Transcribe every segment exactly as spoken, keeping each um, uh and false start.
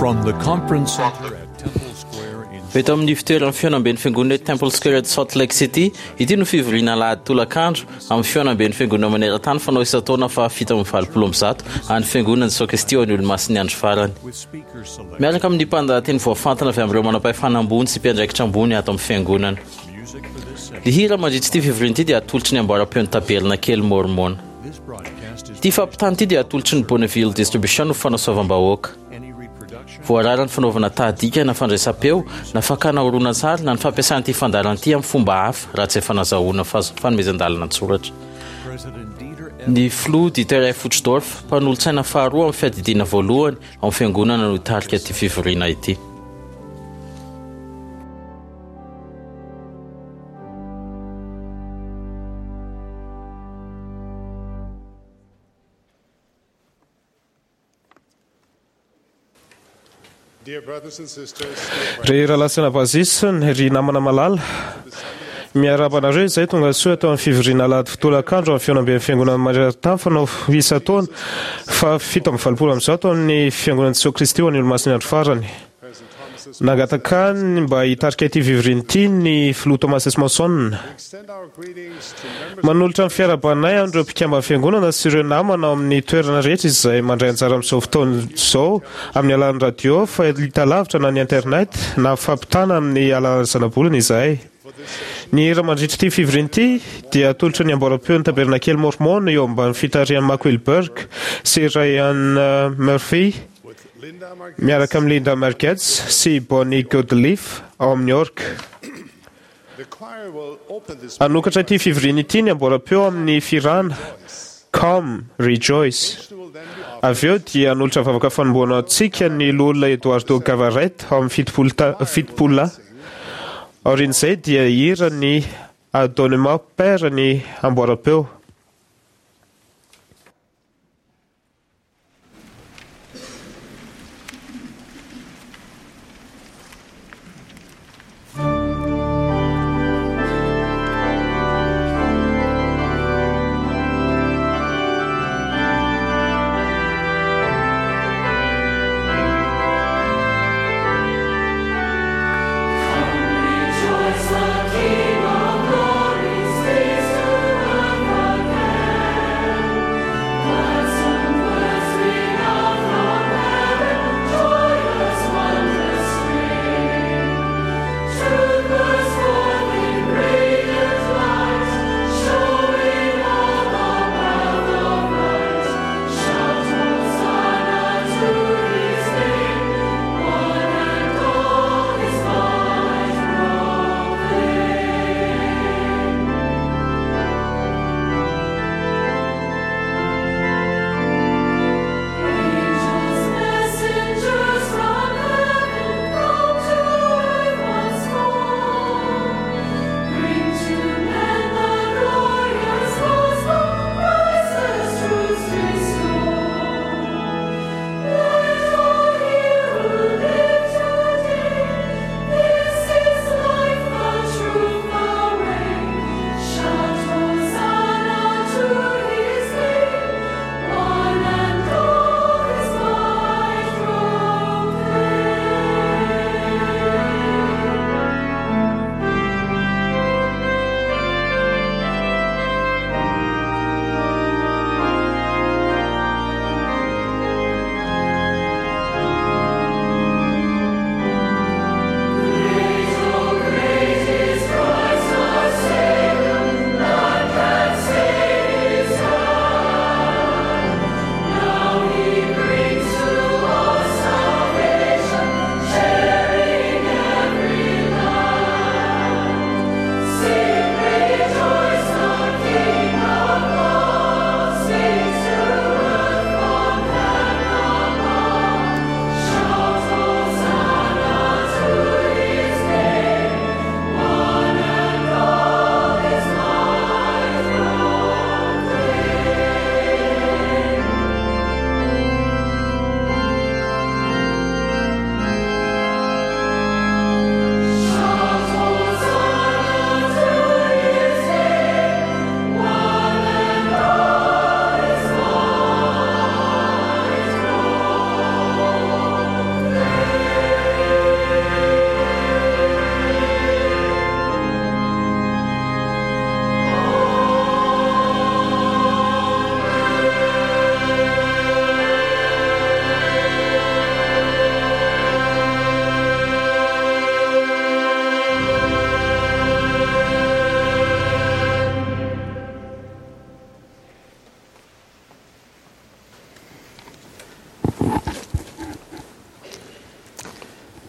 From the conference center at Temple Square in Eto amin'ny fitoeran'ny fihaonamben'ny fiangonana Temple Square at Salt Lake City, ity no fivoriana alahady tolakandro amin'ny fihaonamben'ny fiangonana maneran-tany fanao isan-taona fa fito amby valopolo amby zato any fiangonana Jesoa Kristy ho an'ny olomasin'ny andro farany. with speakers selected Miaraka amin'ny mpandahateny voafantina avy amin'ireo manam-pahefana ambony sy mpiandraikitra ambony ato amin'ny fiangonana. music for this session. Ny hira mandritra ity fivoriana ity dia atolotry ny amboaram-peon'ny tabernakely Mormona. This broadcast is Ity fampitana ity dia atolotry ny Bonneville Distribution ho fanasoavam-bahoaka. any reproduction Voarara ny fanaovana tahadika na fandraisam-peo na fakana horonantsary na ny fampiasana ity fandaharana ity amin'ny fomba hafa raha tsy efa nazahoana faz- fanomezan-dalana an-tsoratra. President Dieter F. Ny filoha Dieter F. Uchtdorf, mpanolotsaina faharoa amin'ny fiadidiana voalohany ao amin'ny fiangonana no hitarika ity fivoriana ity. Dear brothers and sisters, dear Ry rahalahy sy anabavy, ry namana malala, miarahaba anareo izay tonga soa atao amin'ny fivoriana alahady tolakandro amin'ny fihaonamben'ny fiangonana maneran-tany fanao isan-taona fa fito amby valopolo amby zato amin'ny fiangonana Jesoa Kristy ho an'ny olomasin'ny andro farany. President Thomas S. Nangataka ny mba hitarika ity fivoriana ity ny filoha Thomas S. Monson. Extend our greetings to members Manolotra ny fiarahabanay amin'ireo mpikambana fiangonana sy ireo namana ao amin'ny toerana rehetra izay mandray anjara amin'izao fotoana izao amin'ny alalan'ny radio, fahitalavitra na ny internet na fampitana amin'ny alalan'ny zanabolana izahay. Ny hira mandritra ity fivoriana ity dia atolotra ny amboaram-peon'ny tabernakely Mormon eo ambany fitarihan'i Mark Wilberg sy Ryan eh, Murphy with Linda Marquez, miaraka amin'ny Linda Margetts sy Bonnie Godliff ao amin'ny York. The choir will open this Hanokatra ity fivoriana ity ny amboaram-peo amin'ny fihirana Come, Rejoice. will then be offered Avy eo dia hanolotra vavaka fanomboana antsika ny loholona Eduardo Gavarret ao amin'ny fitopolo ta- fitopolo lahy. Aorian'izay dia hira ny Adonnement Père ny amboaram-peo. Rejoice, the King of glory, stays to earth.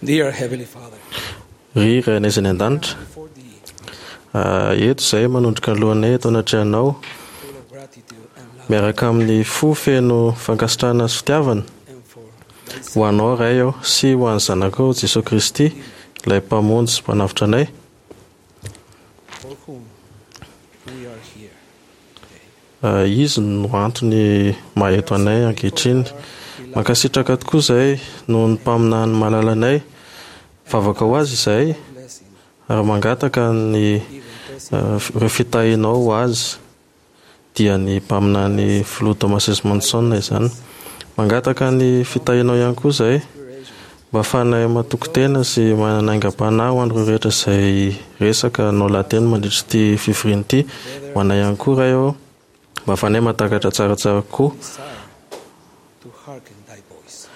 Dear Heavenly Father, Ry Rainay izay any an-danitra, before thee, ah, eto izay manondrika ny lohanay eto anatrehanao full of gratitude and love, miaraka amin'ny fo feno fankasitrahana sy fitiavana and for thy ho anao Ray aho sy ho an'ny zanakao Jesosy Kristy ilay mpamonjy sy mpanavotra anay for whom we are here. Ah, izy no antony maha-eto anay ankehitriny. Mankasitraka tokoa izahay noho ny mpaminany malalanay. Vavaka ho azy izahay Blessing, ary mangataka ny even ah, ireo fitahianao ho azy dia ny mpaminany filoha Thomas S. Monson izany. Mangataka ny fitahianao ihany koa izahay inspiration, mba ahafahanay matoky tena sy manana aingam-panahy ho an'ireo rehetra izay resaka nao lahateny mandritra ity fivoriana ity. Ho anay ihany koa Ray ô, mba ahafahanay mahatakatra tsaratsara kokoa desire to hearken thy voice.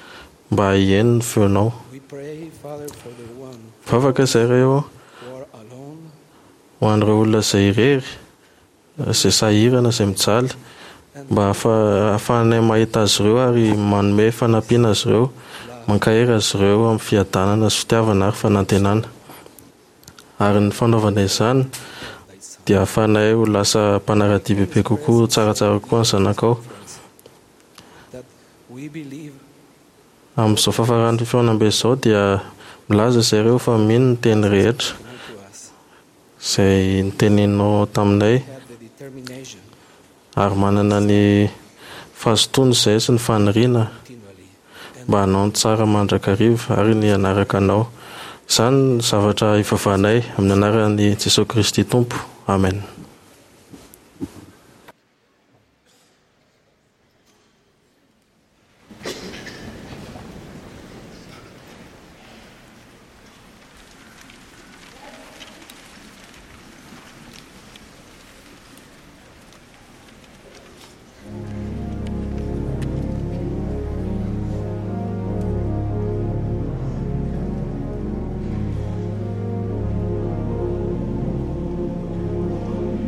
mba hihaino ny feonao. We pray, Father, for the one Vavaka izay Ray ô, who are alone ho an'ireo olona izay irery, izay sahirana, izay mijaly, mba ahafa- ahafahanay mahita azy ireo ary manome fanampiana azy ireo, mankahery azy ireo amin'ny fiadanana sy fitiavana ary fanantenana. Ary ny fanaovana izany dia ahafahanay ho lasa mpanara-dia bebe kokoa, tsaratsara kokoa ny zanakao. that we believe Amin'izao fahafaran'ny fihaonambe izao dia milaza izay ireo fa mino ny teny rehetra come to us, izay niteneninao taminay have the determination ary manana ny fahazotoana izay sy ny faniriana continually and mba hanao ny tsara mandrakariva ary ny hanaraka anao. Izany ny zavatra ivavahanay amin'ny anaran'i Jesosy Kristy Tompo. Amen. Thank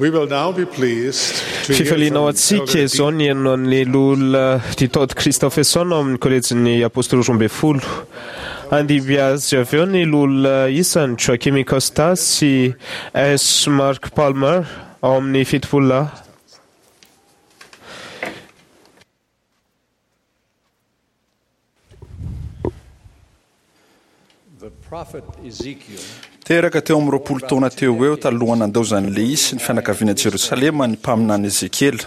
We will now be pleased to hear Fifaliana ho from antsika Elder izao ny haino an'ny loholona Ditodd Christofferson ao amin'ny kolejin'ny Apôstôly roa ambin'ny folo. Handimby azy avy eo ny loholona isany Joaquim Costa sy S. Mark Palmer ao amin'ny fitopolo lahy. The prophet Ezekiel Teraka teo amin'ny roapolo taona teo ho eo talohan'ny nandaozan'i Lehi sy ny fianakaviana Jerosalema ny mpaminany Ezekiela.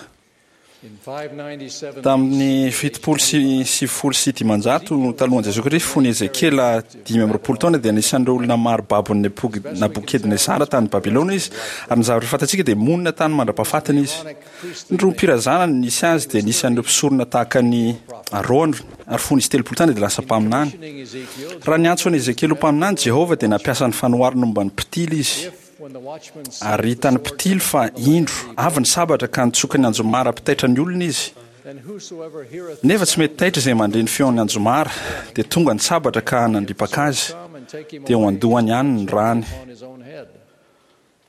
in five ninety-seven Tamin'ny fitopolo sy sivifolo sy dimanjato talohan'i Jesosy Kristy, fony Ezekiela dimy amby roapolo taona dia anisan'ireo olona maro babon'ny Nepo- Nabokadnezara tany Babylona izy, ary ny zavatra fantatsika dia monina tany mandra-pahafatiny izy. Ny rohim-pirazanany nisy azy dia anisan'ireo mpisorona tahaka ny Arona, ary fony izy telopolo taona dia lasa mpaminany. Mentioning Ezekiel, Raha niantso an'i Ezekiela ho mpaminany Jehovah dia nampiasa ny fanoharana momba ny mpitily izy. if when the watchman seeth Ary the hitan'ny sword mpitily fa indro avy ny sabatra ka nitsoka ny anjomara mpitaitra ny olona izy. then whosoever heareth Nefa tsy mety taitra izay mandre ny feon'ny anjomara, dia tonga ny sabatra ka nandripaka azy, come and take him dia ho away andohany ihany ny rany. upon his own head.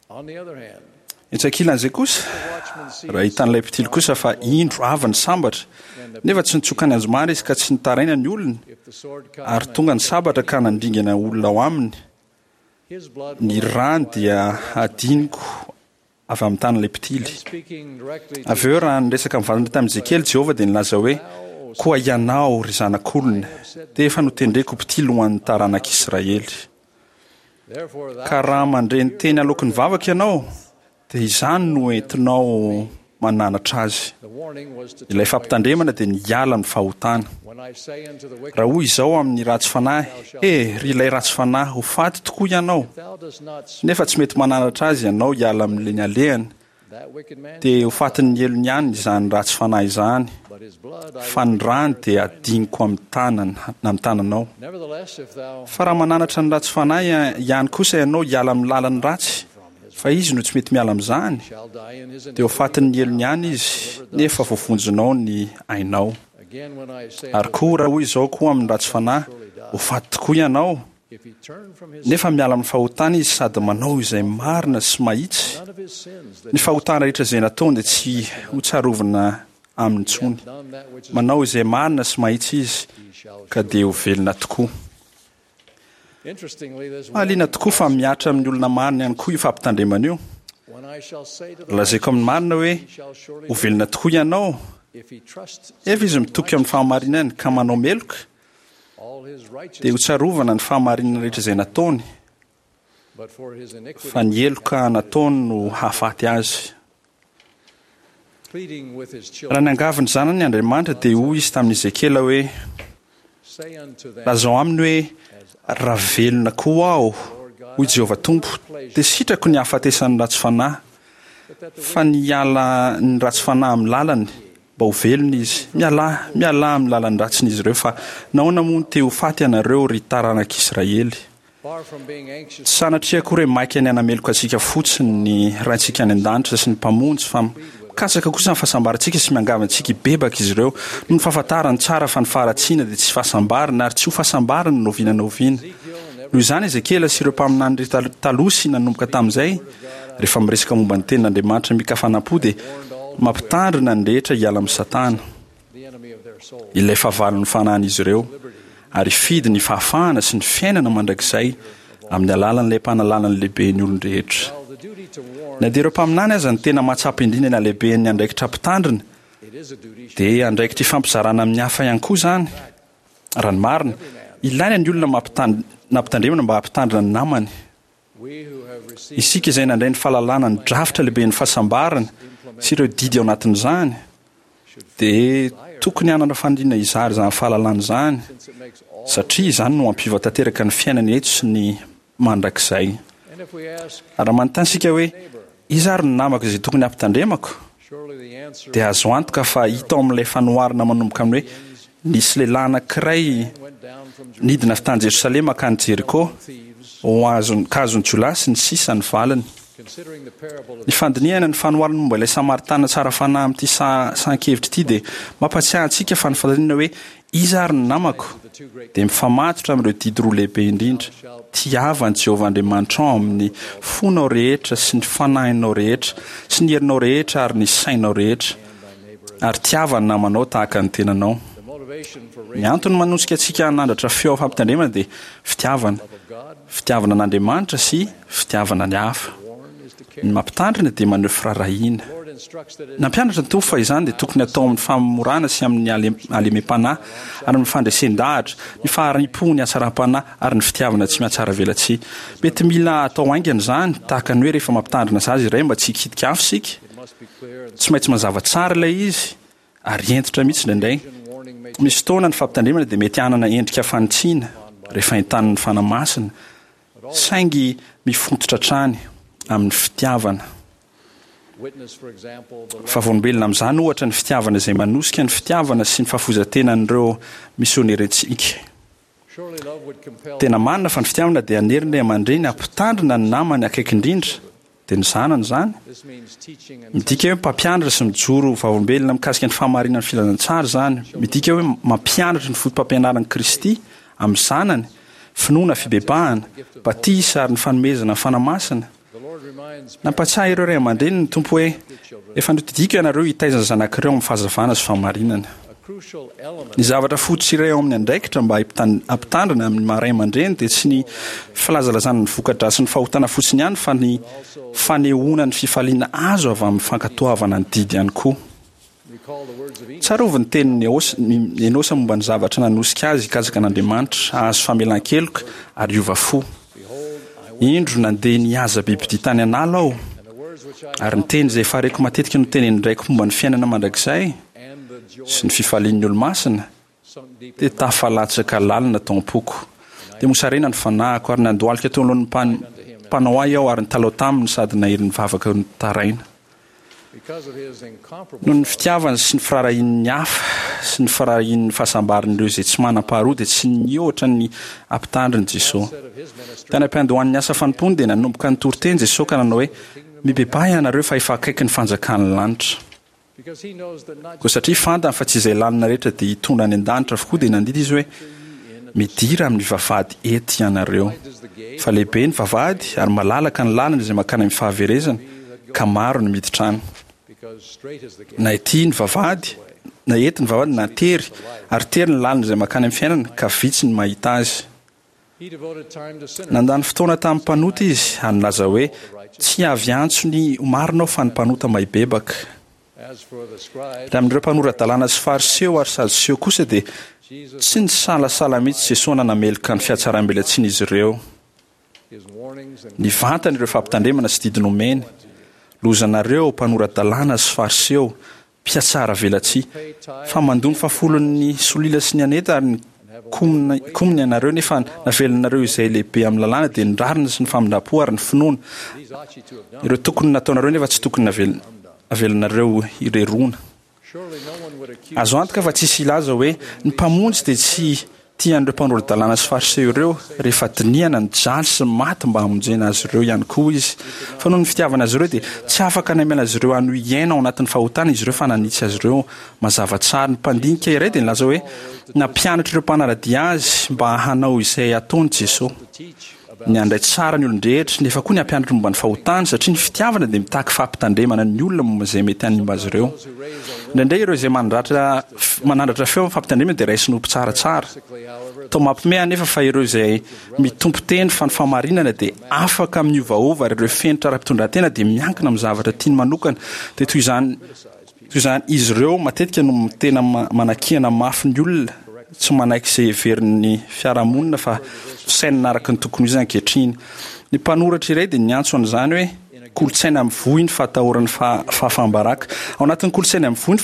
On the other hand, Etsy ankilan'izay kosa, the watchman seeth raha hitan'ilay mpitily kosa fa indro avy ny sambatra, nefa tsy nitsoka ny anjomara izy ka tsy nitaraina ny olony, if the sword come ary tonga ny sabatra ka nandringana olona ao aminy, his blood ny will rany dia hadiniko avy amin'ny tanan'ilay mpitily. And speaking directly to Avy eo raha niresaka mivantana tamin'i Ezekiela, Jehovah dia nilaza hoe: "Koa ianao, ry zanak'olona, dia efa notendreko ho mpitily ho an'ny taranak'Israely. therefore thou Ka raha mandre ny teny aloaky ny vavaka ianao, dia izany no entinao mananatra azy." the warning was to Ilay turn away. fampitandremana dia ny hiala amin'ny fahotana. When I say unto the wicked, Raha hoy izao amin'ny ratsy fanahy: "Eh, ry ilay ratsy fanahy, ho faty tokoa ianao." thou dost not speak Nefa tsy mety mananatra azy ianao hiala amin'ny ny alehany, that wicked man, dia ho fatin'ny helony ihany izany ratsy fanahy izany. but his blood I Fa ny rany dia adiniko amin'ny tanana amin'ny tananao. Nevertheless, if thou Fa raha mananatra ny ratsy fanahy ihany kosa ianao hiala amin'ny lalany ratsy, fa izy no tsy mety miala amin'izany, shall die in his dia ho iniquity, fatin'ny helony ihany izy, nefa voavonjinao ny ainao. again when I say Ary unto koa raha hoy izao koa amin'ny ratsy fanahy, ho faty tokoa ianao, if he turn from his nefa miala amin'ny fahotana izy sady manao izay marina sy mahitsy, none of his sins that ny fahotana rehetra izay nataony dia tsy ho tsarovina aminy intsony. done that which is Manao izay marina sy mahitsy izy, he shall ka dia ho velona tokoa. Interestingly, this Mahaliana tokoa fa mihatra amin'ny olona marina ihany koa io fampitandremana io. when I shall say to the Lazaiko amin'ny marina hoe he shall surely ho velona tokoa ianao, if he trusts efa izy mitoky amin'ny fahamarinany ka manao meloka, all his dia ho righteousness, tsarovana ny fahamarinana rehetra izay nataony, but for his iniquity fa ny heloka nataony no hahafaty azy. pleading with his Raha children, niangavy ny zanany Andriamanitra dia hoy izy tamin'i Ezekiela hoe: say unto them, "Lazao aminy hoe raha velona koa aho, hoy Jehovah Tompo, dia sitrako ny hahafatesan'ny ratsy fanahy, but that the fa ny hiala ny ratsy fanahy amin'ny lalany mba ho velona izy. Mialà, mialà amin'ny lalany ratsin'izy ireo, fa nahoana moa no te ho faty ianareo, ry taranak'Israely?" far from being anxious Tsy sanatria akory hoe maika ny hanameloka antsika fotsiny ny Raintsika any an-danitra sy ny Mpamonjy, fa mikatsaka kosa ny fahasambarantsika sy miangavy antsika hibebaka izy ireo, noho ny fahafantarany tsara fa ny faharatsiana dia tsy fahasambarana ary tsy ho fahasambarana na oviana na oviana. Noho izany Ezekiela sy ireo mpaminany rehetra taloha sy nanomboka tamin'izay, rehefa miresaka momba ny tenin'Andriamanitra mikafanam-po dia mampitandrina ny rehetra hiala amin'ny Satana, the enemy of their soul, ilay fahavalon'ny fanahin'izy ireo, ary hifidy ny fahafahana sy ny fiainana mandrakizay amin'ny alalan'ilay mpanalalana lehibe ny olon-drehetra. Well, the duty to warn, Na dia ireo mpaminany aza ny tena mahatsapa indrindra ny halehiben'ny andraikitra mpitandrina, it is a duty dia andraikitra ifampizarana amin'ny hafa ihany koa izany. Raha ny marina, ilaina ny olona mampitan- nampitandremana mba hampitandrina ny namany. we who have received Isika izay nandray ny fahalalana ny drafitra lehiben'ny fahasambarana sy ireo didy ao anatin'izany, dia tokony hanana faniriana hizara izany fahalalana izany, since it makes all satria izany no hampiova tanteraka ny fiainana eto sy ny mandrakizay. and if we ask Raha manontany isika hoe iza ary ny namako izay tokony hampitandremako, surely the answer dia azo antoka fa hita ao amin'ilay fanoharana manomboka amin'ny hoe nisy lehilahy anankiray went down from nidina avy tany Jerosalema ka any Jeriko, thieves ho azon- ka azon'ny jiolahy sy ny sisa ny valiny. considering the parable of Ny fandinihana ny fanoharana momba ilay Samaritana tsara fanahy amin'ity sa- sahan-kevitra ity dia mampatsiahy antsika fa ny fanontaniana hoe Iza ary ny namako? dia mifamatotra amin'ireo didy roa lehibe indrindra, Tiava an'i Jehovah Andriamanitrao amin'ny fonao rehetra sy ny fanahinao rehetra sy ny herinao rehetra ary ny sainao rehetra, ary tiava ny namanao tahaka ny tenanao. Ny antony manosika antsika hanandratra feo fampitandremana dia fitiavana, fitiavana an'Andriamanitra sy fitiavana ny hafa. Ny mampitandrina dia maneho firaharahiana. Nampianatra ny Tompo fa izany dia tokony hatao amin'ny famorana sy amin'ny halemem-panahy ary amin'ny fandresen-dahatra, ny fahari-po, ny hatsaram-panahy ary ny fitiavana tsy mihatsaravelatsihy. Mety mila atao haingana izany, tahaka ny hoe rehefa mampitandrina zaza iray mba tsy hikitika afo isika. Tsy maintsy mazava tsara ilay izy ary hentitra mihitsy indraindray. Misy fotoana ny fampitandremana dia mety hanana endrika fanitsiana rehefa entanin'ny Fanahy Masina, saingy mifototra hatrany amin'ny fitiavana. Vavolombelona amin'izany ohatra ny fitiavana izay manosika ny fitiavana sy ny fahafoizan-tenan'ireo misionerantsika. Tena marina fa ny fitiavana dia hanery ny ray aman-dreny hampitandrina ny namany akaiky indrindra, dia ny zanany izany. Midika hoe mpampianatra sy mijoro ho vavolombelona mikasika ny fahamarinan'ny filazantsara izany. Midika hoe mampianatra ny fotopampianaran'i Kristy amin'ny zanany, finoana, fibebahana, batisa ary ny fanomezana ny Fanahy Masina. Nampatsiahy ireo ray aman-dreny ny Tompo hoe, Efa nodidiako ianareo hitaiza ny zanak'ireo amin'ny fahazavana sy fahamarinana. Ny zavatra fototra iray ao amin'ny andraikitra mba hampitandrina amin'ny maha ray aman-dreny dia tsy ny filazalazana ny voka-dratsin'ny fahotana fotsiny ihany fa ny fanehoana ny fifaliana azo avy amin'ny fankatoavana ny didy ihany koa. Tsarovy ny tenin'i Enosa momba ny zavatra nanosika azy hikatsaka an'Andriamanitra, hahazo famelan-keloka ary hiova fo. Indro, nandeha nihaza bibidia tany an'ala aho, ary ny teny izay efa reko matetika notenenin-draiko momba ny fiainana mandrakizay sy ny fifalian'ny olo-masina dia tafalatsaka lalina tao am-poko. Dia mosarena ny fanahiko, ary nandohalika teo anoloan'ny Mpanao ahy aho ary nitalaho taminy sady nahery nivavaka nitaraina. Noho ny fitiavany sy ny firaharahiany ny hafa sy ny firaharahiany ny fahasambaran'ireo izay tsy manam-paharoa dia tsy nihoatra ny hampitandriny Jesoa. Tany am-piandohan'ny asa fanompoany dia nanomboka nitory teny Jesoa ka nanao hoe, Mibebaha ianareo fa efa akaiky ny fanjakan'ny lanitra. Koa satria fantany fa tsy izay lalana rehetra dia hitondra any an-danitra avokoa dia nandidy izy hoe, Midira amin'ny vavahady ety ianareo. Fa lehibe ny vavahady ary malalaka ny lalana izay mankany amin'ny fahaverezana, ka maro ny miditra any. Na ety ny vavahady, na ety ny vavahady na tery, ary tery ny lalana izay mankany amin'ny fiainana, ka vitsy ny mahita azy. Nandany fotoana tamin'ny mpanota izy ary nilaza hoe, Tsy avy hiantso ny marina aho fa ny mpanota mba hibebaka. Raha amin'ireo mpanora-dalàna sy Fariseo ary Sadoseo kosa dia tsy nisalasala mihitsy Jesoa nanameloka ny fihatsaram-belatsian'izy ireo. Nivantana ireo fampitandremana sy didy nomeny, Lozanareo, mpanora-dalàna sy Fariseo, mpihatsara velatsihy, fa mandoa ny fahafolon'ny solila sy ny aneta ary ny komina komina ianareo, nefa navelanareo izay lehibe amin'ny lalàna, dia ny rariny sy ny famindram-po ary ny finoana. Ireo tokony nataonareo nefa tsy tokony navelanareo hireroana. Azo antoka fa tsisy hilaza hoe ny Mpamonjy dia tsy tia an'ireo mpanora-dalàna sy Fariseo ireo, rehefa dinihana nijaly sy maty mba hamonjena azy ireo ihany koa Izy. Fa noho ny fitiavana azy ireo dia tsy afaka namela azy ireo hanohy hiaina ao anatin'ny fahotana izy ireo fa nanitsy azy ireo mazava tsara. Ny mpandinika iray dia nilaza hoe nampianatra ireo mpanara-dia Azy mba hanao izay ataony Jesoa. Ny handray tsara ny olon-drehetra, nefa koa ny hampianatra momba ny fahotana, satria ny fitiavana dia mitaky fampitandremana ny olona momba izay mety hanimba azy ireo. Indraindray ireo izay mandratra manandratra feo amin'ny fampitandremana dia raisiny ho mpitsaratsara. Toa mampiomehy anefa fa ireo izay mitompo teny fa ny fahamarinana dia afaka miovaova ary ireo fenitra ara-pitondran-tena dia miankina amin'ny zavatra tiany manokana, dia toy izany Toy izany, izy ireo matetika no tena manakiana mafy ny olona tsy manaiky izay heverin'ny fiarahamonina fa fisainana araka ny tokony ho izy ankehitriny. Ny mpanoratra iray dia niantso an'izany hoe kolontsaina mivoy ny fahatahorana fahafaham-baraka. Ao anatin'ny kolontsaina mivoy ny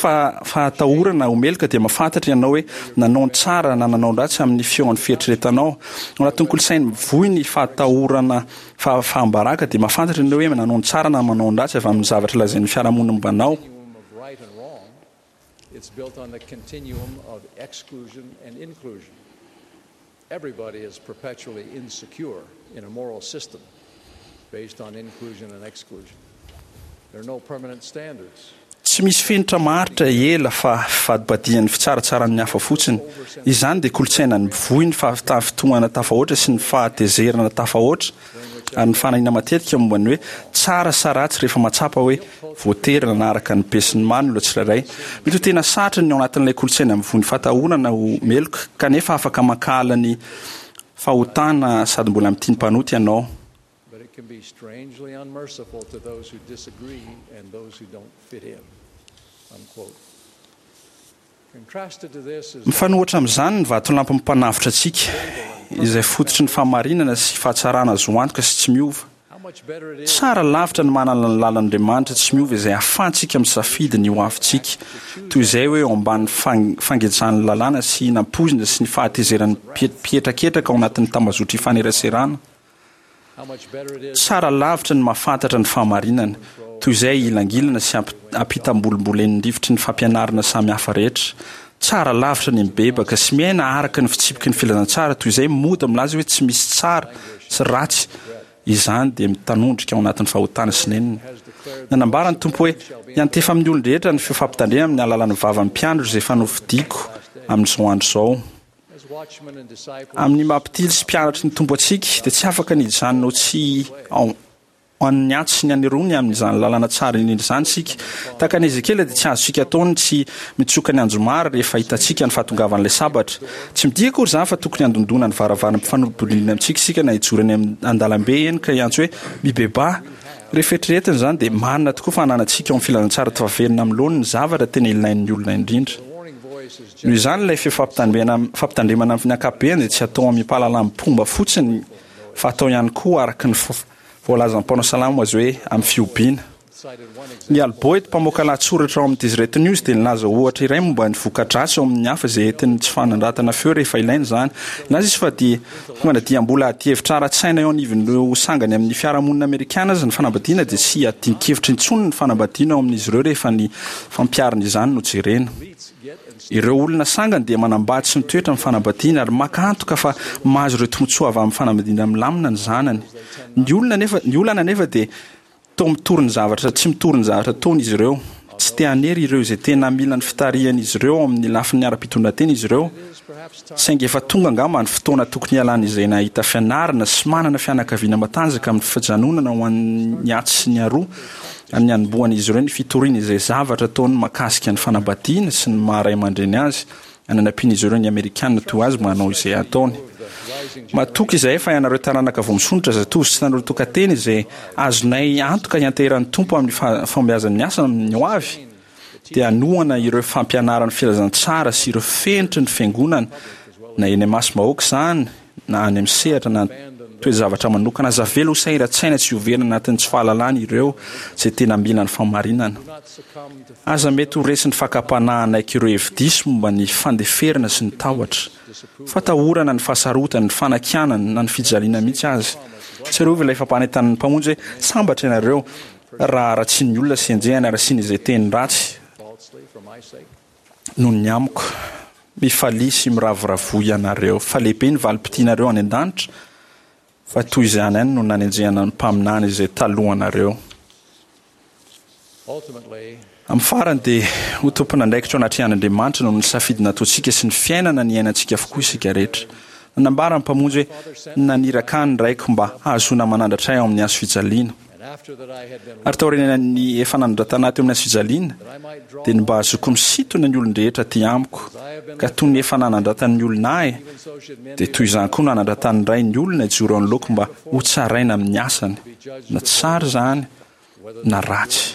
fahatahorana ho meloka dia mahafantatra ianao hoe nanao ny tsara na nanao ny ratsy amin'ny feon'ny fieritreretanao. Ao anatin'ny kolontsaina mivoy ny fahatahorana Fahafaham-baraka dia mahafantatra ianao hoe manao ny tsara na manao ny ratsy avy amin'ny zavatra lazain'ny fiarahamonina momba anao. Tsy misy fenitra maharitra ela fa fivadibadihan'ny fitsaratsaran'ny hafa fotsiny. Izany dia kolontsaina mivoy ny fahatafintohana tafahoatra sy ny fahatezerana tafahoatra ary ny fanahiana matetika momba ny hoe tsara sa ratsy rehefa mahatsapa hoe voatery nanaraka ny besinimaro ny olona tsirairay. Mety ho tena sarotra ny ao anatin'ilay kolontsaina mivoy ny fatahorana ho meloka, kanefa afaka mankahala ny fahotana sady mbola mitia ny mpanota ianao. But it can be strangely unmerciful to those who disagree and those who don't fit in. Unquote. Contrasted to this is Mifanohitra amin'izany ny vatolampy mpanavotra antsika, izay fototry ny fahamarinana sy fahatsarana azo antoka sy tsy miova. how much better it is Tsara lavitra ny manana ny lalan'Andriamanitra tsy miova izay ahafahantsika misafidy ny hoavintsika, toy izay hoe eo ambanin'ny fang- fangejan'ny lalàna sy nampoizina sy ny fahatezeran'ny mpie- mpietraketraka ao anatin'ny tambazotra ifaneraserana. how much better it is Tsara lavitra ny mahafantatra ny fahamarinana, toy izay hilangilana sy amp- ampitambolimbolen'ny rivotry ny fampianarana samihafa rehetra. Tsara lavitra ny mibebaka sy miaina araka ny fitsipiky ny filazantsara, toy izay mody milaza hoe tsy misy tsara sy ratsy. Izany dia mitanondrika ao anatin'ny fahotana sy nenina. Nanambara ny Tompo hoe hiantefa amin'ny olon-drehetra ny fampitandremana amin'ny alalan'ny vavan'ny mpiandry izay efa nofidiko amin'izao andro izao. as watchmen and disciples Amin'ny mampitily sy mpianatry ny Tompo antsika dia tsy afaka ny hijanona ho tsy ao an'ny atsy sy ny aneroany amin'izany lalana tsara indrindra izany isika. Tahaka ny Ezekiela dia tsy azontsika atao ny tsy mitsoka ny anjomara rehefa hitantsika ny fahatongavan'ilay sabatra. Tsy midika akory izany fa tokony handondona ny varavarana mpifanolo-bodirindrina amintsika isika na hijoro eny amin'ny an-dalambe eny ka hiantso hoe mibebaha. Rehefa eritreretina izany dia marina tokoa fa ananantsika ao amin'ny filazantsara tafaverina amin'ny laoniny ny zavatra tena ilain'ny olona indrindra. the warning voice is Noho izany ilay fampitandremana fampitandremana amin'ny ankapobeny dia tsy atao amin'ny fahalalam-pomba fotsiny fa atao ihany koa araka ny fo- voalazan'ny mpanao salamo azy hoe amin'ny fihobiana. cited one Ny Al Boyd mpamoaka lahatsoratra ao amin'ny Deseret News dia nilaza ohatra iray momba ny voka-dratsy eo amin'ny hafa izay entin'ny tsy fanandratana feo rehefa ilaina izany. Nilaza izy fa dia tonga dia mbola adihevitra ara-tsaina eo anivon'ireo sangany amin'ny fiarahamonina amerikana aza ny fanambadiana dia tsy adin-kevitra intsony ny fanambadiana eo amin'izy ireo rehefa ny fampiharana izany no jerena. Ireo olona sangany dia manambady sy mitoetra amin'ny fanambadiana ary maka antoka fa mahazo ireo tombontsoa avy amin'ny fanambadiana milamina ny zanany. Ny olona nefa ny olana nefa dia toa mitory ny zavatra tsy mitory ny zavatra ataony izy ireo. Tsy te hanery ireo izay tena mila ny fitarihan'izy ireo ao amin'ny lafiny ara-pitondran-tena izy ireo. Saingy efa tonga angamba ny fotoana tokony hialana izay nahita fianarana sy manana fianakaviana matanjaka amin'ny fijanonana ho an'ny atsy sy ny aroa amin'ny hanombohan'izy ireo ny fitoriana izay zavatra ataony mahakasika ny fanambadiana sy ny maha ray aman-dreny azy ananampian'izy ireo ny Amerikana toa azy manao izay ataony. Matoky izahay fa ianareo taranaka vao misondrotra zatovo sy tanora tokantena izay azonay antoka hianteheran'ny Tompo amin'ny fa- fahombiazan'ny asa amin'ny ho avy dia hanohana ireo fampianaran'ny filazantsara sy ireo fenitry ny fiangonana na eny imasom-bahoaka izany na any amin'ny sehatra na toe-javatra manokana. Aza avela ho sahiran-tsaina tsy ho very anatin'ny tsy fahalalana ireo izay tena mila ny fahamarinana. Aza mety ho resin'ny fakam-panahy hanaiky ireo hevi-diso momba ny fandeferana sy ny tahotra. Fatahorana ny fahasarotana, ny fanakianana na ny fijaliana mihitsy aza. Tsarovy ilay fampanentanan'ny Mpamonjy hoe sambatra ianareo raha ratsian'ny olona sy enjehina ary asiana izay teny ratsy falsely for my sake. noho ny amiko. Mifalia sy miravoravoa ianareo fa lehibe ny valim-pitianareo any an-danitra fa toy izany ihany no nanenjehana ny mpaminany izay talohanareo. Ultimately, Amin'ny farany dia ho tompon'andraikitra ao anatrehan'Andriamanitra noho ny safidy nataontsika sy ny fiainana niainantsika avokoa isika rehetra. Nanambara ny Mpamonjy hoe naniraka ahy ny Raiko mba hahazoana manandratra ahy ao amin'ny hazo fijaliana. and after that I had been Ary taorian'ny efa nanandratana ahy teo amin'ny hazo fijaliana that I might draw dia ny mba hahazoako misintona ny olon-drehetra aty amiko. Ka toy ny efa nanandratan'ny olona ahy even so should men dia be toy izany koa no nanandratan'ny Ray ny olona hijoro eo anoloako mba ho tsaraina amin'ny asany, na tsara izany whether na they be ratsy.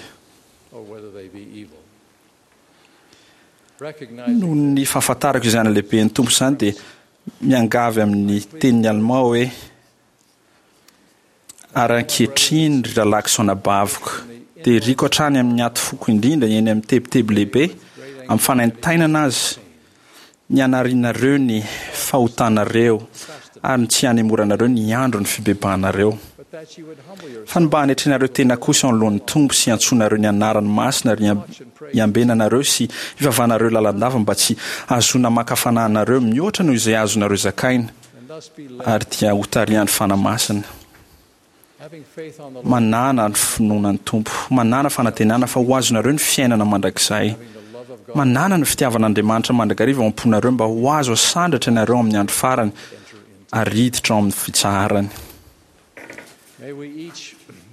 good or whether they be evil. Recognizing Noho ny fahafantarako izany lehiben'ny Tompo izany dia miangavy amin'ny tenin'ny Alema hoe ary ankehitriny ry rahalahiko sy anabaviko dia iriko hatrany amin'ny aty foko indrindra eny amin'ny tebiteby lehibe amin'ny fanaintainana azy ny hanarinareo ny fahotanareo ary ny tsy hanemoranareo ny andro ny fibebahanareo. but that you would humble yourselves Fa ny mba hanetrenareo tena kosa eo anoloan'ny Tompo sy hiantsoanareo ny anarany masina ary hiambenanareo sy hivavanareo lalandava mba tsy hahazoana maka fanahinareo mihoatra noho izay azonareo zakaina and thus be led ary dia hotarihan'ny Fanahy Masina. Manàna ny finoana ny Tompo, manàna fanantenana fa ho azonareo ny fiainana mandrakizay. Manàna ny fitiavan'Andriamanitra mandrakariva ao am-ponareo mba ho azo asandratra ianareo amin'ny andro farany ary hiditra ao amin'ny fitsaharany.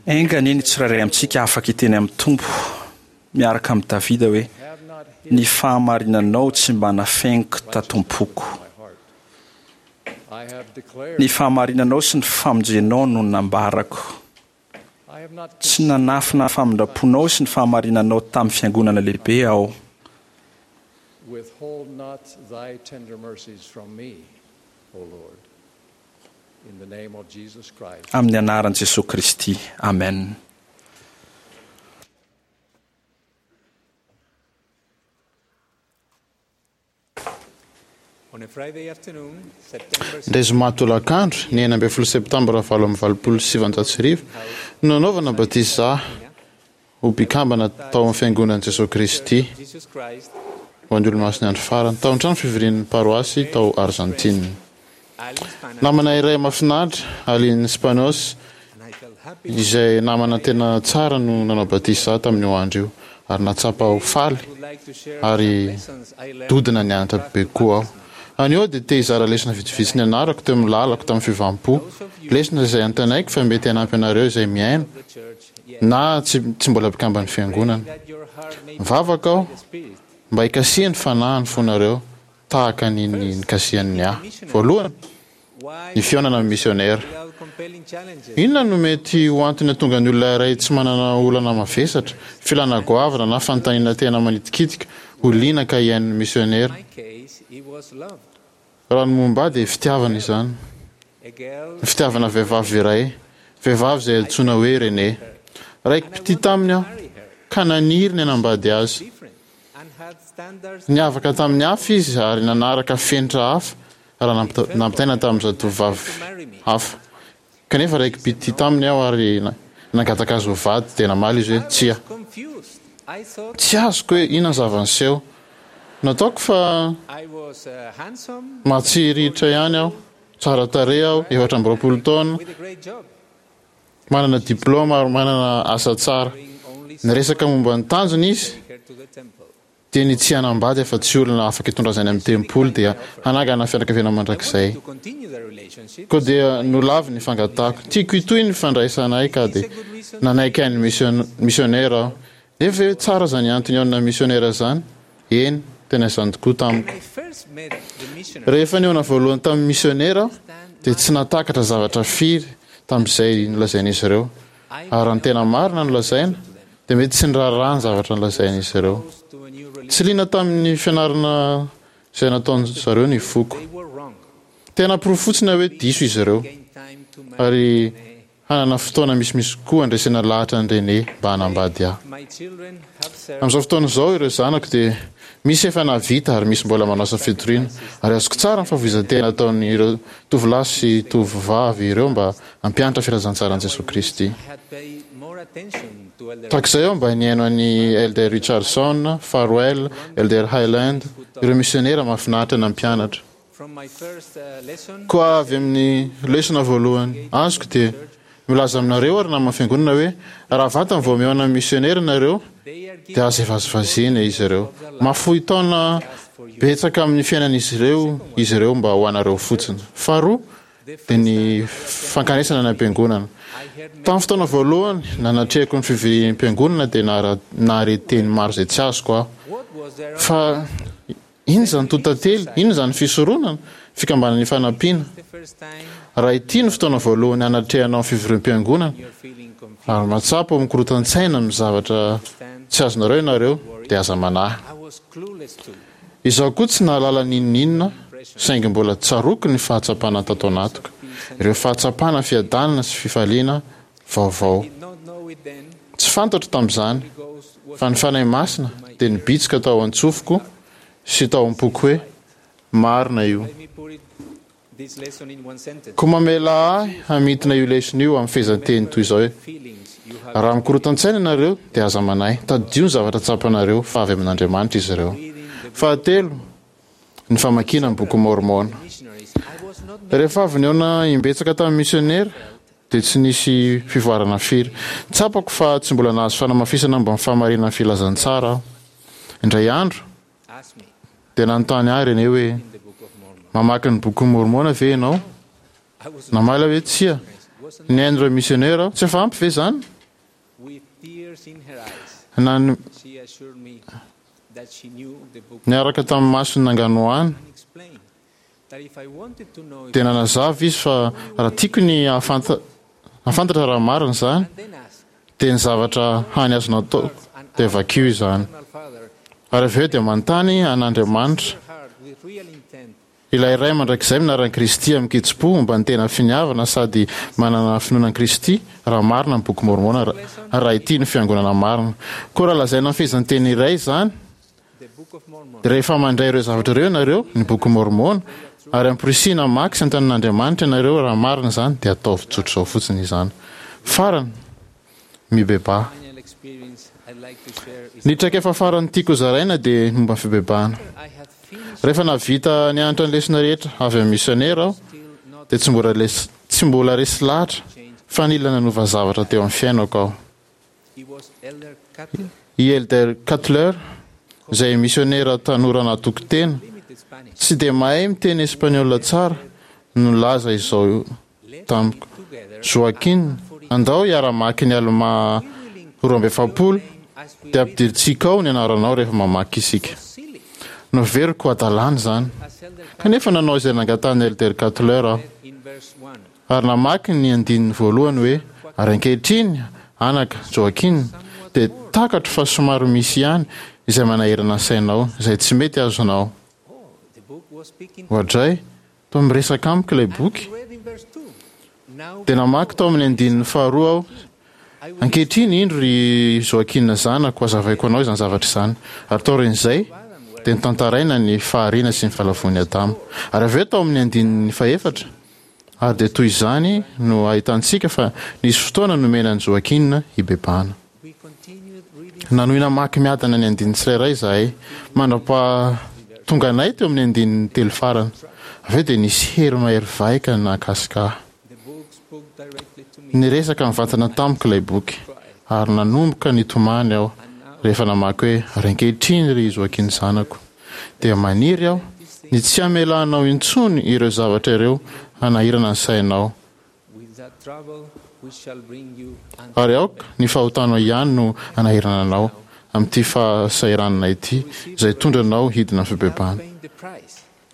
Enga anie ny tsirairay amintsika afaka hiteny amin'ny Tompo miaraka amin'i Davida hoe, Ny fahamarinanao tsy mba nafeniko tato am-poko. Ny fahamarinanao sy ny famonjenao no nambarako. Tsy nanafina ny famindram-ponao sy ny fahamarinanao tamin'ny fiangonana lehibe aho. Amin'ny anaran'i Jesoa Kristy, amen. Indray zoma tolakandro, ny enina ambin'ny folo septambra valo amby valopolo sy sivanjato sy arivo, no nanaovana batisa ahy ho mpikambana tao amin'ny Fiangonan'i Jesoa Kristy ho an'ny Olomasin'ny Andro Farany, tao an-trano fivorian'ny paroasy tao Arzantina. Namana iray mahafinaritra, Aline Spanos, izay namana tena tsara no nanao batisa ahy tamin'io andro io, ary nahatsapa ho faly ary dodona nianatra bebe kokoa aho. Anio aho dia te hizara lesona vitsivitsy nianarako teo amin'ny lalako tamin'ny fiovam-po, lesona izay antenaiko fa mety hanampy anareo izay mihaino na tsy tsy mbola mpikamban'ny Fiangonana. Mivavaka aho mba hikasihan'ny Fanahy ny fonareo tahaka ny nikasihany ny ahy. Voalohany, ny fihaonana amin'ny misionera. Inona no mety ho antony hahatonga ny olona iray tsy manana olana mavesatra, filana goavana na fanontaniana tena manitikitika ho liana ka hihaino ny misionera? Raha ny momba ahy dia fitiavana izany. Ny fitiavana vehivavy iray, vehivavy izay antsoina hoe Renee. Raiki-pitia taminy aho, ka naniry ny hanambady azy. Niavaka tamin'ny hafa izy ary nanaraka fenitra hafa raha nampitaina tamin'ny zatovovavy hafa. Kanefa raiki-pitia taminy aho ary nangataka azy ho vady, dia namaly izy hoe tsia. Tsy azoko hoe inona ny zava-niseho. Nataoko fa mahatsiriritra ihany aho. Tsara tarehy aho, efatra amby roapolo taona. Manana diplaoma ary manana asa tsara. Niresaka momba ny tanjony izy, dia ny tsy hanambady afa-tsy olona afaka hitondra azy any amin'ny tempoly dia hanangana fianakaviana mandrakizay. Koa dia nolaviny ny fangatahako. Tiako hitohy ny fandraisanay ka dia nanaiky haino misionera aho. Nefa ve tsara izany antony haonina misionera izany? Eny, tena izany tokoa tamiko. Rehefa nihaona voalohany tamin'ny misionera aho, dia tsy nahatakatra zavatra firy tamin'izay nolazain'izy ireo. Ary raha ny tena marina no lazaina, dia mety tsy niraharaha ny zavatra nolazain'izy ireo. Tsy liana tamin'ny fianarana izay nataon-dry zareo ny foko. Te hanaporofo fotsiny aho hoe diso izy ireo. Ary hanana fotoana misimisy kokoa handresena lahatra an'i Renée mba hanambady ahy. Amin'izao fotoana izao ireo zanako dia misy efa nahavita ary misy mbola manao asa fitoriana, ary azoko tsara ny fahafoizan-tena ataon'ireo tovolahy sy tovovavy ireo mba hampianatra filazantsaran'i Jesoa Kristy. Tahaka izay aho mba nihaino an'i Elder Richardson, Farwell, Elder Hyland, ireo misionera mahafinaritra nampianatra. Koa avy amin'ny lesona voalohany azoko dia milaza aminareo aho ry naman'ny Fiangonana hoe raha vantany vao mihaona amin'ny misionera ianareo dia aza vazivaziana izy ireo. Mahafoy taona betsaka amin'ny fiainan'izy ireo izy ireo mba ho anareo fotsiny. Faharoa dia ny fankanesana any am-piangonana. Tamin'ny fotoana voalohany nanatrehako ny fivoriam-piangonana dia nahare teny maro izay tsy azoko aho. Fa Inona izany totately? Inona izany fisoronana? Fikambanana Ifanampiana. Raha ity no fotoana voalohany hanatrehanao ny fivoriam-piangonana, ary mahatsapa ho mikorotan-tsaina amin'ny zavatra tsy azonareo ianareo, dia aza manahy. Izaho koa tsy nahalala n'inon'inona, saingy mbola tsaroako ny fahatsapana tato anatiko, ireo fahatsapana fiadanana sy fifaliana vaovao. Tsy fantatro tamin'izany fa ny Fanahy Masina dia nibitsika tao an-tsofiko sy tao am-poko hoe, Marina io. Koa mamelà ahy hamintina io lesona io amin'ny fehezanteny toy izao hoe, Raha mikorotan-tsaina ianareo dia aza manahy, tadidio ny zavatra tsapanareo fa avy amin'Andriamanitra izy ireo. Fahatelo, ny famakiana ny Bokin'i Môrmôna. Rehefa avy nihaona imbetsaka tamin'ny misionera, dia tsy nisy fivoarana firy. Tsapako fa tsy mbola nahazo fanamafisana momba ny fahamarinan'ny filazantsara aho. Indray andro, dia nanontany ahy René hoe, Mamaky ny Bokin'i Môrmôna ve ianao? Namaly aho hoe, Tsia. Nihaino ireo misiônera aho. Tsy efa ampy ve izany? Na ny niaraka tamin'ny masony nanganohano, dia nanazava izy fa raha tiako ny hahafantatra raha marina izany, dia ny zavatra hany azonao atao dia vakio izany. Ary avy eo dia manontany an'Andriamanitra, ilay Ray mandrakizay minaran'i Kristy amin-kitsim-po momba ny tena finiavana sady manana finoana an'i Kristy, raha marina ny Boky Môrmôna, raha ity no fiangonana marina. Koa raha lazaina amin'ny fehezanteny iray izany, dia rehefa mandray ireo zavatra ireo ianareo, ny Boky Môrmôna, ary amporisihina hamaky sy hanontany an'Andriamanitra ianareo raha marina izany, dia ataovy tsotr'izao fotsiny izany. Farany, mibebaha. Ny traikefa farany tiako hozaraina dia ny momba ny fibebahana. Rehefa nahavita nianatra ny lesona rehetra avy amin'ny misionera aho, dia tsy mbola tsy mbola resy lahatra fa nila nanova zavatra teo amin'ny fiainako aho. I Elder Cutler, izay misionera tanora natoky tena, tsy dia mahay miteny espaniola tsara, no nilaza izao tamiko, Joaquín, andao hiara-hamaky ny Almà roa amby efapolo, dia ampidirintsika ao ny anaranao rehefa mamaky isika. Noheveriko ho hadalana izany. Kanefa nanao izay nangatahan'i Elder Cutler aho. Ary namaky ny andininy voalohany hoe, Ary ankehitriny, anaka, Joaquín, dia takatro fa somary misy ihany izay manahirana ny sainao, izay tsy mety azonao. Oadray, toa miresaka amiko ilay boky. Dia namaky tao amin'ny andininy faharoa aho, Ankehitriny, indro ry Joaquín zanako, hazavaiko anao izany zavatra izany. Ary taorian'izay, dia notantaraina ny fahariana sy ny fahalavoan'i Adama. Ary avy eo tao amin'ny andininy fahefatra, Ary dia toy izany no ahitantsika fa nisy fotoana nomena an'i Joaquín hibebahana. Nanohy namaky miadana ny andininy tsirairay izahay, mandra-pahatonga anay teo amin'ny andininy telo farany. Avy eo dia nisy hery mahery vaika nahakasika ahy. Niresaka mivantana tamiko ilay boky, ary nanomboka nitomany aho rehefa namaky hoe, Ary ankehitriny, ry Joaquín zanako, dia maniry aho ny tsy hamelanao intsony ireo zavatra ireo hanahirana ny sainao, ary aoka ny fahotanao ihany no hanahirana anao amin'ity fahasahiranana ity izay hitondra anao hidina amin'ny fibebahana.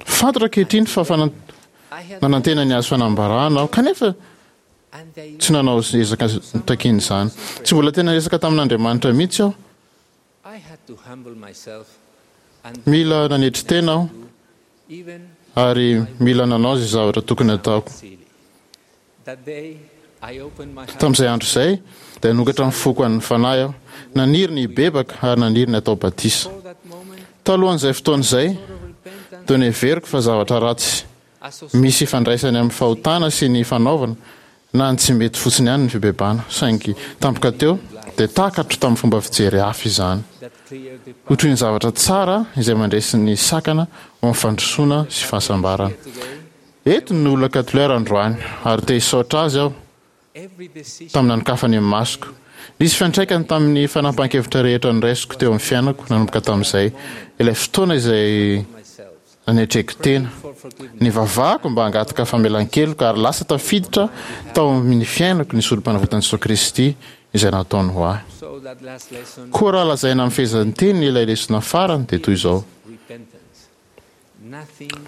Fantatro ankehitriny fa nanantena ny hahazo fanambarana aho, kanefa tsy nanao ezaka notakian'izany. Tsy mbola tena niresaka tamin'Andriamanitra mihitsy aho. Mila nanetry tena aho ary mila nanao izay zavatra tokony hataoko. Tamin'izay andro izay, dia nanokatra ny foko an'ny Fanahy aho, naniry ny hibebaka ary naniry ny hatao batisa. Talohan'izay fotoana izay, dia noheveriko fa zavatra ratsy misy ifandraisany amin'ny fahotana sy ny fanaovana na ny tsy mety fotsiny ihany ny fibebahana, saingy tampoka teo dia takatro tamin'ny fomba fijery hafa izany, ho toy ny zavatra tsara izay mandresy ny sakana ho amin'ny fandrosoana sy fahasambarana. Eto ny Olona Cutler androany, ary te hisaotra azy aho tamin'ny nanokafany ny masoko. Nisy fiantraikany tamin'ny fanapahan-kevitra rehetra noraisiko teo amin'ny fiainako nanomboka tamin'izay, ilay fotoana izay nanetreko tena. Nivavahako mba hangataka famelan-keloka ary lasa tafiditra tao amin'ny fiainako ny Sorompanavotan'i Jesoa Kristy izay nataony ho ahy. Koa raha lazaina amin'ny fehezanteny ilay lesona farany dia toy izao,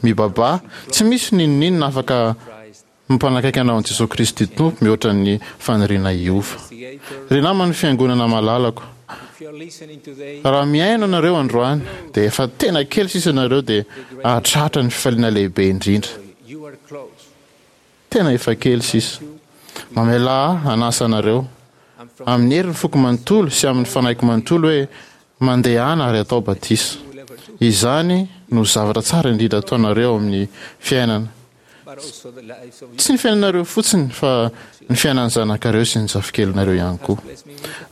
Mibabaha, tsy misy n'inon'inona afaka Mampanakaiky anao an'i Jesoa Kristy Tompo mihoatra ny faniriana hiova. Ry naman'ny Fiangonana malalako, raha mihaino anareo androany dia efa tena kely sisa ianareo dia hahatratra ny fifaliana lehibe indrindra. Tena efa kely sisa. Mamelà ahy hanasa anareo, amin'ny herin'ny foko manontolo sy amin'ny fanahiko manontolo hoe, Mandehana ary atao batisa. Izany no zavatra tsara indrindra ataonareo amin'ny fiainana. Tsy ny fiainanareo fotsiny fa ny fiainan'ny zanakareo sy ny zafikelinareo ihany koa.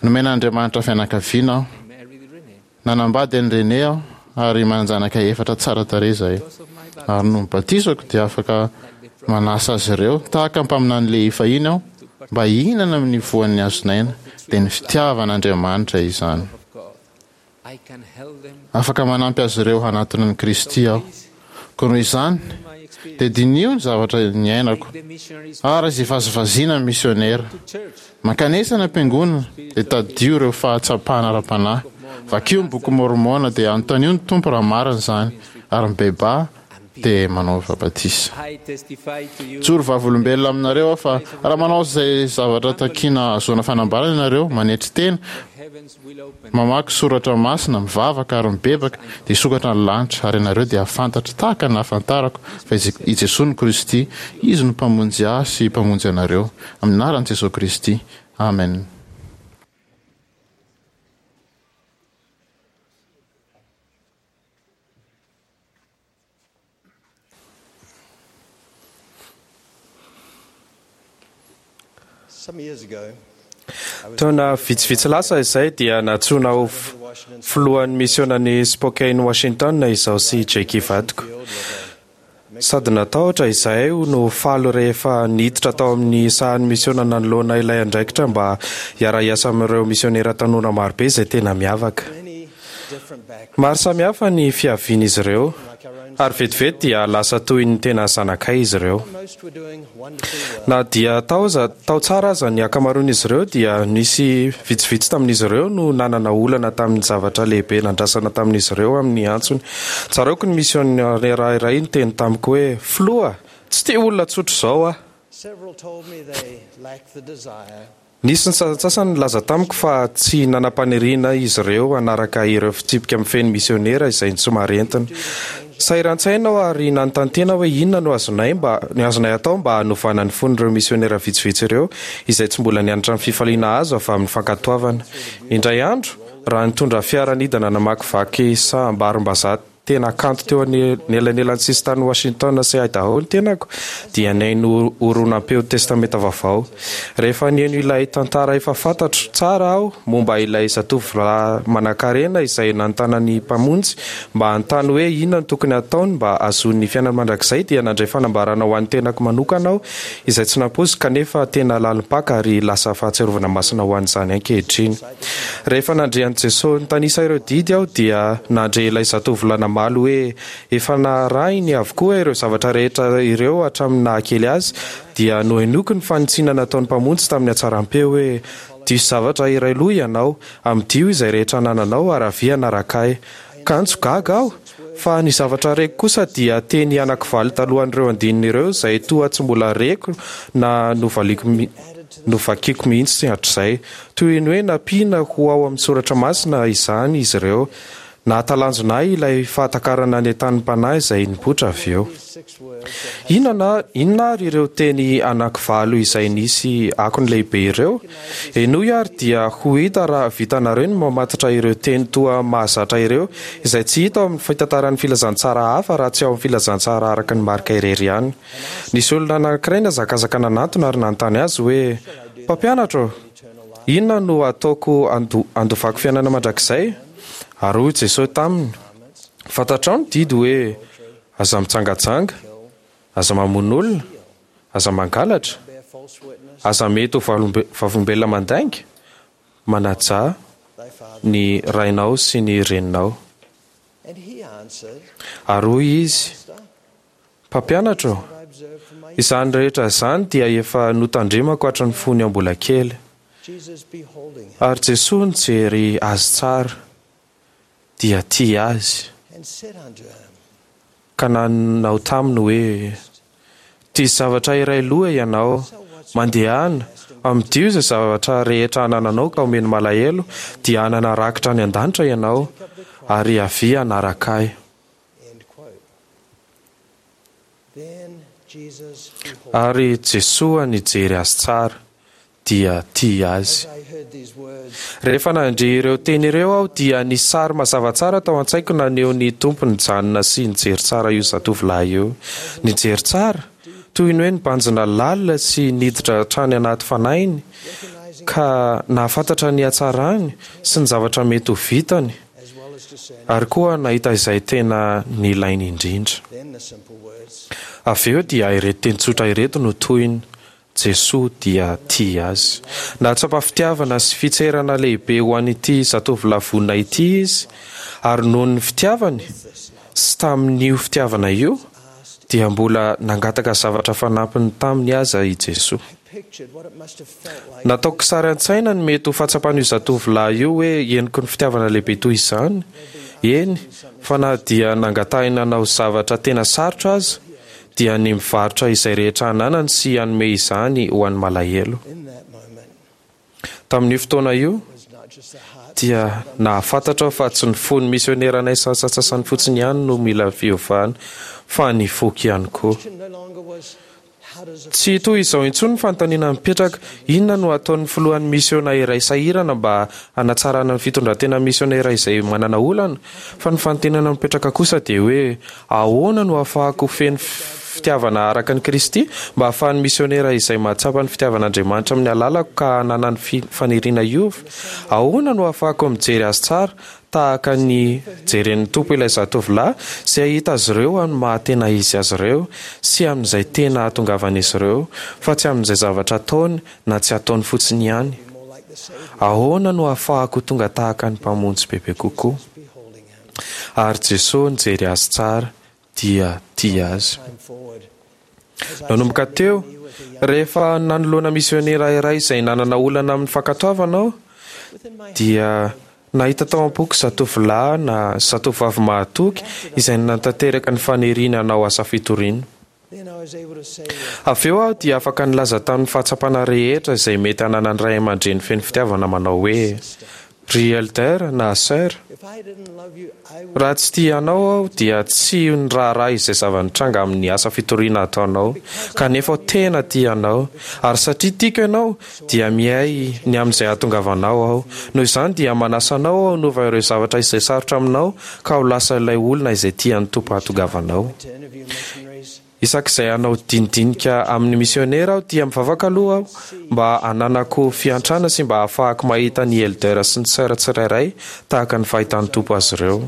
Nomen'Andriamanitra fianakaviana aho. Nanambady an'i Renée aho ary manan-janaka efatra tsara tarehy izahay. Ary noho ny batisako dia afaka manasa azy ireo tahaka ny mpaminany Lehi fahiny aho mba hihinana amin'ny voan'ny hazon'aina, dia ny fitiavan'Andriamanitra izany. Afaka manampy azy ireo hanatona an'i Kristy aho. Koa noho izany, dia diniho ny zavatra niainako, ary aza ivazivaziana ny misionera. Mankanesa any am-piangonana, dia tadidio ireo fahatsapana ara-panahy. Vakio ny Boky Môrmôna, dia anontanio ny Tompo raha marina izany, ary mibebaha, dia manaova batisa. Mijoro vavolombelona aminareo aho fa raha manao izay zavatra takiana hahazoana fanambarana ianareo, manetry tena, mamaky soratra masina, mivavaka ary mibebaka, dia hisokatra ny lanitra ary ianareo dia hahafantatra tahaka ny nahafantarako fa i Jesoa no Kristy, Izy no Mpamonjy ahy sy Mpamonjy anareo. Amin'ny anaran'i Jesoa Kristy. Amen. Taona vitsivitsy lasa izay dia nantsoina ho filohan'ny misionan'i Spokane, Washington izaho sy Jackie vadiko. Sady natahotra izahay no faly rehefa niditra tao amin'ny sahan'ny misiona nanoloana ilay andraikitra mba hiara-hiasa amin'ireo misionera tanora marobe izay tena miavaka. Maro samihafa ny fiavian'izy ireo, ary vetivety dia lasa toy ny tena zanakay izy ireo. Na dia tao aza, tao tsara aza ny ankamaroan'izy ireo, dia nisy vitsivitsy tamin'izy ireo no nanana olana tamin'ny zavatra lehibe nandrasana tamin'izy ireo amin'ny antsony. Tsaroako ny misionera iray niteny tamiko hoe, Filoha, tsy te olona tsotra izao aho. Nisy ny sasantsasany nilaza tamiko fa tsy nanam-paniriana izy ireo hanaraka ireo fitsipika mifehy ny misionera izay somary entina. Sahiran-tsaina aho ary nanontany tena hoe inona no azonay mba azonay atao mba hanovana ny fon'ireo misionera vitsivitsy ireo izay tsy mbola nianatra ny fifaliana azo avy amin'ny fankatoavana. Indray andro, raha nitondra fiara nidana namakivaky saham-barimbazaha Tena kanto teo anelanelan'ny sisintanin'i Washington sy Idaho ny tenako, dia nihaino horonam-peo Testamenta Vaovao. Rehefa nihaino ilay tantara efa fantatro tsara aho momba ilay zatovolahy manankarena izay nanontana ny Mpamonjy mba hanontany hoe inona no tokony hataony mba hahazoany ny fiainana mandrakizay dia nandray fanambarana ho an'ny tenako manokana aho izay tsy nampoiziko kanefa tena lalim-paka ary lasa fahatsiarovana masina ho an'izany ankehitriny. Rehefa nandre an'i Jesoa nitanisa ireo didy aho dia nandre ilay zatovolahy namaly hoe efa narahiny avokoa ireo zavatra rehetra ireo hatramin'ny nahakely azy, dia nohenoiko ny fanitsiana nataon'ny Mpamonjy tamin'ny hatsaram-peo hoe, Diso zavatra iray loha ianao, amidio izay rehetra anananao ary avia hanaraka ahy. Kanjo gaga aho, fa ny zavatra reko kosa dia teny anakivalo talohan'ireo andininy ireo izay toa tsy mbola reko na novaliako novakiko mihitsy hatrizay. Toy ny hoe nampiana ho ao amin'ny soratra masina izany izy ireo. Nahatalanjona ahy ilay fahatakarana ny entanim-panahy izay nipoitra avy eo. Inona inona ary ireo teny anakivalo izay nisy akony lehibe ireo? Henoy ary dia ho hita raha vitanareo ny mamatotra ireo teny toa mahazatra ireo izay tsy hita ao amin'ny fitantaran'ny filazantsara hafa raha tsy ao amin'ny filazantsara araka ny Marka irery ihany. Nisy olona anankiray nihazakazaka nanatona ary nanontany azy hoe, Mpampianatra ô, inona no hataoko handovako fiainana mandrakizay? Ary hoy Jesosy taminy, Fantatrao ny didy hoe, Aza mijangajanga, aza mamono olona, aza mangalatra, aza mety ho vavolombelona mandainga, manajà ny rainao sy ny reninao. Ary hoy izy, Mpampianatra ô, izany rehetra izany dia efa notandremako hatry ny fony aho mbola kely. Ary Jesoa nijery azy tsara. dia tia azy, ka nanao taminy hoe, Diso zavatra iray loha ianao, mandehana, amidio izay zavatra rehetra anananao ka omeno malahelo, dia hanana rakitra any an-danitra ianao, ary avia hanaraka Ahy. Ary Jesoa nijery azy tsara, dia tia azy. Rehefa nandre ireo teny ireo aho dia nisy sary mazava tsara tao an-tsaiko naneho ny Tompo nijanona sy nijery tsara io zatovolahy io. Nijery tsara, toy ny hoe nibanjina lalina sy niditra hatrany anaty fanahiny ka nahafantatra ny hatsarany sy ny zavatra mety ho vitany ary koa nahita izay tena nilainy indrindra. Avy eo dia ireto teny tsotra ireto no tohiny, Jesoa dia tia azy. Nahatsapa fitiavana sy fitserana lehibe ho an'ity zatovolahy vonona ity izy, ary noho ny fitiavany, sy tamin'io fitiavana io, dia mbola nangataka zavatra fanampiny taminy aza i Jesoa. Nataoko sary an-tsaina ny mety ho fahatsapan'io zatovolahy io hoe henoko ny fitiavana lehibe toy izany, eny fa na dia nangatahina hanao zavatra tena sarotra aza, dia ny mivarotra izay rehetra ananany sy hanome izany ho an'ny malahelo. Tamin'io fotoana io, dia nahafantatra aho fa tsy ny fon'ny misioneranay sasantsasany fotsiny ihany no mila fiovana, fa ny foko ihany koa. Tsy toy izao intsony ny fanontaniana mipetraka, Inona no ataon'ny filohan'ny misiona iray sahirana mba hanatsarana ny fitondran-tenan'ny misionera izay manana olana? Fa ny fanontaniana mipetraka kosa dia hoe, Ahoana no ahafahako ho feno fitiavana araka an'i Kristy mba hahafahan'ny misionera izay mahatsapa ny fitiavan'Andriamanitra amin'ny alalako ka hananany faniriana hiova? Ahoana no ahafahako mijery azy tsara tahaka ny jeren'ny Tompo ilay zatovolahy sy hahita azy ireo amin'ny maha-tena izy azy ireo sy amin'izay tena hahatongavan'izy ireo fa tsy amin'izay zavatra ataony na tsy ataony fotsiny ihany? Ahoana no ahafahako ho tonga tahaka ny Mpamonjy bebe kokoa? Ary Jesoa nijery azy tsara dia tia azy. Nanomboka teo, rehefa nanoloana misionera iray izay nanana olana amin'ny fankatoavana aho, dia nahita tao am-poko zatovolahy na zatovovavy mahatoky izay nanatanteraka ny faniriany hanao asa fitoriana. Avy eo aho dia afaka nilaza tamin'ny fahatsapana rehetra izay mety hananan'ny ray aman-dreny feno fitiavana manao hoe, Ry Elder na Sœur, raha tsy tia anao aho dia tsy niraharaha izay zava-nitranga amin'ny asa fitoriana ataonao, kanefa aho tena tia anao, ary satria tiako ianao dia miahy ny amin'izay hahatongavanao aho. Noho izany dia manasa anao aho hanova ireo zavatra izay sarotra aminao ka ho lasa ilay olona izay tian'ny Tompo hahatongavanao. Isak'izay hanao dinidinika amin'ny misionera aho dia mivavaka aloha aho mba hananako fiantrana sy mba hahafahako mahita ny Elder sy ny Sœur tsirairay tahaka ny fahitan'ny Tompo azy ireo.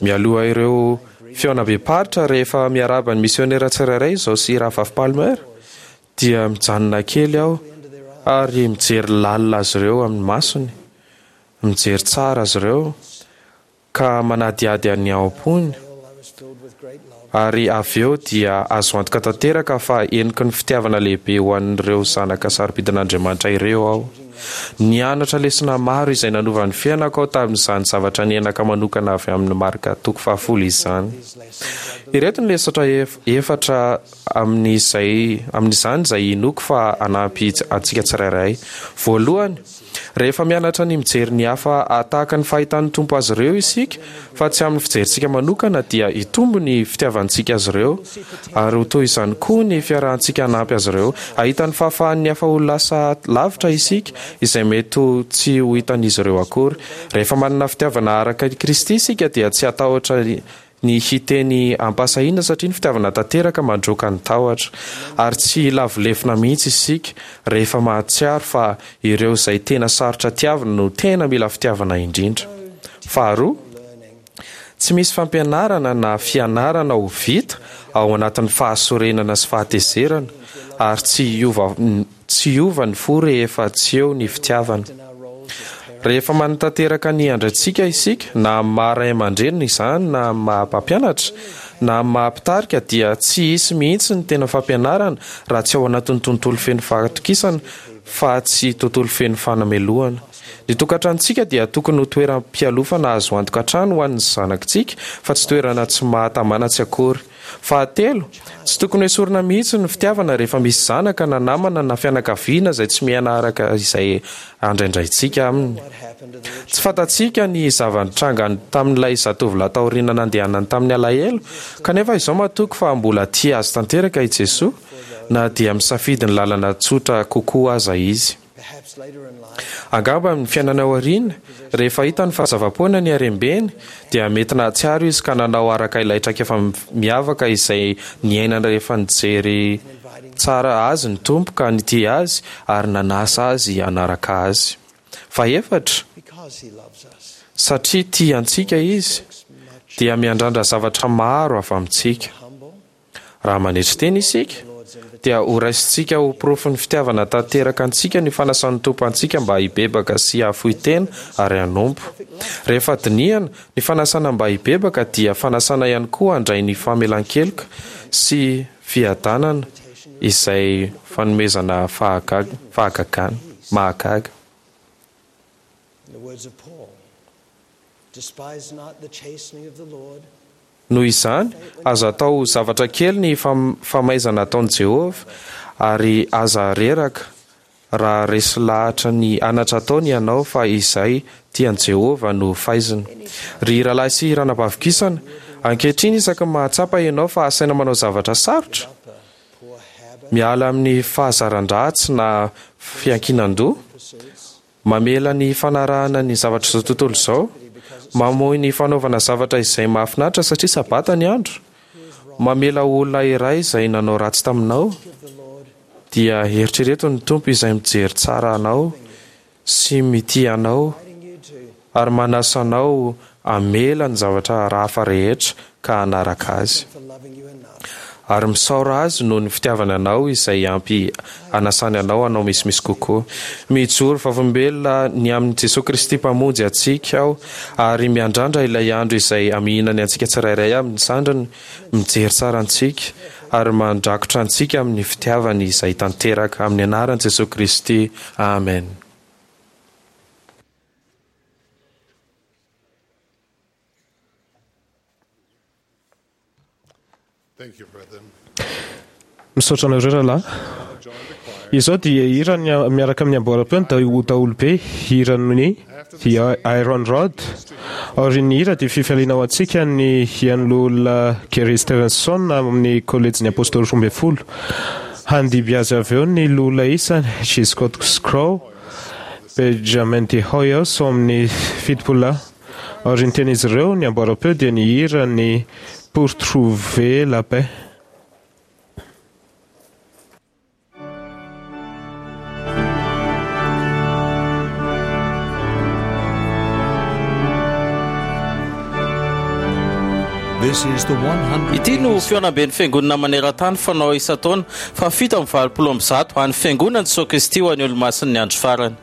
Mialoha ireo fihaonambem-paritra rehefa miarahaba ny misionera tsirairay izao sy Rahavavy Palmer dia mijanona kely aho ary mijery lalina azy ireo amin'ny masony, mijery tsara azy ireo ka manadihady ny ao am-pony, ary avy eo dia azo antoka tanteraka fa heniky ny fitiavana lehibe ho an'ireo zanaka sarobidin'Andriamanitra ireo aho. Nianatra lesona maro izay nanova ny fiainako aho tamin'izany zavatra niainaka manokana avy amin'ny Marka toko fahafolo izany. Ireto ny lesona efatra amin'izay amin'izany izay inoako fa hanampy antsika tsirairay. Voalohany, rehefa mianatra ny mijery ny hafa tahaka ny fahitan'ny Tompo azy ireo isika, fa tsy amin'ny fijerintsika manokana, dia hitombo ny fitiavantsika azy ireo, ary ho toy izany koa ny fiarahantsika hanampy azy ireo. Hahita ny fahafahan'ny hafa ho lasa lavitra isika, izay mety ho tsy ho hitan'izy ireo akory. Rehefa manana fitiavana araka i Kristy isika, dia tsy hatahotra ny hiteny am-pahasahiana satria ny fitiavana tanteraka mandroaka ny tahotra. Ary tsy hilavo lefona mihitsy isika rehefa mahatsiaro fa ireo izay tena sarotra tiavina no tena mila fitiavana indrindra. Faharoa, tsy misy fampianarana na fianarana ho vita ao anatin'ny fahasorenana sy fahatezerana ary tsy hiova Tsy hiova ny fo rehefa tsy eo ny fitiavana. Rehefa manatanteraka ny andraikitsika isika, na amin'ny maha ray aman-dreny izany na amin'ny maha mpampianatra, na amin'ny maha mpitarika dia tsy hisy mihitsy ny tena fampianarana raha tsy ao anatin'ny tontolo feno fahatokisana fa tsy tontolo feno fanamelohana. Ny tokantranontsika dia tokony ho toeram-pialofana azo antoka hatrany ho an'ny zanakitsika fa tsy toerana tsy mahatamana tsy akory. Fahatelo, tsy tokony hoesorina mihitsy ny fitiavana rehefa misy zanaka na namana na fianakaviana izay tsy miaina araka izay andraindraintsika aminy. Tsy fantatsika ny zava-nitranga tamin'ilay zatovolahy taoriana nandehanany tamin'ny alahelo, kanefa izao matoky fa mbola tia azy tanteraka i Jesoa, na dia misafidy ny lalana tsotra kokoa aza izy. Angamba amin'ny fiainana aoriana, rehefa hitany fa zava-poana ny harem-beny, dia mety nahatsiaro izy ka nanao araka ilay traikefa miavaka izay niainany rehefa nijery tsara azy ny Tompo ka nitia azy ary nanasa azy hanaraka Azy. Fahefatra, satria tia antsika Izy, dia miandrandra zavatra maro avy amintsika. Raha manetry tena isika, dia horaisintsika ho porofon'ny fitiavana tanteraka antsika ny fanasan'ny Tompo antsika mba hibebaka sy hahafoy tena ary hanompo. Rehefa dinihana, ny fanasana mba hibebaka dia fanasana ihany koa handray ny famelan-keloka sy fiadanana izay fanomezana fahagagana mahagaga. Noho izany, aza atao zavatra kely ny famaizana ataon'i Jehovah, ary aza reraka raha resy lahatra ny anatra ataony ianao fa izay tian'i Jehovah no faizina. Ry rahalahy sy ranabavy kisana, ankehitriny isaky ny mahatsapa ianao fa asaina manao zavatra sarotra, miala amin'ny fahazaran-dratsy na fiankinan-doha, mamela ny fanarahana ny zavatr'izao tontolo izao, mamoy ny fanaovana zavatra izay mahafinaritra satria sabata ny andro, mamela olona iray izay nanao ratsy taminao, dia eritrereto ny Tompo izay mijery tsara anao sy mitia anao ary manasa anao hamela ny zavatra hafa rehetra ka hanaraka Azy. Ary misaora Azy noho ny fitiavany anao izay ampy hanasany anao hanao misimisy kokoa. Mijoro vavolombelona ny amin'i Jesoa Kristy Mpamonjy antsika aho ary miandrandra ilay andro izay hamihinany antsika tsirairay amin'ny sandriny, mijery tsara antsika ary mandrakotra antsika amin'ny fitiavany izay tanteraka. Amin'ny anaran'i Jesoa Kristy. Amen. Misaotra anareo rahalahy. Izao dia hira miaraka amin'ny amboaram-peo ny daholobe, hiran'ny The Iron Rod. Aorian'ny hira dia fifaliana ho antsika ny hihaino loholona Gary Stevenson amin'ny Kolejin'ny Apôstôly roa ambin'ny folo. Handimby azy avy eo ny loholona isany, G. Scott Crow, Benjamin D. Hoyos ao amin'ny fitopolo lahy. Aorian'ny tenin'izy ireo, ny amboaram-peo dia nihira ny Pour trouver la paix. Ity no fihaonamben'ny Fiangonana maneran-tany fanao isan-taona fahafito amby valopolo amby zato an'ny Fiangonan'i Jesoa Kristy ho an'ny Olomasin'ny Andro Farany.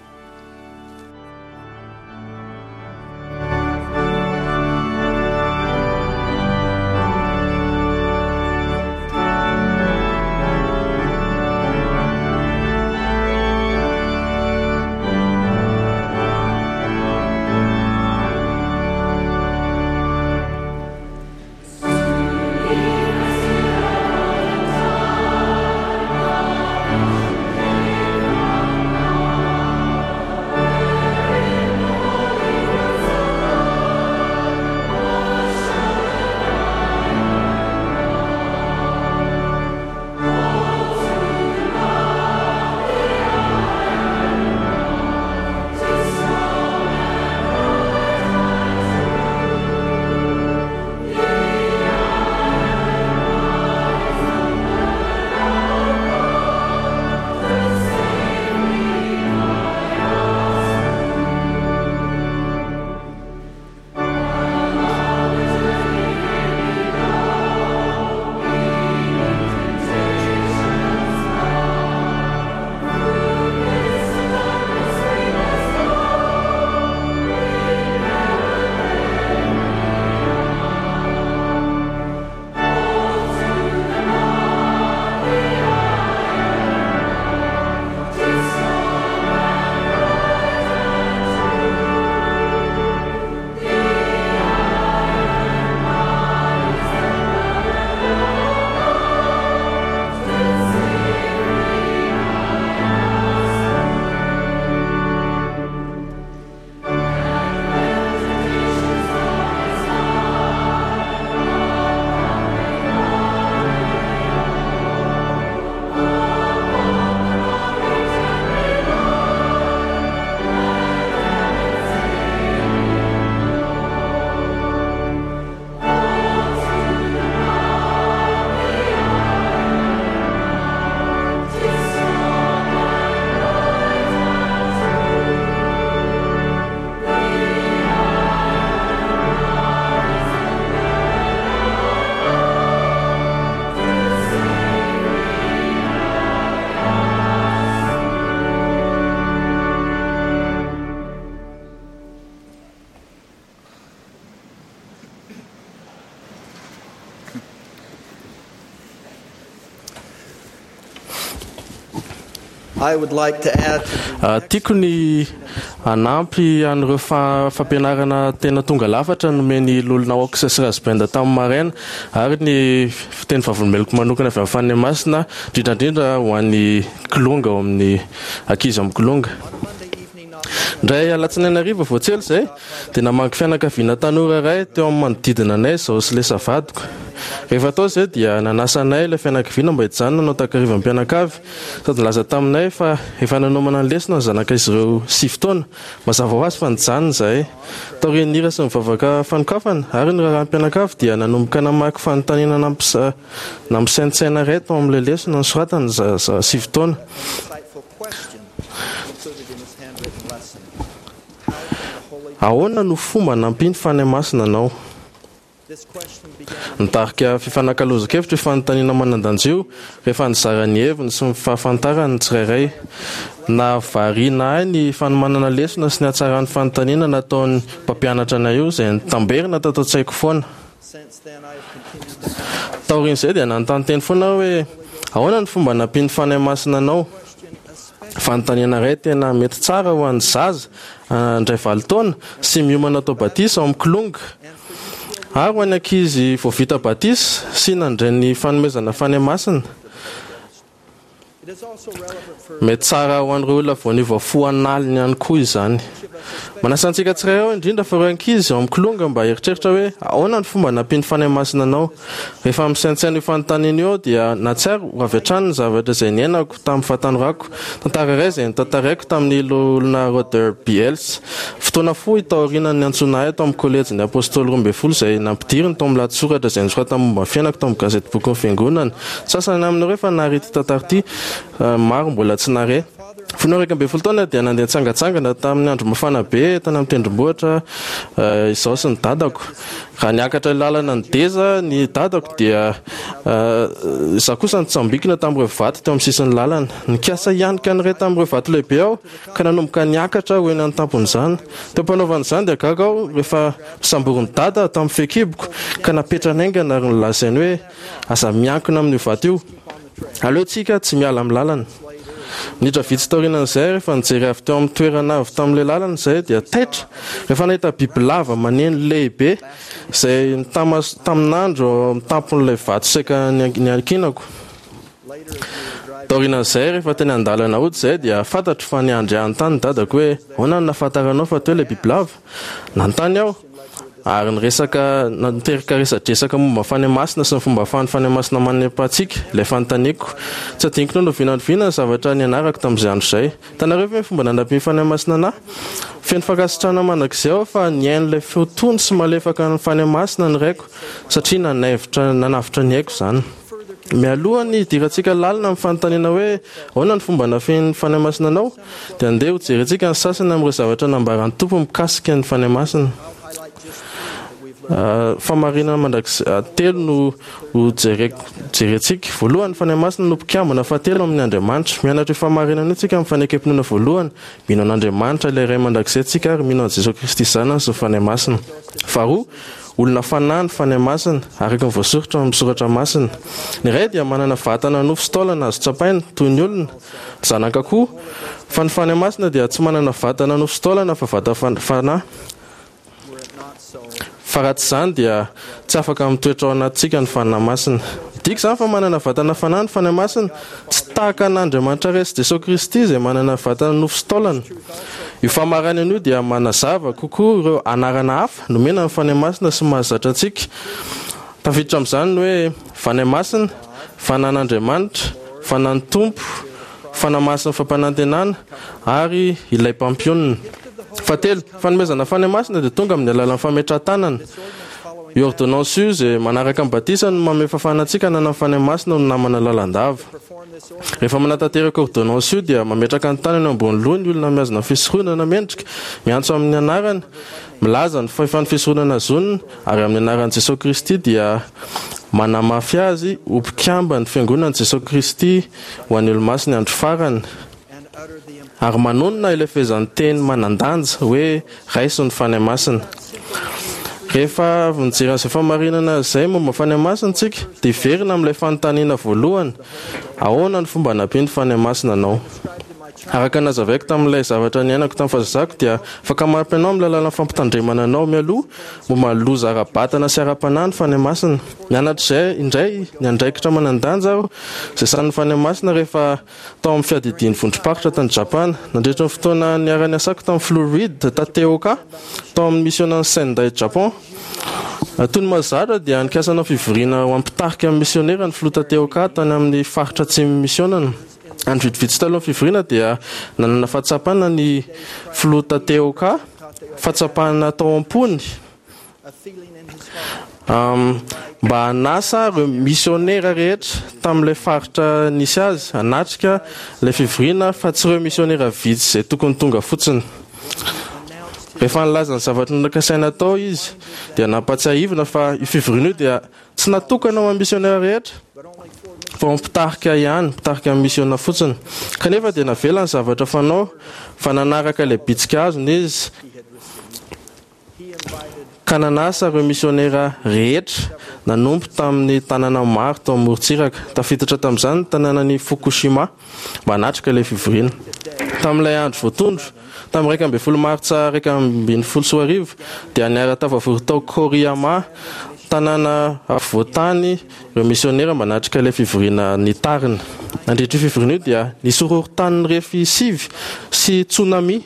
Tiako ny hanampy an'ireo fampianarana tena tonga lafatra nomen'ny Loholona Oaks sy Rasband tamin'ny maraina ary ny fiteny vavolombeloko manokana avy amin'ny Fanahy Masina, indrindra indrindra ho an'ny kilonga ao amin'ny ankizy amin'ny kilonga. Indray alatsinainy hariva vao tsy ela izay dia namangy fianakaviana tanora iray teo amin'ny manodidina anay izaho sy Lesa vadiko. Rehefa tao izay dia nanasa anay ilay fianakaviana mba hijanona hanao takarivam-pianakavy sady nilaza taminay fa efa nanomana ny lesona ny zanak'izy ireo sivy taona. Mazava ho azy fa nijanona izahay. Taorian'ny hira sy ny vavaka fanokafana ary ny raharaham-pianakavy dia nanomboka namaky fanontaniana nampisaintsaina iray tao amin'ilay lesona nosoratany zaza sivy taona. Ahoana no fomba nampian'ny Fanahy Masina anao? Nitarika fifanakalozan-kevitra io fanontaniana manan-danja io rehefa nizara ny heviny sy ny fahafantarany ny tsirairay. Nahavariana ahy ny fanomanana lesona sy ny hatsaran'ny fanontaniana nataon'ny mpampianatra anay io izay nitamberina tato an-tsaiko foana. Taorian'izay dia nanontany teny foana aho hoe, Ahoana ny fomba nampian'ny Fanahy Masina anao? Fanontaniana iray tena mety tsara ho an'ny zaza handray valo taona sy miomana atao batisa ao amin'ny Kilonga, ary ho an'ny ankizy vao vita batisa sy nandray ny fanomezana Fanahy Masina. Mety tsara ho an'ireo olona vao niova fo an'aliny ihany koa izany. Manasa antsika tsirairay aho, indrindra fa ireo ankizy ao amin'ny Kilonga, mba hieritreritra hoe, Ahoana ny fomba nampian'ny Fanahy Masina anao? Rehefa misaintsaina io fanontaniana io aho dia nahatsiaro avy hatrany ny zavatra izay niainako tamin'ny fahatanorako, tantara iray izay notantaraiko tamin'ny Loholona Roder B. Hales. Fotoana fohy taorian'ny niantsoana ahy tao amin'ny Kolejin'ny Apôstôly Roa Ambin'ny Folo izay nampidiriny tao amin'ny lahatsoratra izay nosoratany momba ny fiainako tao amin'ny gazetibokin'ny Fiangonana. Ny sasany aminareo efa nahare ity tantara ity, maro mbola tsy nahare. Fony aho iraika ambin'ny folo taona dia nandeha nitsangantsangana tamin'ny andro mafana be tany amin'ny tendrombohitra izaho sy ny dadako. Raha niakatra ilay lalana nideza ny dadako dia izaho kosa nitsambikina tamin'ireo vato teo amin'ny sisin'ny lalana. Nikasa hianika ny iray tamin'ireo vato lehibe aho ka nanomboka niakatra ho eny an-tampon'izany. Teo am-panaovana izany dia gaga aho rehefa nosamborin'i Dada tamin'ny fehikiboko ka napetrany haingana ary nolazainy hoe, Aza miankina amin'io vato io. Aleontsika tsy miala amin'ny lalana. Minitra vitsy taorianan'izay, rehefa nijery avy teo amin'ny toerana avo tamin'ilay lalana izahay, dia taitra rehefa nahita bibilava maneno lehibe izay nitama tamin'andro eo amin'ny tampon'ilay vato saika niankinako. Taorianan'izay, rehefa teny an-dalana hody izahay, dia fantatro fa niandry ahy tany ny dadako hoe, Ahoana no nahafantaranao fa teo ilay bibilava? Nanontany aho. Ary niresaka, niteraka resadresaka momba ny Fanahy Masina sy ny fomba ahafahan'ny Fanahy Masina manepa antsika, ilay fanontaniako. Tsy adinoko na oviana na oviana ny zavatra nianarako tamin'izay andro izay. Hitanareo ve ny fomba nanampian'ny Fanahy Masina anà? Feno fankasitrahana mandrakizay aho fa nihaino ilay feo tony sy malefaka an'ny Fanahy Masina ny raiko, satria nanaivotra, nanavotra ny aiko izany. Mialoha ny hidirantsika lalina amin'ny fanontaniana hoe ahoana ny fomba nafehin'ny Fanahy Masina anao, dia andeha hojerentsika ny sasany amin'ireo zavatra nambaran'ny Tompo mikasika ny Fanahy Masina. Fahamarinana mandrakizay telo no hojereko jerentsika. Voalohany, ny Fanahy Masina no mpikambana fahatelo amin'ny Andriamanitra. Mianatra io fahamarinana io tsika amin'ny fanekem-pinoana voalohany. Mino an'Andriamanitra ilay Ray mandrakizay tsika ary mino an'i Jesoa Kristy Zanany sy ny Fanahy Masina. Faharoa, Olona fanahy ny Fanahy Masina, araka ny voasoritra ao amin'ny Soratra Masina. Ny Ray dia manana vatana nofo sy taolana azo tsapaina, toy ny olona, ny Zanaka koa, fa ny Fanahy Masina dia tsy manana vatana nofo sy taolana fa vata fanahy. Fa raha tsy izany dia tsy afaka mitoetra ao anatintsika ny Fanahy Masina. Midika izany fa manana vatana fanahy ny Fanahy Masina, tsy tahaka an'Andriamanitra Ray sy Jesoa Kristy izay manana vatana nofo sy taolana. Io famaranana io dia manazava kokoa ireo anarana hafa nomena ny Fanahy Masina sy mahazatra antsika. Tafiditra amin'izany ny hoe Fanahy Masina, Fanan'Andriamanitra, Fanan'ny Tompo, Fanahy Masin'ny Fampanantenana, ary Ilay Mpampionona. Fahatelo, fanomezana Fanahy Masina dia tonga amin'ny alalan'ny fametrahan-tanana. Io ôrdônansy io izay manaraka ny batisa no manome fahafahana antsika hanana ny Fanahy Masina ho namana lalandava. Rehefa manatanteraka ôrdônansy io dia mametraka ny tanany eo ambony loha ny olona mihazona ny fisoronana mendrika, miantso amin'ny anarany, milaza ny fahefan'ny fisoronana azoniny, ary amin'ny anaran'i Jesoa Kristy dia manamafy azy ho mpikamban'ny Fiangonan'i Jesoa Kristy ho an'ny Olomasin'ny Andro Farany, ary manonona ilay fehezanteny manan-danja hoe Raiso ny Fanahy Masina. Rehefa avy nijery an'izay fahamarinana izay momba ny Fanahy Masina isika, dia hiverina amin'ilay fanontaniana voalohany, Ahoana no fomba anampian'ny Fanahy Masina anao? Araka ny nazavaiko tamin'ilay zavatra niainako tamin'ny fahazazako dia afaka manampy anao amin'ny alalan'ny fampitandremana anao mialoha momba ny loza ara-batana sy ara-panahy ny Fanahy Masina. Nianatra izay indray ny andraikitra manan-danja aho izay sahanin'ny Fanahy Masina rehefa tao amin'ny fiadidian'ny vondrom-paritra tany Japana. Nandritra ny fotoana niara-niasako tamin'ny Filoha Reid Tateoka tao amin'ny misionan'i Sendai Japon. Toy ny mahazatra dia nikasa hanao fivoriana ho an'ny mpitarika ny misionera ny Filoha Tateoka tany amin'ny faritra atsimon'ny misionana. Andro vitsivitsy talohan'ny fivoriana dia nanana fahatsapana ny Filoha Tateoka, fahatsapana tao am-pony mba hanasa ireo misionera rehetra tamin'ilay faritra nisy azy hanatrika ilay fivoriana fa tsy ireo misionera vitsy izay tokony tonga fotsiny. Rehefa nilaza ny zavatra nokasaina atao izy dia nampatsiahivina fa io fivoriana io dia tsy natokana ho an'ny misionera rehetra fa ho mpitarika ihany, mpitarika ny misiona fotsiny. Kanefa dia navela ny zavatra fanao fa nanaraka ilay bitsika azony izy ka nanasa ireo misionera rehetra nanompo tamin'ny tanàna maro tao amorontsiraka, tafiditra tamin'izany ny tanànan'i Fukushima, mba hanatrika ilay fivoriana. Tamin'ilay andro voatondro, tamin'ny iraika ambin'ny folo martsa iraika ambin'ny folo sy roa arivo, dia niara-tafavory tao Koriyama, tanàna afovoan-tany, ireo misionera mba hanatrika ilay fivoriana nitarina. Nandritra io fivoriana io dia nisy horohorontany nirefy sivy sy tsunami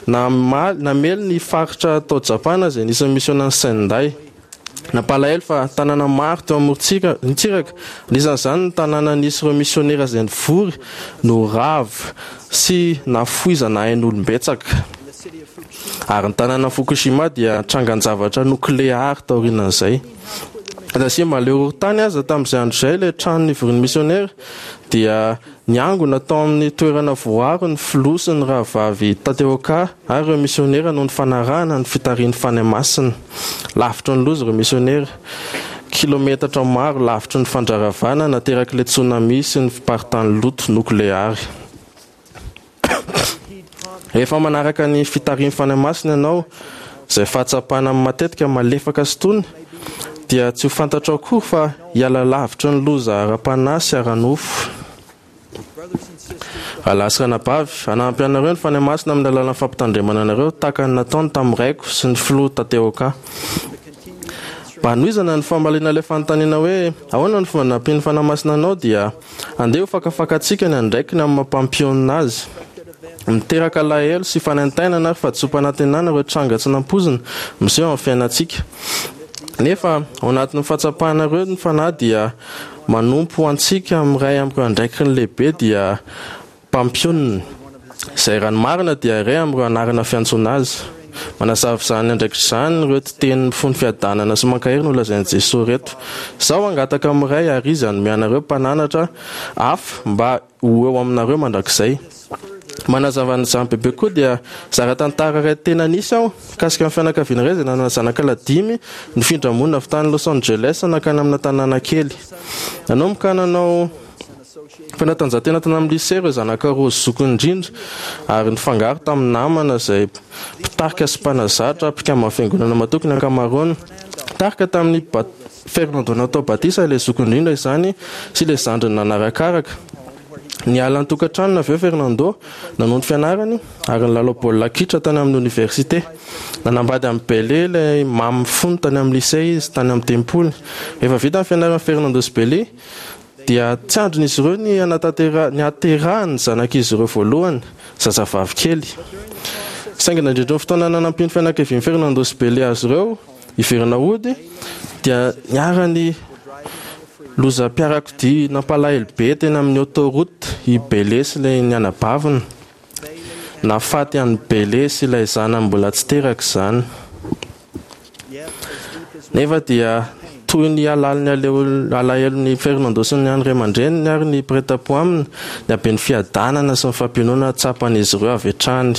namely ny faritra tao Japana izay nisy ny misionan'i Sendai. Nampalahelo fa tanàna maro teo amorontsiraka, anisan'izany ny tanàna nisy ireo misionera izay nivory, no rava sy nafoizana ain'olom-betsaka. Ary ny tanànan'i Fukushima dia trangan-javatra nokleary taorian'izay. Na dia mahaleo horohorontany aza tamin'izay andro izay ilay trano nivorian'ny misionera, dia niangona tao amin'ny toerana voaro ny filoha sy ny rahavavy Tateoka ary ireo misionera noho ny fanarahana ny fitarihin'ny Fanahy Masina. Lavitry ny loza ireo misionera, kilometatra maro lavitry ny fandraravana naterak'ilay tsunami sy ny fiparitahan'ny loto nokleary. Rehefa manaraka ny fitarihin'ny Fanahy Masina ianao, izay fahatsapana matetika malefaka sy tony, dia tsy ho fantatrao akory fa hiala lavitry ny loza ara-panahy sy ara-nofo. Rahalahy sy ranabavy, hanampy anareo ny Fanahy Masina amin'ny alalan'ny fampitandremana anareo tahaka ny nataony tamin'ny raiko sy ny filoha Tateoka. Mba hanohizana ny famaliana ilay fanontaniana hoe ahoana no fomba nampian'ny Fanahy Masina anao dia andeha ho fakafakantsika ny andraikiny amin'ny maha mpampionona azy. Miteraka alahelo sy fanaintainana ary fahadisoam-panantenana ireo tranga tsy nampoizina miseho amin'ny fiainantsika. Nefa ao anatin'ny fahatsapana ireo ny Fanahy dia manompo ho antsika amin'ny iray amin'ireo andraikiny lehibe dia mpampionona, izay raha ny marina dia iray amin'ireo anarana fiantsoana azy. Manazava izany andraikitra izany ireto teny mifono fiadanana sy mankahery nolazain'i Jesoa ireto, Izaho hangataka amin'ny Ray ary Izy hanome anareo mpananatra hafa mba ho eo aminareo mandrakizay. Manazava an'izany bebe kokoa dia zara tantara iray tena nisy aho mikasika ny fianakaviana iray izay nanana zanaka lahy dimy nifindra monina avy tany Los Angeles nankany amina tanàna kely. Nanomboka nanao fanatanjahantena tany amin'ny lycée ireo zanaka roa zokiny indrindra ary nifangaro tamin'ny namana izay mpitarika sy mpanazatra mpikamban'ny fiangonana matoky ny ankamaroany. Nitarika tamin'ny Fernando natao batisa ilay zokiny indrindra izany sy ilay zandriny nanarakaraka. Niala ny tokantranony avy eo Fernando, nanohy ny fianarany, ary nilalao baolina kitra tany amin'ny oniversite. Nanambady an'i Bele, ilay maminy fony tany amin'ny lycée izy, tany amin'ny tempoly. Rehefa vita ny fianaran'i Fernando sy Bele, dia tsy andrin'izy ireo ny hanatantera- ny hahaterahan'ny zanak'izy ireo voalohany, zazavavy kely. Saingy nandritra ny fotoana nanampian'ny fianakavian'i Fernando sy Bele azy ireo hiverina hody, dia niharan'ny lozam-piarakodia nampalahelo be teny amin'ny autoroute i Bele sy ilay ny anabaviny. Nahafaty an'i Bele sy ilay zanany mbola tsy teraka izany. Nefa dia toy ny halalin'ny alahelon'i Fernando sy ny an'ny ray aman-dreniny ary ny mpiray tampo aminy ny haben'ny fiadanana sy ny fampiononana tsapan'izy ireo avy hatrany.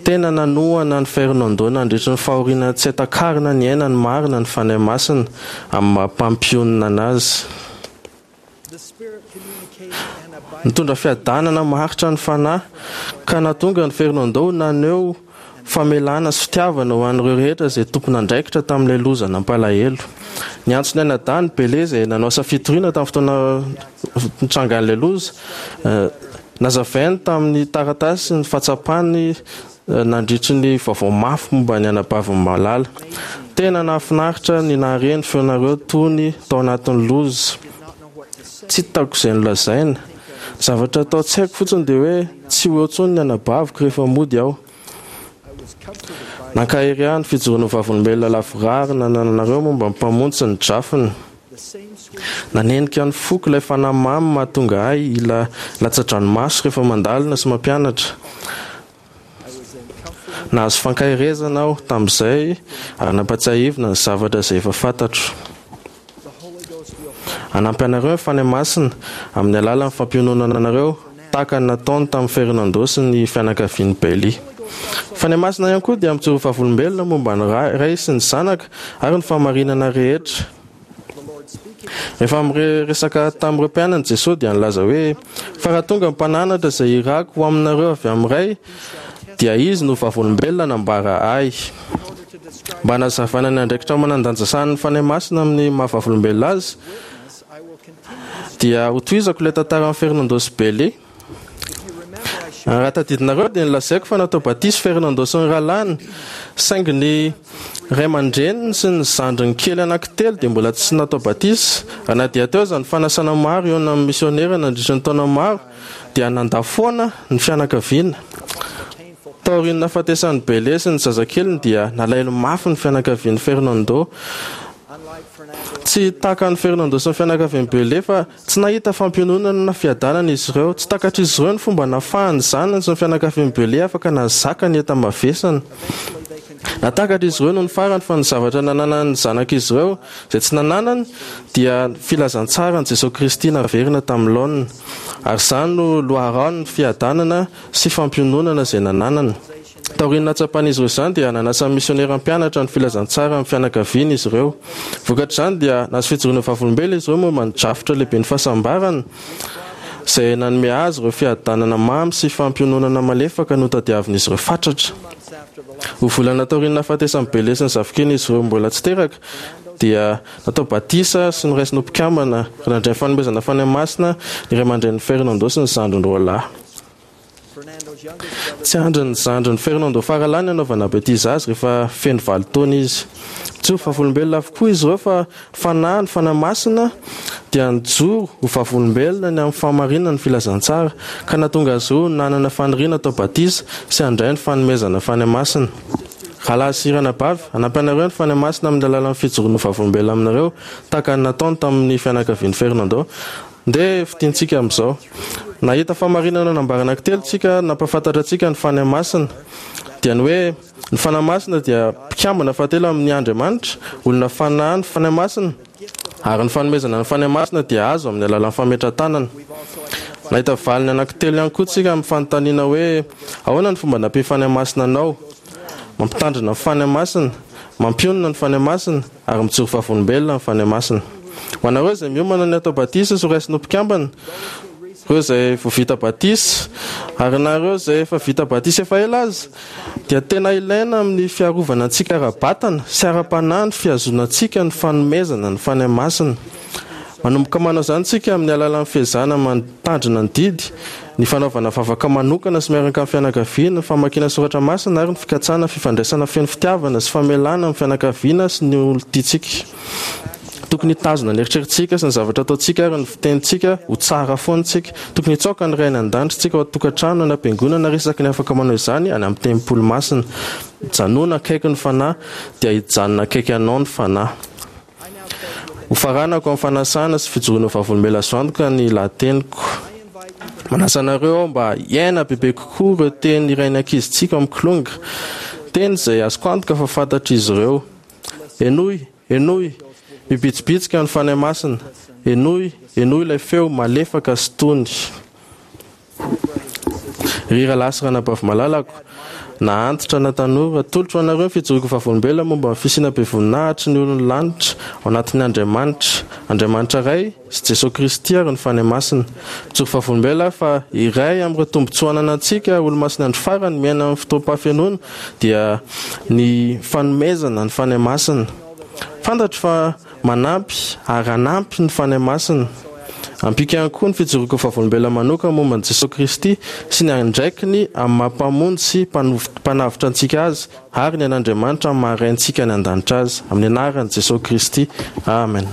Tena nanohana an'i Fernando nandritra ny fahoriana tsy hay takarina niainany marina ny Fanahy Masina amin'ny maha mpampionona azy. Nitondra fiadanana maharitra ny Fanahy ka nahatonga an'i Fernando ho naneho famelana sy fitiavana ho an'ireo rehetra izay tompon'andraikitra tamin'ilay loza nampalahelo. Niantso ny anadahiny Bele izay nanao asa fitoriana tamin'ny fotoana nitrangan'ilay loza. Nazavainy tamin'ny taratasy ny fahatsapany nandritry ny vaovao mafy momba ny anabaviny malala. Tena nahafinaritra ny nahare ny feonareo tony tao anatin'ny loza. Tsy hitako izay nolazaina. Ny zavatra atao an-tsaiko fotsiny dia hoe tsy ho eo intsony ny anabaviko rehefa mody aho. Nankahery ahy ny fijoroan'ny vavolombelona lavorary nanananareo momba ny Mpamonjy sy ny drafiny. Nanenika ny foko ilay fanahy mamy mahatonga ahy hila latsa-dranomaso rehefa mandalina sy mampianatra. Nahazo fankaherezana aho tamin'izay ary nampatsiahivina ny zavatra izay efa fantatro. Hanampy anareo ny Fanahy Masina amin'ny alalan'ny fampiononana anareo tahaka ny nataony tamin'i Fernando sy ny fianakavian'i Bailey. Ny Fanahy Masina ihany koa dia mijoro vavolombelona momba ny Ray sy ny Zanaka ary ny fahamarinana rehetra. Rehefa miresaka tamin'ireo mpianany Jesoa dia nilaza hoe, Fa raha tonga ny Mpananatra izay irako ho aminareo avy amin'ny Ray, dia Izy no vavolombelona nambara Ahy. Mba hanazavana ny andraikitra manan-danja sahanin'ny Fanahy Masina amin'ny maha-vavolombelona Azy, dia hotohizako ilay tantaran'i Fernando sy Bailey. Raha tadidinareo dia nolazaiko fa natao batisa Fernando sy ny rahalahiny, saingy ny ray aman-dreniny sy ny zandriny kely anankitelo dia mbola tsy natao batisa. Ary na dia teo aza ny fanasana maro hihaona amin'ny misionera nandritra ny taona maro, dia nandà foana ny fianakaviana. Taorian'ny nahafatesan'i Bele sy ny zazakeliny dia nalahelo mafy ny fianakavian'i Fernando. Tsy takan'i Fernando sy ny fianakavian'i Bele fa tsy nahita fampiononana na fiadanana izy ireo. Tsy takatr'izy ireo ny fomba nahafahan'ny zanany sy ny fianakavian'i Bele afaka nahazaka ny enta-mavesany. Natakatra izy ireo nony farany fa ny zavatra nananan'ny zanak'izy ireo, izay tsy nananany, dia ny filazantsaran'i Jesoa Kristy naverina tamin'ny laoniny. Ary izany no loharanon'ny fiadanana sy fampiononana izay nananany. Taorian'ny nahatsapan'izy ireo izany dia nanasa ny misionera hampianatra ny filazantsara amin'ny fianakaviany izy ireo. Vokatr'izany dia nahazo fijoroana vavolombelona izy ireo momba ny drafitra lehiben'ny fahasambarana izay nanome azy ireo fiadanana mamy sy fampiononana malefaka notadiavin'izy ireo fatratra. Roa volana taorian'ny nahafatesan'i Bele sy ny zafikeliny izy ireo mbola tsy teraka dia natao batisa sy noraisina ho mpikambana ary nandray ny fanomezana Fanahy Masina ny ray aman-drenin'i Fernando sy ny zandriny roa lahy. Tsy andrin'ny zandrin'i Fernando faralahy ny hanaovana batisa azy rehefa feno valo taona izy. Mijoro vavolombelona avokoa izy ireo fa ny Fanahy, ny Fanahy Masina, dia nijoro ho vavolombelona ny amin'ny fahamarinan'ny filazantsara, ka nahatonga azy ireo nanana faniriana hatao batisa sy handray ny fanomezana Fanahy Masina. Rahalahy sy ranabavy, hanampy anareo ny Fanahy Masina amin'ny alalan'ny fijoroana ho vavolombelona aminareo, tahaka ny nataony tamin'ny fianakavian'i Fernando. Ndeha fintintsika amin'izao. Nahita fahamarinana nambara anankitelo isika nampahafantatra antsika ny Fanahy Masina. Dia ny hoe, ny Fanahy Masina dia mpikambana fahatelo amin'ny Andriamanitra, olona fanahy ny Fanahy Masina, ary ny fanomezana ny Fanahy Masina dia azo amin'ny alalan'ny fametrahan-tanana. Nahita valiny anankitelo ihany koa isika amin'ny fanontaniana hoe, ahoana ny fomba nampian'ny Fanahy Masina anao? Mampitandrina ny Fanahy Masina, mampionona ny Fanahy Masina, ary mijoro vavolombelona ny Fanahy Masina. Ho anareo izay miomana ny hatao batisa sy horaisina ho mpikambana, ireo izay vao vita batisa, ary na ireo izay efa vita batisa efa ela aza, dia tena ilaina amin'ny fiarovana antsika ara-batana sy ara-panahy ny fihazonantsika ny fanomezana ny Fanahy Masina. Manomboka manao izany isika amin'ny alalan'ny fiezahana mitandrina ny didy, ny fanaovana vavaka manokana sy miaraka amin'ny fianakaviana, ny famakiana soratra masina ary ny fikatsahana fifandraisana feno fitiavana sy famelana amin'ny fianakaviana sy ny olon-tiantsika. Tokony hitazona ny eritreritsika sy ny zavatra ataontsika ary ny fitenintsika ho tsara foana isika. Tokony hitsaoka ny Ray any An-danitra isika ao an-tokantrano, any am-piangonana ary isaky ny afaka manao izany any amin'ny tempoly masina. Mijanòna akaiky ny Fanahy dia hijanona akaiky anao ny Fanahy. Hofaranako amin'ny fanasana sy fijoroana ho vavolombelona azo antoka ny lahateniko. Manasa anareo aho mba hiaina bebe kokoa ireo teny irain'ny ankizintsika ao amin'ny Kilonga, teny izay azoko antoka fa fantatr'izy ireo. Henoy, henoy, mibitsibitsika ny Fanahy Masina, henoy, henoy ilay feo malefaka sy tony. Ry rahalahy sy ranabavy malalako, Na antitra na tanora, atolotro ho anareo ny fijoroako vavolombelona momba ny fisiana be voninahitry ny olon'ny lanitra ao anatin'ny Andriamanitra, Andriamanitra Ray sy Jesoa Kristy ary ny Fanahy Masina. Mijoro vavolombelona aho fa iray amin'ireo tombontsoa ananantsika olomasin'ny andro farany miaina amin'ny fotoam-pahafenoana dia ny fanomezana ny Fanahy Masina. Fantatro fa manampy ary hanampy ny Fanahy Masina. Ampiako ihany koa ny fijoroako vavolombelona manokana momba an'i Jesoa Kristy sy ny andraikiny amin'ny maha Mpamonjy sy Mpanavotra antsika Azy ary ny an'Andriamanitra amin'ny maha Raintsika any an-danitra Azy. Amin'ny anaran'i Jesoa Kristy. Amen.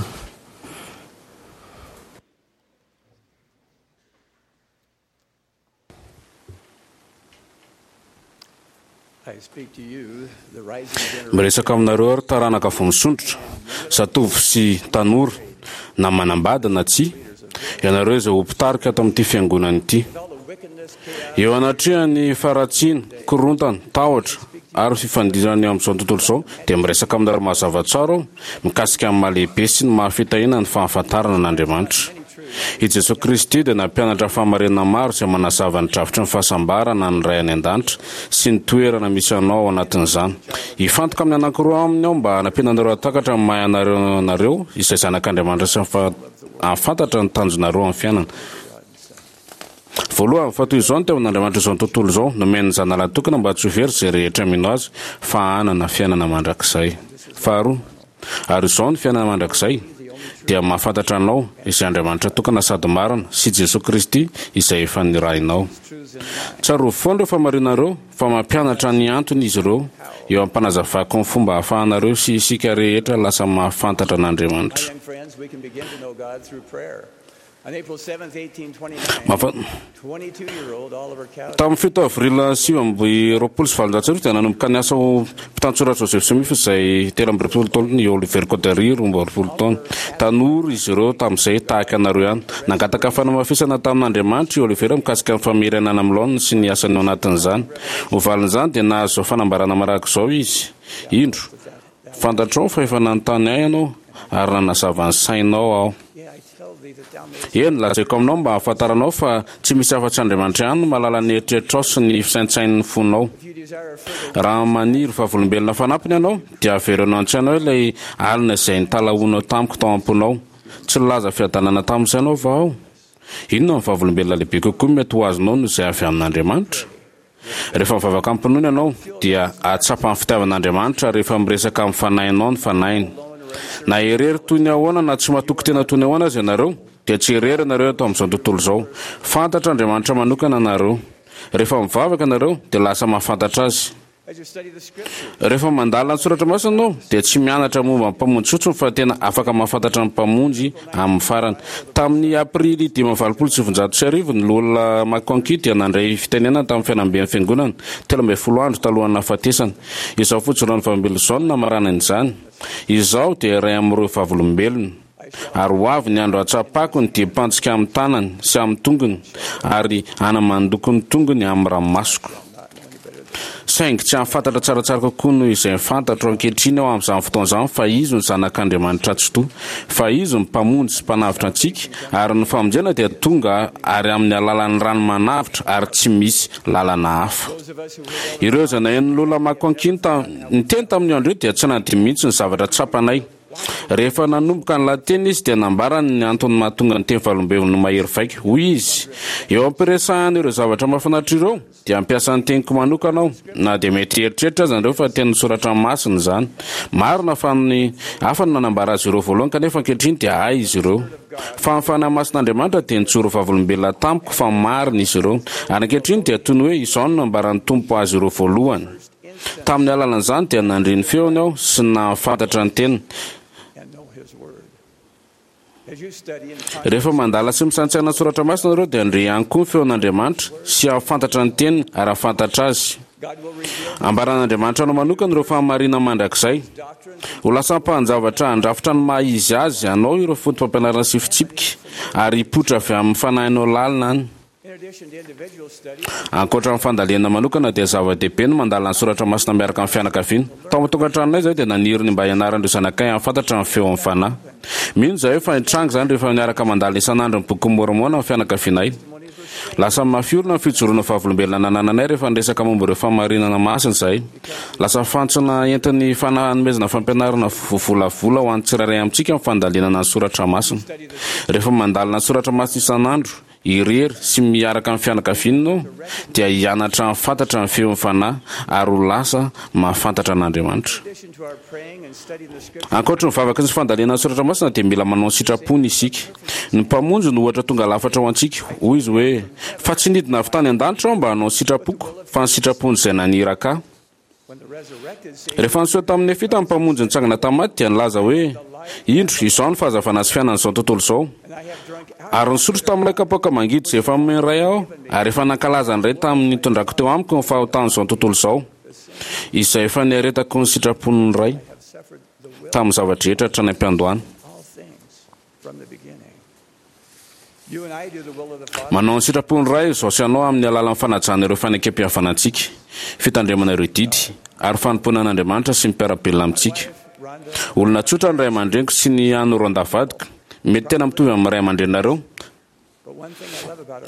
Miresaka aminareo aho ry taranaka vao misondrotra, zatovo sy tanora, na manambady na tsia, ianareo izay ho mpitarika ato amin'ity fiangonana ity. Eo anatrehan'ny faharatsiana, korontana, tahotra ary fifandirana eo amin'izao tontolo izao, dia miresaka aminareo mazava tsara aho mikasika ny maha-lehibe sy ny maha-fitahiana ny fahafantarana an'Andriamanitra. I Jesoa Kristy dia nampianatra fahamarinana maro izay manazava ny drafitry ny fahasambarana ny Ray any An-danitra sy ny toerana misy anao ao anatin'izany. Hifantoka amin'ny anankiroa aminy aho mba hanampiana anareo hahatakatra ny maha ianareo anareo izay zanak'Andriamanitra sy hahafantatra ny tanjonareo amin'ny fiainana. Voalohany, fa toy izao no teon'Andriamanitra izao tontolo izao, nomeny ny Zanalahy tokana mba tsy ho very izay rehetra mino Azy fa hanana fiainana mandrakizay. Faharoa, ary izao ny fiainana mandrakizay, dia mahafantatra Anao, izay Andriamanitra tokana sady marina, sy Jesoa Kristy, izay efa nirahinao. Tsarovy foana ireo fahamarinana ireo, fa mampianatra ny antony izy ireo, eo am-panazavako ny fomba ahafahanareo sy isika rehetra lasa mahafantatra an'Andriamanitra. Tamin'ny fito avril sivy amby roapolo sy valonjato sy arivo dia nanomboka niasa ho mpitantsoratra Joseph Smith izay telo amby roapolo taona i Oliver Cowdery roa amby roapolo taona. Tanora izy ireo tamin'izay tahaka anareo ihany. Nangataka fanamafisana tamin'Andriamanitra i Oliver mikasika ny famerenana amin'ny laoniny sy ny asany ao anatin'izany. Ho valin'izany dia nahazo izao fanambarana manaraka izao izy, Indro, fantatrao fa efa nanontany ahy ianao ary nanazava ny sainao aho. Eny, lazaiko aminao mba hahafantaranao fa tsy misy afa-tsy Andriamanitra ihany no mahalala ny eritreritrao sy ny fisaintsain'ny fonao. Raha maniry vavolombelona fanampiny ianao, dia avereno an-tsainao ilay alina izay nitalahoanao tamiko tao am-ponao. Tsy nilaza fiadanana tamin'ny sainao va aho? Inona no vavolombelona lehibe kokoa mety ho azonao noho izay avy amin'Andriamanitra? Rehefa mivavaka amim-pinoana ianao, dia hahatsapa ny fitiavan'Andriamanitra rehefa miresaka amin'ny fanahinao ny Fanahiny. Na irery toy ny ahoana na tsy matoky tena toy ny ahoana aza ianareo, dia tsy irery ianareo eto amin'izao tontolo izao. Fantatr'Andriamanitra manokana ianareo. Rehefa mivavaka ianareo, dia lasa mahafantatra Azy. Rehefa mandalina ny soratra masina ianao, dia tsy mianatra momba ny Mpamonjy fotsiny fa tena afaka mahafantatra ny Mpamonjy amin'ny farany. Tamin'ny Aprily dimy amby valopolo sy sivinjato sy arivo, ny Loholona McConkie dia nandray fitenenana tamin'ny fiainamben'ny Fiangonana, telo ambin'ny folo andro talohan'ny nahafatesany. Izao fijoroan'ny vavolombelona izao no namaranany izany, Izaho dia iray amin'ireo vavolombelona, ary ho avy ny andro hahatsapako ny diam-pantsika amin'ny tanany sy amin'ny tongony, ary hanamandoko ny tongony amin'ny ranomasoko. Saingy tsy hahafantatra tsaratsara kokoa noho izay fantatro ankehitriny aho amin'izany fotoana izany fa Izy no Zanak'Andriamanitra Tsitoha, fa Izy no Mpamonjy sy Mpanavotra antsika, ary ny famonjena dia tonga ary amin'ny alalan'ny rano manavotra ary tsy misy lalana hafa. Ireo izay naheno ny Lola McConkie niteny tamin'io andro io dia tsy nanadino mihitsy ny zavatra tsapanay. Rehefa nanomboka ny lahateny izy dia nambarany ny antony mahatonga ny teny valombelona ho mahery vaika. Hoy izy, Eo am-piresahana ireo zavatra mahafinaritra ireo, dia hampiasa ny teniko manokana aho, na dia mety hieritreritra aza nareo fa tenin'ny Soratra Masina izany. Marina fa ny hafa no nanambara azy ireo voalohany, kanefa ankehitriny dia ahy izy ireo. Fa ny Fanahy Masin'Andriamanitra dia nijoro vavolombelona tamiko fa marina izy ireo. Ary ankehitriny dia toy ny hoe izao no nambaran'ny Tompo azy ireo voalohany. Tamin'ny alalan'izany dia nandre ny feony aho sy nahafantatra ny teniny. Rehefa mandala sy misaintsaina ny soratra masina nareo dia handre ihany koa ny feon'Andriamanitra sy hahafantatra ny teniny ary hahafantatra Azy. Ambaran'Andriamanitra anao manokana ireo fahamarinana mandrakizay. Ho lasa ampahan-javatra handrafitra ny maha izy azy anao ireo fotopampianarana sy fitsipika ary hipoitra avy amin'ny fanahinao lalina any. Ankoatra ny fandalinana manokana dia zava-dehibe ny mandalina ny soratra masina miaraka amin'ny fianakaviana. Tao an-tokantranonay izahay dia naniry ny mba hianaran'ireo zanakay hahafantatra ny feon'ny Fanahy. Mino izahay fa hitranga izany rehefa miaraka mandalina isan'andro ny Bokin'i Môrmôna ny fianakavianay. Lasa mafy orina ny fijoroana vavolombelona nanananay rehefa niresaka momba ireo fahamarinana masina izahay. Lasa fantsona entin'ny fanomezana fampianarana voavolavola ho an'ny tsirairay amintsika ny fandalinana ny soratra masina. Rehefa mandalina ny soratra masina isan'andro, irery sy miaraka amin'ny fianakaviana ianao, dia hianatra hahafantatra ny feon'ny Fanahy ary ho lasa mahafantatra an'Andriamanitra. Ankoatry ny vavaka sy ny fandalinana ny soratra masina dia mila manao ny sitrapony isika. Ny Mpamonjy no ohatra tonga lafatra ho antsika. Hoy Izy hoe, Fa tsy nidina avy tany an-danitra Aho mba hanao ny sitrapoko, fa ny sitrapon'izay naniraka Ahy. Rehefa niseho tamin'ny Nefita ny Mpamonjy nitsangana tamin'ny maty dia nilaza hoe, Indro, izao no fahazavana sy fiainan'izao tontolo izao. Ary nisotro tamin'ilay kapoaka mangidy izay efa nomen'ny Ray Aho, ary efa nankalaza ny Ray tamin'ny nitondrako teo amiko ny fahotan'izao tontolo izao, izay efa niaretako ny sitrapon'ny Ray tamin'ny zava-drehetra hatrany am-piandohana. Manao ny sitrapon'ny Ray izao sy anao amin'ny alalan'ny fanajana ireo fanekempihavanantsika, fitandremana ireo didy, ary fanompoana an'Andriamanitra sy ny mpiara-belona amintsika. Olona tsotra ny ray aman-dreniko sy ny an'i Rhonda vadiko, mety tena mitovy amin'ny ray aman-dreninareo.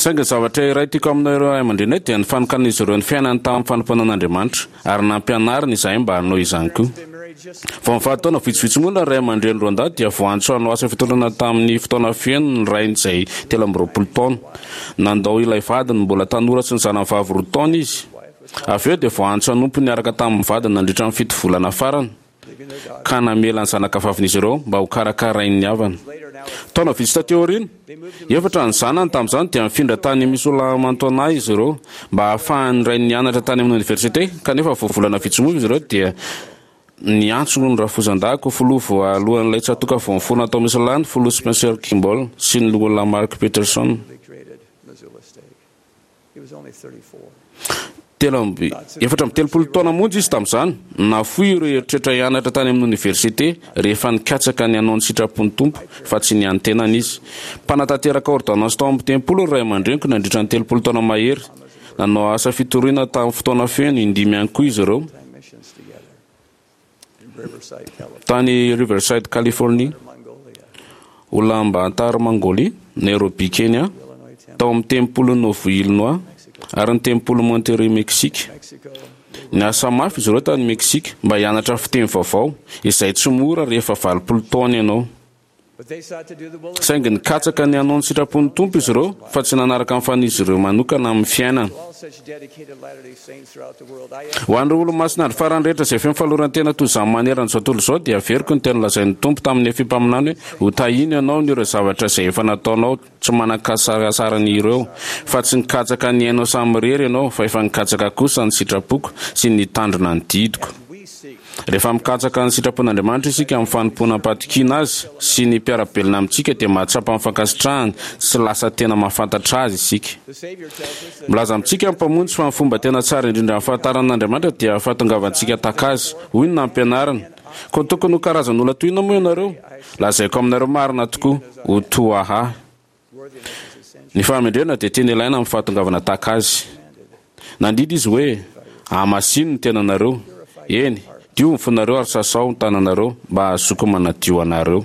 Saingy ny zavatra iray tiako amin'ireo ray aman-dreninay dia ny fanokanan'izy ireo ny fiainany tamin'ny fanompoana an'Andriamanitra, ary nampianariny izahay mba hanao izany koa. Vao nivady taona vitsivitsy monja ny ray aman-dreny Rhonda dia voaantso hanao asa fitondrana tamin'ny fotoana feno ny rainy izay telo amby roapolo taona. Nandao ilay vadiny mbola tanora sy ny zanany vavy roa taona izy. Avy eo dia voaantso hanompo niaraka tamin'ny vadiny nandritra ny fito volana farany. ka namela ny zanakavavin'izy ireo mba hokarakarain'ny havany. Taona vitsy tatỳ aoriana, efatra ny zanany tamin'izany dia nifindra tany Missoula Montana izy ireo mba hahafahan'ny rainy nianatra tany amin'ny oniversite, kanefa vao volana vitsy monja izy ireo dia niantso ny rafozan-dahiko ho filoha voalohan'ilay tsatòka vao niforona tao Missoula ny Filoha Spencer Kimball sy ny Loholona Mark Peterson. Telo amby efatra amby telopolo taona monja izy tamin'izany. Nafoy ireo eritreritra hianatra tany amin'ny oniversite rehefa nikatsaka ny hanao ny sitrapon'ny Tompo fa tsy ny an'ny tenany izy. Mpanatanteraka ôrdônansy tao amin'ny tempoly ny ray aman-dreniko nandritra ny telopolo taona mahery. Nanao asa fitoriana tamin'ny fotoana feno indimy ihany koa izy ireo. Tany Riverside, Californie, Ulaanbaatar, Mongolie, Nairobi, Kenya, tao amin'ny Tempolin'i Nauvoo, Illinois, ary ny Tempolin'i Monterrey, Mexique. Niasa mafy izy ireo tany Mexique mba hianatra fiteny vaovao, izay tsy mora rehefa valopolo taona ianao. Saingy nikatsaka ny hanao ny sitrapon'ny Tompo izy ireo fa tsy nanaraka ny fanirian'izy ireo manokana amin'ny fiainana. Ho an'ireo Olomasina andro farany rehetra izay feno fahaloran-tena toy izany manerana izao tontolo izao dia averiko ny teny nolazain'ny Tompo tamin'ny Nefia mpaminany hoe, Hotahiana ianao noho ireo zavatra izay efa nataonao tsy manan-kasarasarana ireo, fa tsy nikatsaka ny ainao samirery ianao fa efa nikatsaka kosa ny sitrapoko sy ny nitandrina ny didiko. Rehefa mikatsaka ny sitrapon'Andriamanitra isika amin'ny fanompoana am-pahatokiana Azy sy ny mpiara-belona amintsika dia mahatsapa ny fankasitrahany sy lasa tena mahafantatra Azy isika. Milaza amintsika ny Mpamonjy fa ny fomba tena tsara indrindra hahafantarana an'Andriamanitra dia fahatongavantsika tahaka Azy. Hoy ny nampianariny, Koa tokony ho karazan'olona toy inona moa ianareo? Lazaiko aminareo marina tokoa, ho toa Ahy. Ny fahamendrehana dia tena ilaina amin'ny fahatongavana tahaka azy. Nandidy izy hoe, Ahamasino ny tenanareo, eny, diovy ny fonareo ary sasao ny tananareo mba hahazoako manadio anareo.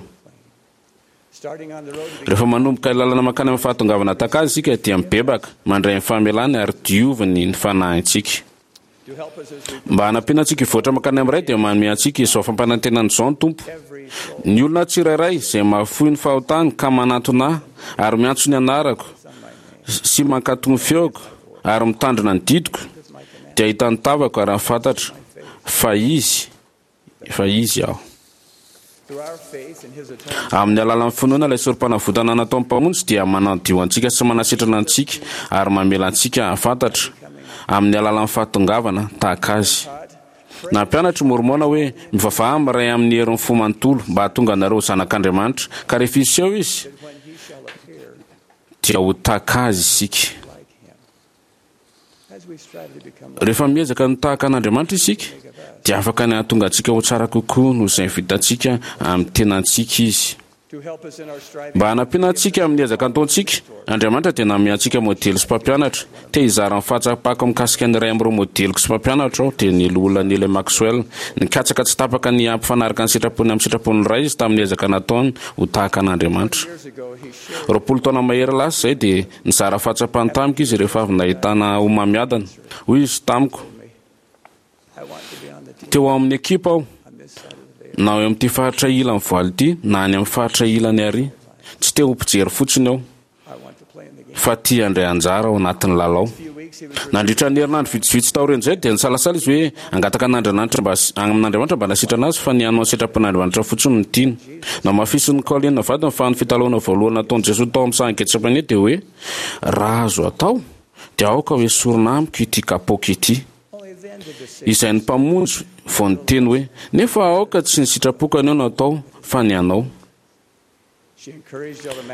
Rehefa manomboka ilay lalana mankany amin'ny fahatongavana tahaka azy isika dia mibebaka, mandray ny famelany ary dioviny ny fanahintsika. Mba hanampiana antsika hivoatra mankany amin'ny Ray dia manome antsika izao fampanantenana izao ny Tompo, Ny olona tsirairay izay mahafoy ny fahotany ka manantona Ahy ary miantso ny anarako sy mankatò ny feoko ary mitandrina ny didiko dia hahita ny tavako ary hahafantatra fa Izy Efa Izy aho. Amin'ny alalan'ny finoana ilay sorompanavotana nataon'ny Mpamonjy dia manadio antsika sy manasitrana antsika ary mamela antsika hahafantatra, amin'ny alalan'ny fahatongavana tahaka Azy. Nampianatra i Môrmôna hoe, Mivavaha amin'ny Ray amin'ny herin'ny fo manontolo mba hahatonga anareo ho zanak'Andriamanitra, ka rehefa hiseho Izy, dia ho tahaka Azy isika. Rehefa miezaka ny tahaka an'Andriamanitra isika, dia afaka ny hahatonga antsika ho tsara kokoa noho izay vitantsika amin'ny tenantsika Izy. Mba hanampiana antsika amin'ny ezaka ataontsika, Andriamanitra dia nanome antsika modely sy mpampianatra. Te hizara ny fahatsapako mikasika ny iray amin'ireo modeliko sy mpampianatro aho, dia ny Loholona Neal A. Maxwell. Nikatsaka tsy tapaka ny hampifanaraka ny sitrapony amin'ny sitrapon'ny Ray izy tamin'ny ezaka nataony ho tahaka an'Andriamanitra. Roapolo taona mahery lasa izay dia nizara fahatsapany tamiko izy rehefa avy nahitana homamiadana. Hoy izy tamiko, Teo amin'ny ekipa aho, na eo amin'ity faritra ilan'ny voaly ity na any amin'ny faritra ilany ary. Tsy te ho mpijery fotsiny aho, fa tia handray anjara ao anatin'ny lalao. Nandritra ny herinandro vitsivitsy taorian'izay dia nisalasala izy hoe hangataka an'Andriananitra mba amin'Andriamanitra mba hanasitrana azy fa ny hanao ny sitrapon'Andriamanitra fotsiny no tiany. Namafisin'i Colin vadiny fa ny fitalahoana voalohany nataon'i Jesoa tao amin'ny sahan'i Getsemane dia hoe, Raha azo atao, dia aoka hoesorina amiko ity kapoaka ity. Izay ny Mpamonjy vao niteny hoe, Nefa aoka tsy ny sitrapoko anio no atao, fa ny Anao.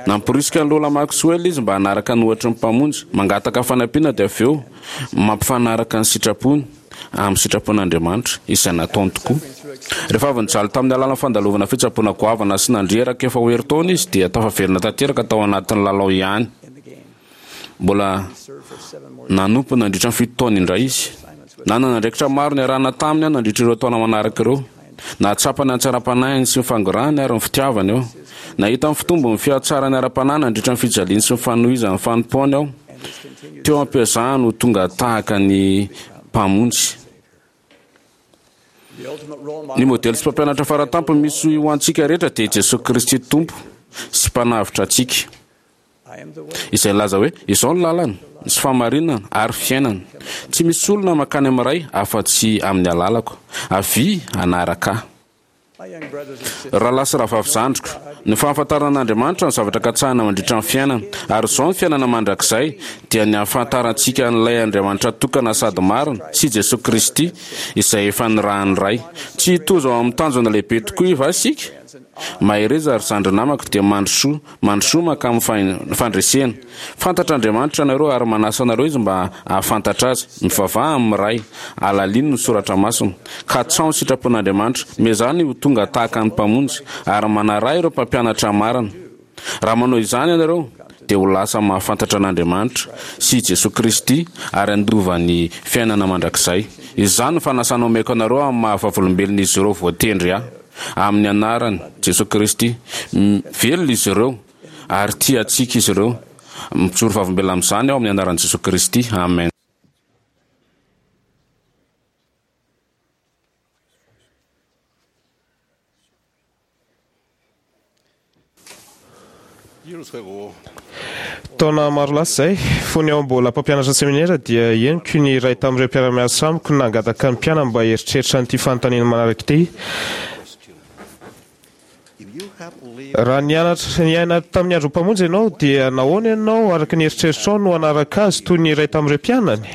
Namporisika an'i Lola Maxwell izy mba hanaraka ny ohatry ny Mpamonjy, mangataka fanampiana dia avy eo mampifanaraka ny sitrapony amin'ny sitrapon'Andriamanitra, izay nataony tokoa. Rehefa avy nijaly tamin'ny alalan'ny fandalovana fitsaboana goavana sy nandreraka efa ho herintaona izy dia tafaverina tanteraka tao anatin'ny lalao ihany. Mbola nanompo nandritra ny fito taona indray izy. Nanana andraikitra maro niarahana taminy aho nandritra ireo taona manaraka ireo. Nahatsapa ny hatsaram-panahiny sy ny fangorahany ary ny fitiavany aho. Nahita ny fitombon'ny fihatsarany ara-panahy nandritra ny fijaliany sy ny fanohizany ny fanompoany aho, teo am-piezahany ho tonga tahaka ny Mpamonjy. Ny modely sy mpampianatra faratampony misy ho antsika rehetra dia i Jesoa Kristy Tompo sy Mpanavotra antsika. Izay nilaza hoe, Izao ny lalana, sy fahamarinana, ary fiainana. Tsy misy olona mankany amin'ny Ray afa-tsy amin'ny alalako. Avia hanaraka Ahy. Rahalahy sy rahavavy zandriko, ny fahafantarana an'Andriamanitra no zavatra katsahina mandritra ny fiainana. Ary izao ny fiainana mandrakizay, dia ny hahafantarantsika an'ilay Andriamanitra tokana sady marina, sy Jesoa Kristy, izay efa nirahin'ny Ray. Tsy hitozo ao amin'ny tanjona lehibe tokoa va isika? Mahereza ry zandry namako dia mandrosoa, mandrosoa mankamin'ny fandresena. Fantatr'Andriamanitra anareo ary manasa anareo Izy mba hahafantatra Azy. Mivavaha amin'ny Ray, alalino ny Soratra Masina, katsaho ny sitrapon'Andriamanitra, miezaha ny ho tonga tahaka ny Mpamonjy, ary manaraha ireo mpampianatra marina. Raha manao izany ianareo, dia ho lasa mahafantatra an'Andriamanitra sy i Jesoa Kristy ary handova ny fiainana mandrakizay. Izany no fanasana omeko anareo amin'ny maha-vavolombelon'izy ireo voatendry ahy. Amin'ny anaran'i Jesoa Kristy. Velona izy ireo ary tia antsika izy ireo. Mijoro vavolombelona amin'izany aho amin'ny anaran'i Jesoa Kristy. Amen. Taona maro lasa izay, fony aho mbola mpampianatra seminera, dia henoko ny iray tamin'ireo mpiara-miasa amiko nangataka ny mpianany mba hieritreritra an'ity fanontaniana manaraka ity, Raha nianatra niaina tamin'ny andron'ny Mpamonjy ianao, dia nahoana ianao, araka ny eritreritrao, no hanaraka Azy toy ny iray tamin'ireo mpianany?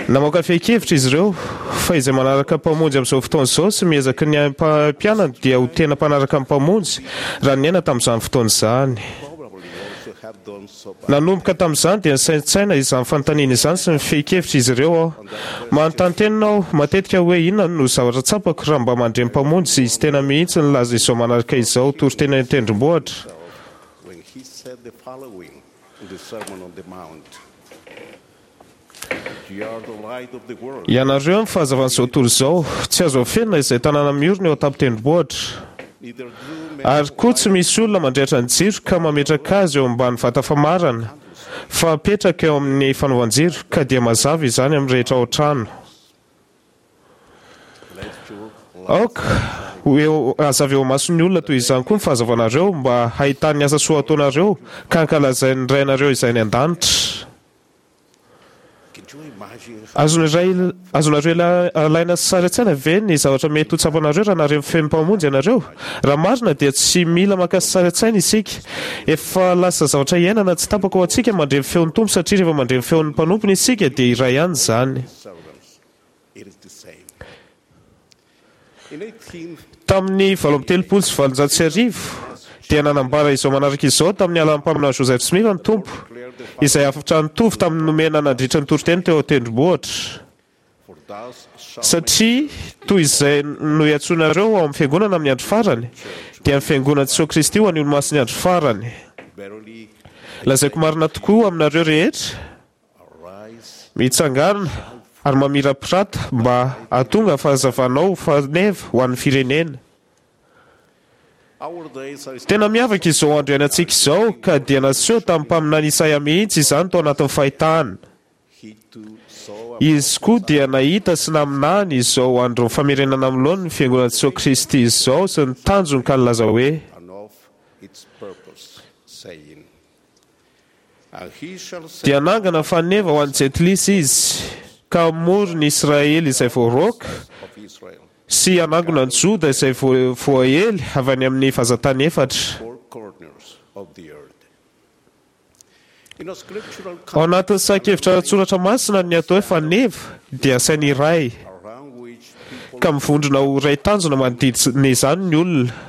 Namoaka fehin-kevitra izy ireo fa izay manaraka ny Mpamonjy amin'izao fotoana izao sy miezaka ny haimpianany dia ho tena mpanaraka ny Mpamonjy raha niaina tamin'izany fotoana izany. Nanomboka tamin'izany dia nisaintsaina izany fanontaniana izany sy ny fehin-kevitra izy ireo aho. Manontany tena aho matetika hoe inona no zavatra tsapako raha mba mandre ny Mpamonjy izy tena mihitsy nilaza izao manaraka izao toriteny an-tendrombohitra. Ianareo no fahazavan'izao tontolo izao. Tsy azo afenina izay tanàna miorina eo an-tampon-tendrombohitra. Ary koa tsy misy olona mandrehitra ny jiro ka mametraka azy eo ambany vata famarana, fa apetraka eo amin'ny fanaovan-jiro, ka dia mazava izany amin'ny rehetra ao an-trano. Aoka ho eo hazava eo imason'ny olona toy izany koa ny fahazavanareo, mba hahitany ny asa soa ataonareo, ka hankalazain'ny Rainareo izay any an-danitra. Azonareo azonareo alaina sary an-tsaina ve ny zavatra mety ho tsapanareo raha nahare ny feon'ny Mpamonjy ianareo? Raha marina dia tsy mila maka sary an-tsaina isika. Efa lasa zavatra iainana tsy tapaka ho antsika mandre ny feon'ny Tompo satria rehefa mandre ny feon'ny mpanompony isika dia iray ihany izany. Tamin'ny valo amby telopolo sy valonjato sy arivo, dia nanambara izao manaraka izao tamin'ny alalan'ny mpaminany Joseph Smith ny Tompo, izay hafatra nitovy tamin'ny nomena nandritra ny toriteny teo an-tendrombohitra, Satria toy izay no iantsoanareo ao amin'ny fiangonana amin'ny andro farany, dia ny fiangonan'i Jesoa Kristy ho an'ny olomasin'ny andro farany. Lazaiko marina tokoa aminareo rehetra, mitsangàna ary mamirapirata mba hahatonga ny fahazavanao ho faneva ho an'ny firenena. Tena miavaka izao andro iainantsika izao, ka dia naseho tamin'ny mpaminany Isaia mihitsy izany tao anatin'ny fahitana. Izy koa dia nahita sy naminany izao andron'ny famerenana amin'ny laoniny ny Fiangonan'i Jesoa Kristy izao sy ny tanjony ka nilaza hoe, Dia hanangana faneva ho an'ny Jentilisa Izy, ka hamory ny Israely izay voaroaka, sy hanangona ny Joda izay voaely avy any amin'ny vazan-tany efatra. Ao anatin'ny sahan-kevitra ara-tsoratra masina, ny atao hoe faneva dia asaina iray, ka mivondrona ho iray tanjona manodidina izany ny olona.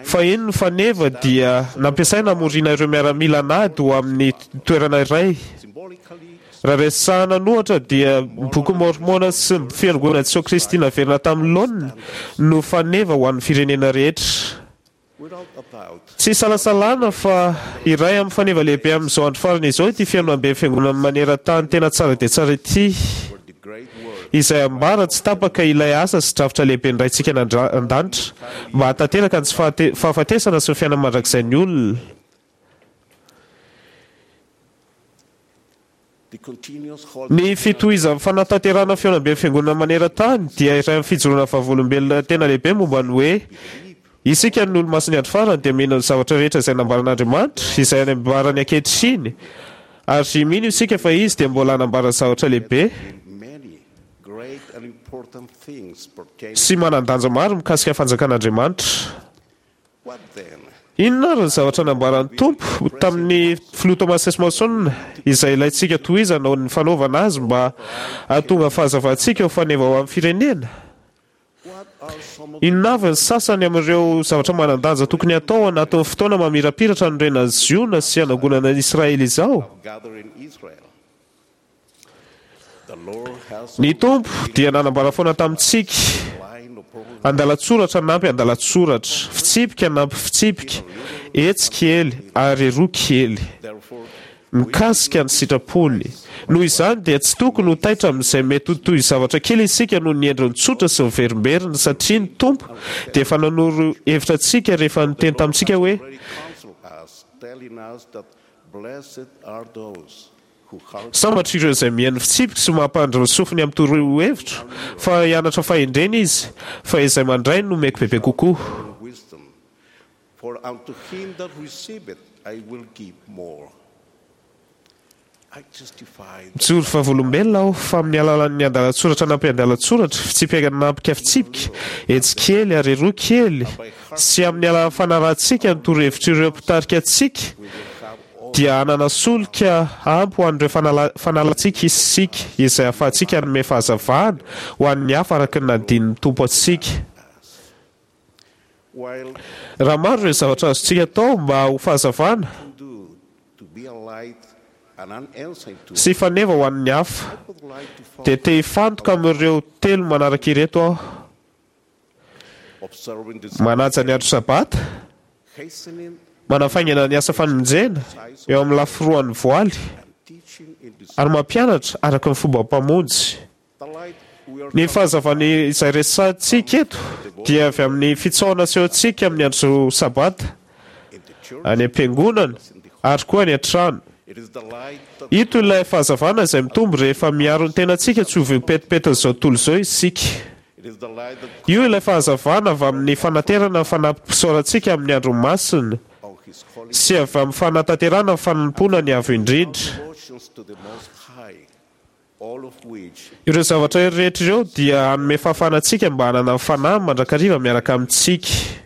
Fahiny ny faneva dia nampiasaina hamoriana ireo miaramila an'ady ho amin'ny toerana iray. Raha resahana an'ohatra dia ny Bokin'i Môrmôna sy ny Fiangonan'i Jesoa Kristy naverina tamin'ny laoniny no faneva ho an'ny firenena rehetra. Tsy isalasalana fa iray amin'ny faneva lehibe amin'izao andro farany izao ity fihaonamben'ny Fiangonana maneran-tany tena tsara dia tsara ity, izay ambara tsy tapaka ilay asa sy drafitra lehiben'ny Raintsika any an-danitra mba hahatanteraka ny tsy fahafatesana sy ny fiainana mandrakizain'ny olona. Ny fitohizan'ny fanatanterahana fihaonamben'ny Fiangonana maneran-tany dia iray amin'ny fijoroana vavolombelona tena lehibe momba ny hoe isika ny Olomasin'ny Andro Farany dia mino ny zavatra rehetra izay nambaran'Andriamanitra, izay anambarany ankehitriny, ary mino isika fa Izy dia mbola hanambara zavatra lehibe sy manan-danja maro mikasika ny fanjakan'Andriamanitra. Inona ary ny zavatra nambaran'ny Tompo tamin'ny Filoha Thomas S. Monson izay ilaintsika tohizana ao ny fanaovana azy mba hahatonga ny fahazavantsika ho faneva ho an'ny firenena? Inona avy ny sasany amin'ireo zavatra manan-danja tokony hatao ao anatin'ny fotoana mamirapiratra hanorenan'i Ziona sy hanangonana an'i Israely izao? Ny Tompo dia nanambara foana tamintsika, andalan-tsoratra nampy andalan-tsoratra, fitsipika nampy fitsipika, etsy kely ary eroa kely, mikasika ny sitrapony. Noho izany dia tsy tokony ho taitra amin'izay mety ho toy zavatra kely isika noho ny endriny tsotra sy miverimberina, satria ny Tompo dia efa nanoro hevitra antsika rehefa niteny tamintsika hoe, Sambatra ireo izay mihaino ny fitsipiko sy mampandry ny sofiny amin'ny torohevitro, fa hianatra fahendrena izy, fa izay mandray no omeko bebe kokoa. Mijoro vavolombelona aho fa amin'ny alalan'ny andalan-tsoratra anampy andalan-tsoratra, fitsipika anampika fitsipika, etsy kely ary eroa kely, sy amin'ny alalan'ny fanarahantsika ny torohevitr'ireo mpitarika antsika, dia hanana solika ampy ho an'ireo fanalantsika isika, izay ahafahantsika hanome fahazavana ho an'ny hafa araka ny nandinin'ny Tompo antsika. Raha maro ireo zavatra azontsika atao mba ho fahazavana sy faneva ho an'ny hafa, dia te hifantoka amin'ireo telo manaraka ireto aho. Manaja ny andro Sabata, manafaingana ny asa famonjena eo amin'ny lafy roan'ny voaly, ary mampianatra araka ny fomba Mpamonjy. Ny fahazavana izay resahintsika eto dia avy amin'ny fitsaohana asehontsika amin'ny andro Sabata, any am-piangonana ary koa any an-trano. Ito ilay fahazavana izay mitombo rehefa miaro ny tenantsika tsy ho voapetipetin'izao tontolo izao isika. Io ilay fahazavana avy amin'ny fanaterana ny fanampim-pisaorantsika amin'ny andro masina sy avy amin'ny fanatanterahana ny fanompoana ny Avo Indrindra. Ireo zavatra rehetra ireo dia hanome fahafahana antsika mba hanana ny Fanahy mandrakariva miaraka amintsika.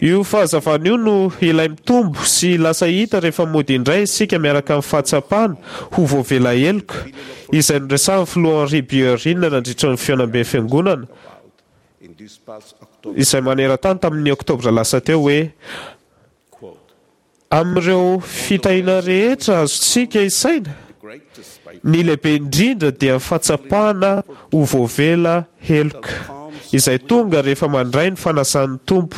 Io fahazavana io no ilay mitombo sy lasa hita rehefa mody indray isika miaraka amin'ny fahatsapana ho voavela heloka, izay noresahin'ny Filoha Henry Bierine nandritra ny fihaonamben'ny Fiangonana izay maneran-tany tamin'ny Oktobra lasa teo hoe, Amin'ireo fitahiana rehetra azontsika isaina, Ny lehibe indrindra dia fahatsapana ho voavela heloka, izay tonga rehefa mandray ny fanasan'ny Tompo.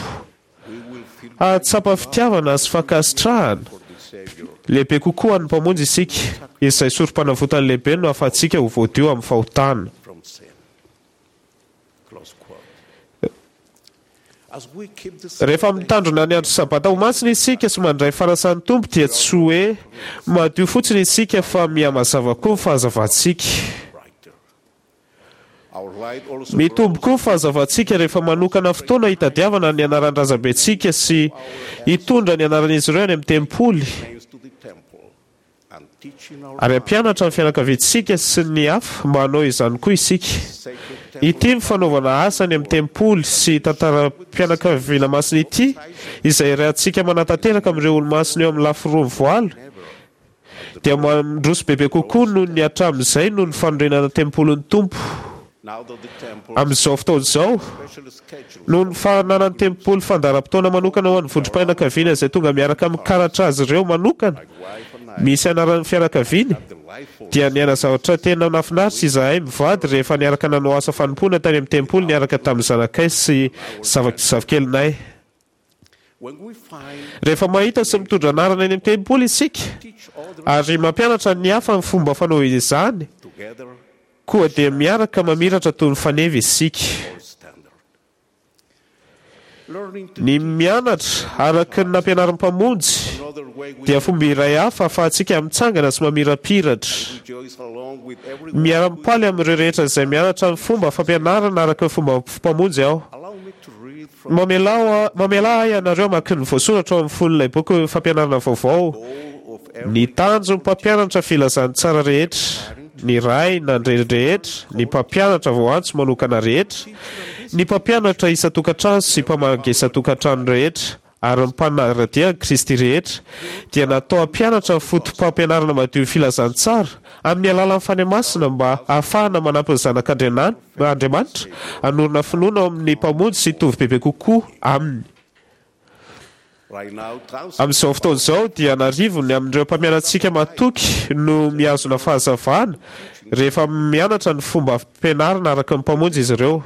Hahatsapa fitiavana sy fankasitrahana lehibe kokoa an'ny Mpamonjy isika, izay sorom-panavotany lehibe no ahafahantsika ho voadio amin'ny fahotana. Rehefa mitandrina ny andro Sabata ho masina isika sy mandray fanasan'ny Tompo dia tsy hoe madio fotsiny isika fa mihamazava koa ny fahazavantsika. Mitombo koa ny fahazavantsika rehefa manokana fotoana hitadiavana ny anaran-drazambentsika sy hitondra ny anaran'izy ireo any amin'ny tempoly ary hampianatra ny fianakaviantsika sy ny hafa mba hanao izany koa isika. Ity ny fanaovana asa any amin'ny tempoly sy tantaram-pianakaviana masina ity, izay iarahantsika manatanteraka amin'ireo olomasina eo amin'ny lafy roa mivoala, dia mandroso bebe kokoa noho ny hatramin'izay noho ny fanorenana tempolin'ny Tompo. Amin'izao fotoana izao, noho ny fananan'ny tempoly fandaharam-potoana manokana ho an'ny vondrom-pianakaviana izay tonga miaraka amin'ny karatra azy ireo manokana misy anaran'ny fianakaviany, dia niaina zavatra tena nahafinaritra izahay mivady rehefa niaraka nanao asa fanompoana tany amin'ny tempoly niaraka tamin'ny zanakay sy zafikelinay. Rehefa mahita sy mitondra anarana eny amin'ny tempoly isika ary mampianatra ny hafa ny fomba fanao izany, koa dia miaraka mamiratra toy ny faneva isika. Ny mianatra araka ny nampianarin'ny Mpamonjy dia fomba iray hafa ahafahantsika mitsangana sy mamirapiratra. Miara-mipaly amin'ireo rehetra izay mianatra ny fomba fampianarana araka ny fomba Mpamonjy aho. Mamelà mamelà ahy ianareo hamaky ny voasoratra ao amin'ny fon'ilay boky fampianarana vaovao, Ny tanjon'ny mpampianatra filazantsara rehetra, ny ray na ny reny rehetra, ny mpampianatra voaantso manokana rehetra, ny mpampianatra isan-tokantrano sy mpamangy isan-tokantrano rehetra, ary ny mpanara-dia an'i Kristy rehetra, dia natao hampianatra ny fotopampianarana madion'ny filazantsara amin'ny alalan'ny Fanahy Masina mba hahafahana manampy ny zanak'Andriamanitra hanorina finoana ao amin'ny Mpamonjy sy hitovy bebe kokoa Aminy. Amin'izao fotoana izao dia an'arivony amin'ireo mpampianatsika matoky no mihazona fahazavana rehefa mianatra ny fomba fampianarana araka ny Mpamonjy izy ireo.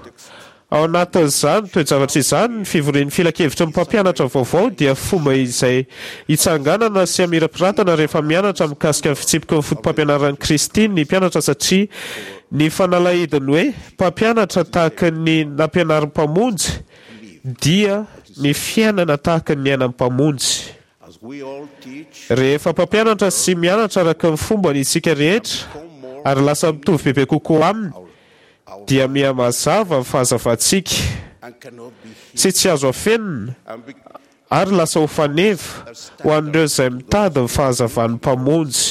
Ao anatin'izany toe-javatra izany, ny fivorian'ny filankevitry ny mpampianatra vaovao dia fomba izay hitsanganana sy hamirapiratana rehefa mianatra mikasika ny fitsipiky ny fotopampianaran'i Kristy ny mpianatra satria ny fanalahidin'ny hoe mpampianatra tahaka ny nampianarin'ny Mpamonjy dia ny fiainana tahaka ny niainan'ny Mpamonjy. Rehefa mpampianatra sy mianatra araka ny fombany isika rehetra ary lasa mitovy bebe kokoa aminy, dia miha-mazava ny fahazavantsika, sy tsy azo afenina, ary lasa ho faneva ho an'ireo izay mitady ny fahazavan'ny Mpamonjy.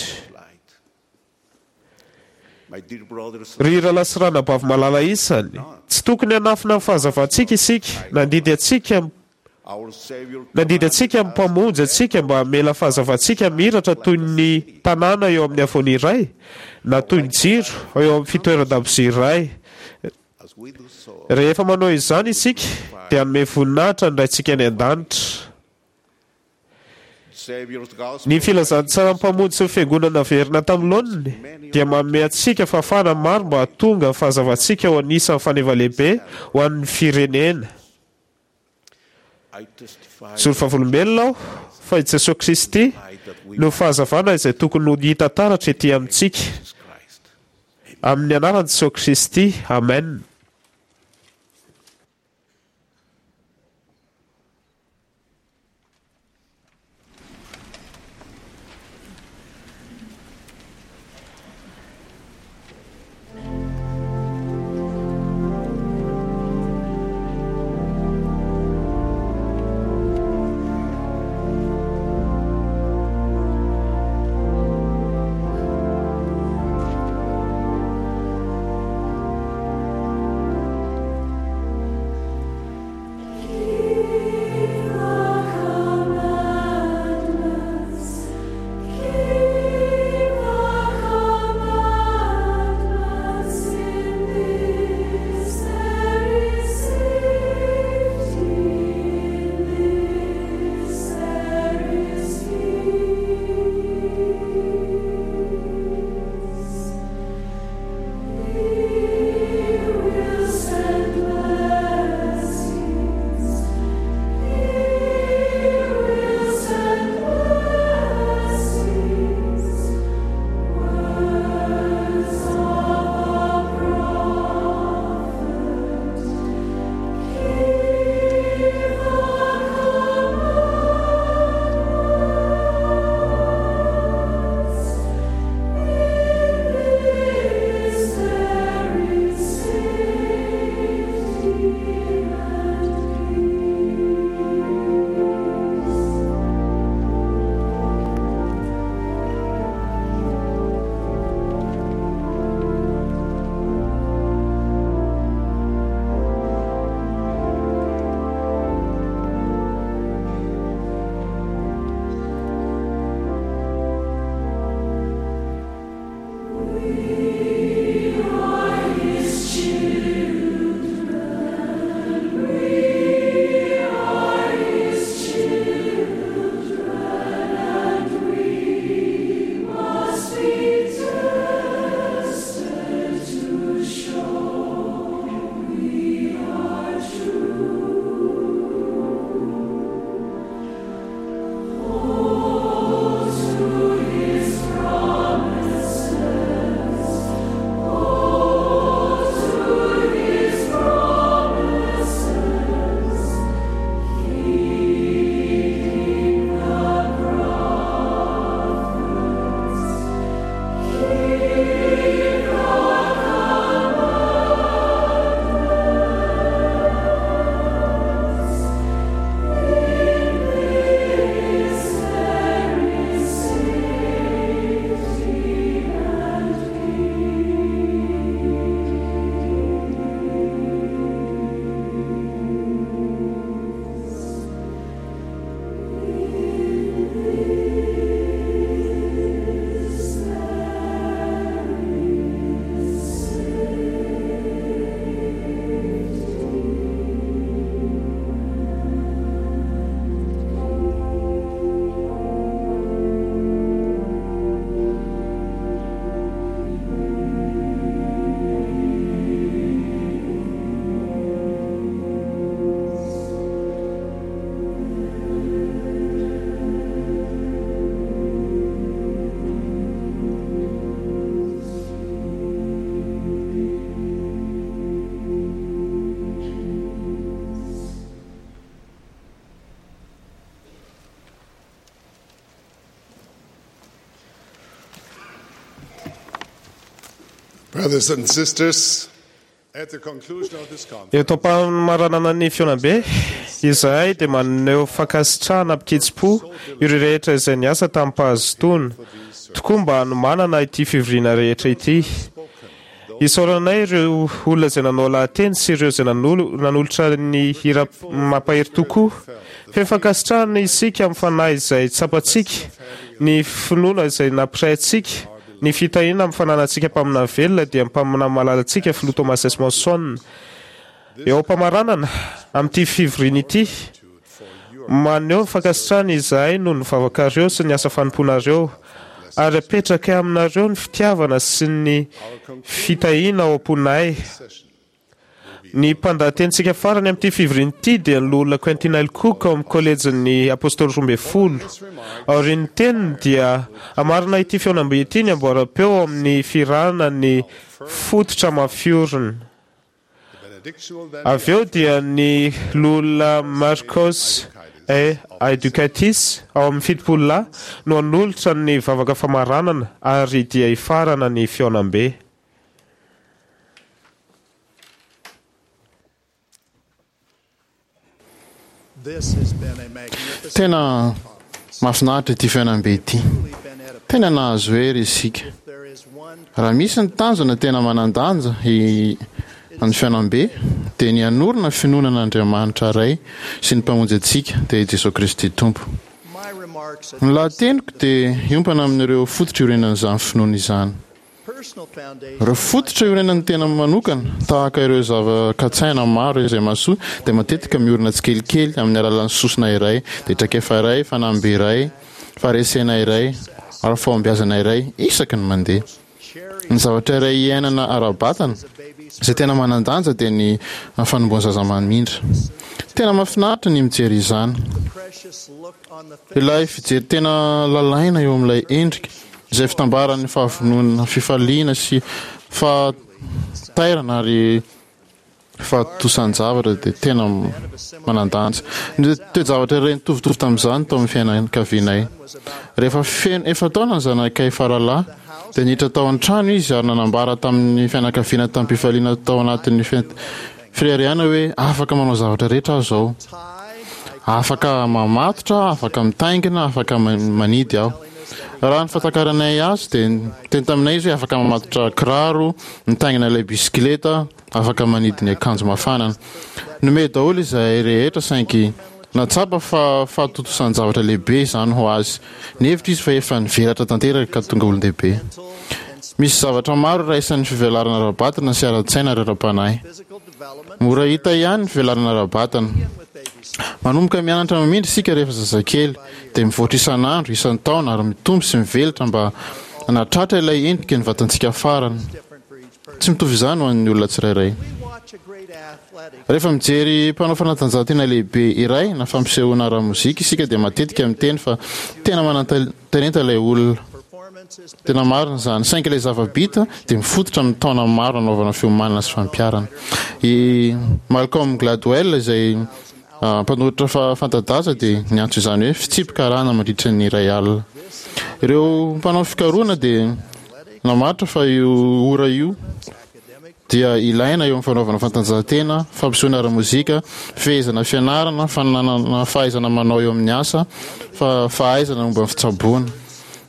Ry rahalahy sy ranabavy malala isany, tsy tokony hanafina ny fahazavantsika isika. Nandidy antsika Nandidy antsika ny Mpamonjy antsika mba hamela fahazavantsika hamiratra toy ny tanàna eo amin'ny havoana iray, na toy ny jiro eo amin'ny fitoeran-dakozia iray. Rehefa manao izany isika, dia hanome voninahitra ny Raintsika any An-danitra. Ny filazantsaran'ny Mpamonjy sy ny Fiangonana naverina tamin'ny laoniny dia manome antsika fahafahana maro mba hahatonga ny fahazavantsika ho anisan'ny faneva lehibe ho an'ny firenena. Mijoro vavolombelona aho fa i Jesoa Kristy no fahazavana izay tokony ho hita taratra ety amintsika. Amin'ny anaran'i Jesoa Kristy, amen. Brothers and sisters, at the conclusion of this conference, Eto am-pamaranana ny fihaonambe, izahay dia maneho fankasitrahana amin-kitsim-po ireo rehetra izay niasa tamim-pahazotoana tokoa mba hanomanana ity fivoriana rehetra ity. Isaoranay ireo olona izay nanao lahateny sy ireo izay nanolo- nanolotra ny hira mampahery tokoa. Feno fankasitrahana isika amin'ny fanahy izay tsapantsika, ny finoana izay nampiray antsika, ny fitahiana amin'ny fananantsika mpaminany velona dia mpaminany malalantsika Filoha Thomas S. Monson. Eo am-pamaranana amin'ity fivoriana ity, maneho ny fankasitrahana izahay noho ny vavakareo sy ny asa fanompoanareo, ary apetrakay aminareo ny fitiavana sy ny fitahiana ao am-ponay. Ny mpandahatenintsika farany amin'ity fivoriana ity dia ny loholona Quentin L. Cook ao amin'ny kolejin'ny Apôstôly roa ambin'ny folo. Aorian'ny teniny dia hamarana ity fihaonambe ity ny amboaram-peo ao amin'ny fihirana ny fototra mafiorina. Avy eo dia ny loholona Marcos A. Aidukaitis ao amin'ny fitopolo lahy no hanolotra ny vavaka famaranana ary dia hifarana ny fihaonambe. This has been a magnificent Tena mahafinaritra ity fihaonambe ity. Tena nahazo hery isika. There is one Raha misy ny tanjona tena manan-danja i ny fihaonambe dia ny hanorina finoana an'Andriamanitra Ray sy ny Mpamonjy antsika dia i Jesoa Kristy Tompo. my remarks Ny lahateniko dia hiompana amin'ireo fototra iorenan'izany finoana izany. personal foundation Ireo fototra iorenan'ny tena manokana tahaka ireo zava-katsaina maro izay mahasoa dia matetika miorina tsikelikely amin'ny alalan'ny sosona iray, dia traikefa iray, fanamby iray, faharesena iray ary fahombiazana iray isaky ny mandeha. Ny zavatra iray iainana ara-batana izay tena manan-danja dia ny fanombohan'ny zaza mamindra. Tena mahafinaritra ny mijery izany. precious look on the face Ilay fijery tena lalaina eo amin'ilay endrika izay fitambaran'ny fahavononana, fifaliana sy fahatairana ary fahatosan-javatra dia tena manan-danja. Ny toe-javatra iray nitovitovy tamin'izany tao amin'ny fianakavianay. Rehefa feno efa-taona ny zanakay faralahy dia niditra tao an-trano izy ary nanambara tamin'ny fianakaviana tamim-pifaliana tao anatin'ny fi- fireharehana hoe afaka manao zavatra rehetra aho izao. Afaka mamatotra, afaka mitaingina, afaka ma- manidy aho. Raha ny fahatakaranay azy dia niteny taminay izy hoe afaka mamatotra kiraro, mitaingina ilay bisikileta, afaka manidy ny akanjo mafana. Nome daholo izahay rehetra saingy natsapa fa fahatotosan-javatra lehibe izany ho azy. Nihevitra izy fa efa nivelatra tanteraka ka tonga olon-dehibe. Misy zavatra maro iraisan'ny fivelarana ara-batana sy ara-tsaina ary ara-panahy. physical development Mora hita ihany ny fivelarana ara-batana. with babies Manomboka mianatra mamindra isika rehefa zazakely, dia mivoatra isan'andro, isan-taona ary mitombo sy mivelatra mba hanatratra ilay endrika ny vatantsika farany. different for each person. Tsy mitovy izany ho an'ny olona tsirairay. We watch a great athletic Rehefa mijery mpanao fanatanjahantena lehibe iray na fampisehoana ara-mozika isika dia matetika miteny fa tena manan-talenta ilay olona. performance is Tena marina izany. Saingy ilay zava-bita dia mifototra amin'ny taona maro nanaovana fiomanana sy fampiharana. I Malcolm Gladwell izay ah, mpanoratra fa fanta-daza dia niantso izany hoe fitsipika-arahana mandritra ny iray alina. Ireo mpanao fikarohana dia namaritra fa io ora io dia ilaina eo amin'ny fanaovana fanatanjahantena, fampisehoana ara-mozika, fehezana fianarana, fananana fahaizana manao eo amin'ny asa, fa fahaizana momba ny fitsaboana.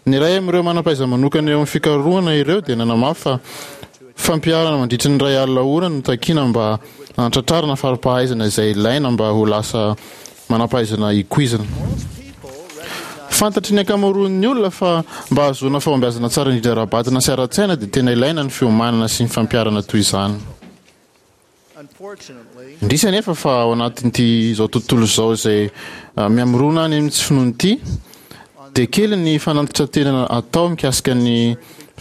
Ny iray amin'ireo manam-pahaiza-manokana eo amin'ny fikarohana ireo dia nanamafy fa fampiharana mandritra ny iray alina ora no takiana mba hanatratrarana fari-pahaizana izay ilaina mba ho lasa manam-pahaizana ikoizana. Fantatry ny ankamaroan'ny olona fa mba hahazoana fahombiazana tsara indrindra ara-batana sy ara-tsaina dia tena ilaina ny fiomanana sy ny fampiharana toy izany. unfortunately Indrisy anefa fa ao anatin'ity izao tontolo izao izay ah, mihamorona any amin'ny tsy finoana ity dia kely ny fanantitrantenana atao mikasika ny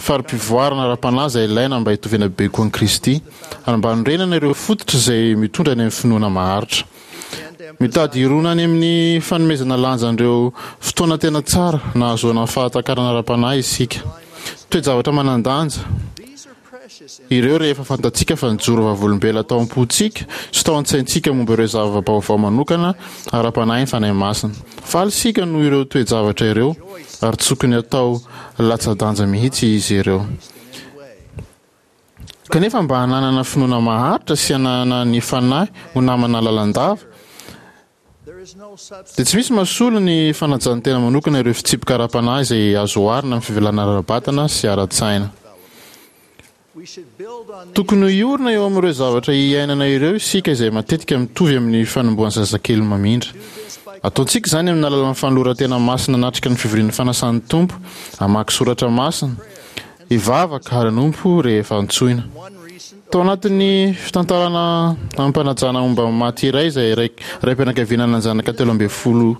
fari-pivoarana ara-panahy izay ilaina mba hitoviana bebe kokoa amin'i Kristy ary mba hanorenana ireo fototra izay mitondra any amin'ny finoana maharitra. Mitady hirona any amin'ny fanomezana lanja an'ireo fotoana tena tsara nahazoana fahatakarana ara-panahy isika. Toe-javatra manan-danja these are precious ireo rehefa fantatsika fa nijoro vavolombelona tao am-pontsika sy tao an-tsaintsika momba ireo zava-baovao manokana ara-panahy ny Fanahy Masina. Faly isika noho ireo toe-javatra ireo ary tsy tokony hatao latsa-danja mihitsy izy ireo. in any way. Kanefa mba hananana finoana maharitra sy hananana ny Fanahy ho namana lalandava, dia tsy misy mahasolo ny fanajan'ny tena manokana ireo fitsipika ara-panahy izay azo oharina amin'ny fivelarana ara-batana sy ara-tsaina. Tokony hiorina eo amin'ireo zavatra iainana ireo isika izay matetika mitovy amin'ny fanombohan'ny zazakely mamindra. Ataontsika izany amin'ny alalan'ny fanoloran-tena masina hanatrika ny fivorian'ny fanasan'ny Tompo, hamaky soratra masina, hivavaka ary hanompo rehefa antsoina. Tao anatin'ny fitantarana amim-panajana momba ny maty iray izay raim-pianakaviana nanan-janaka telo ambin'ny folo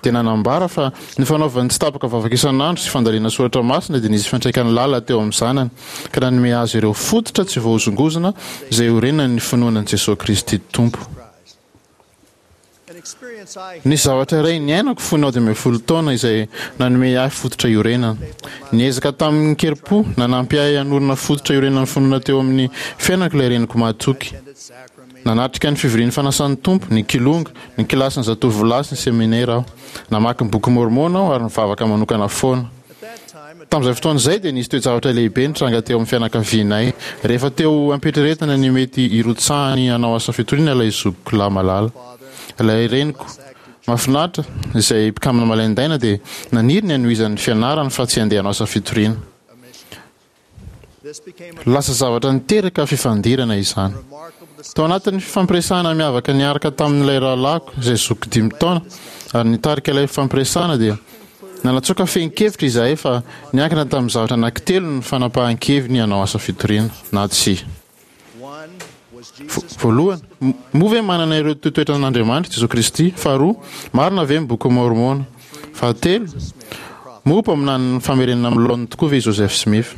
dia nanambara fa ny fanaovany tsy tapaka vavaka isan'andro sy fandalinana soratra masina dia nisy fiantraikany lalina teo amin'ny zanany ka nanome azy ireo fototra tsy voahozongozona izay iorenan'ny finoana an'i Jesoa Kristy Tompo. Nisy zavatra iray niainako fony aho dimy ambin'ny folo taona izay nanome ahy fototra iorenana. Niezaka tamin-kerim-po nanampy ahy hanorina fototra iorenan'ny finoana teo amin'ny fiainako ilay reniko mahatoky. Nanatrika ny fivorian'ny Fanasan'ny Tompo, ny Kilonga, ny kilasin'ny zatovolahy sy ny seminera aho. Namaky ny Boky Môrmôna aho ary nivavaka manokana foana. Tamin'izay fotoana izay dia nisy toe-javatra lehibe nitranga teo amin'ny fianakavianay. Rehefa teo am-pieritreretana ny mety hirotsahany hanao asa fitoriana ilay zokiko lahy malala, ilay reniko mahafinaritra, izay mpikambana malaindaina, dia naniry ny hanohizany ny fianarany fa tsy handeha hanao asa fitoriana. Lasa zavatra niteraka fifandirana izany. Tao anatin'ny fifampiresahana miavaka niaraka tamin'ilay rahalahiko izay zokiko dimy taona ary nitarika ilay fifampiresahana dia nanatsoaka fehin-kevitra izahay fa niankina tamin'ny zavatra anankitelo ny fanapahan-keviny hanao asa fitoriana na tsia. Voalohany, moa ve manana ireo toetoetran'Andriamanitra Jesoa Kristy? Faharoa, marina ve ny Bokin'i Môrmôna? Fahatelo, moa mpaminanin'ny famerenana amin'ny laoniny tokoa ve i Joseph Smith?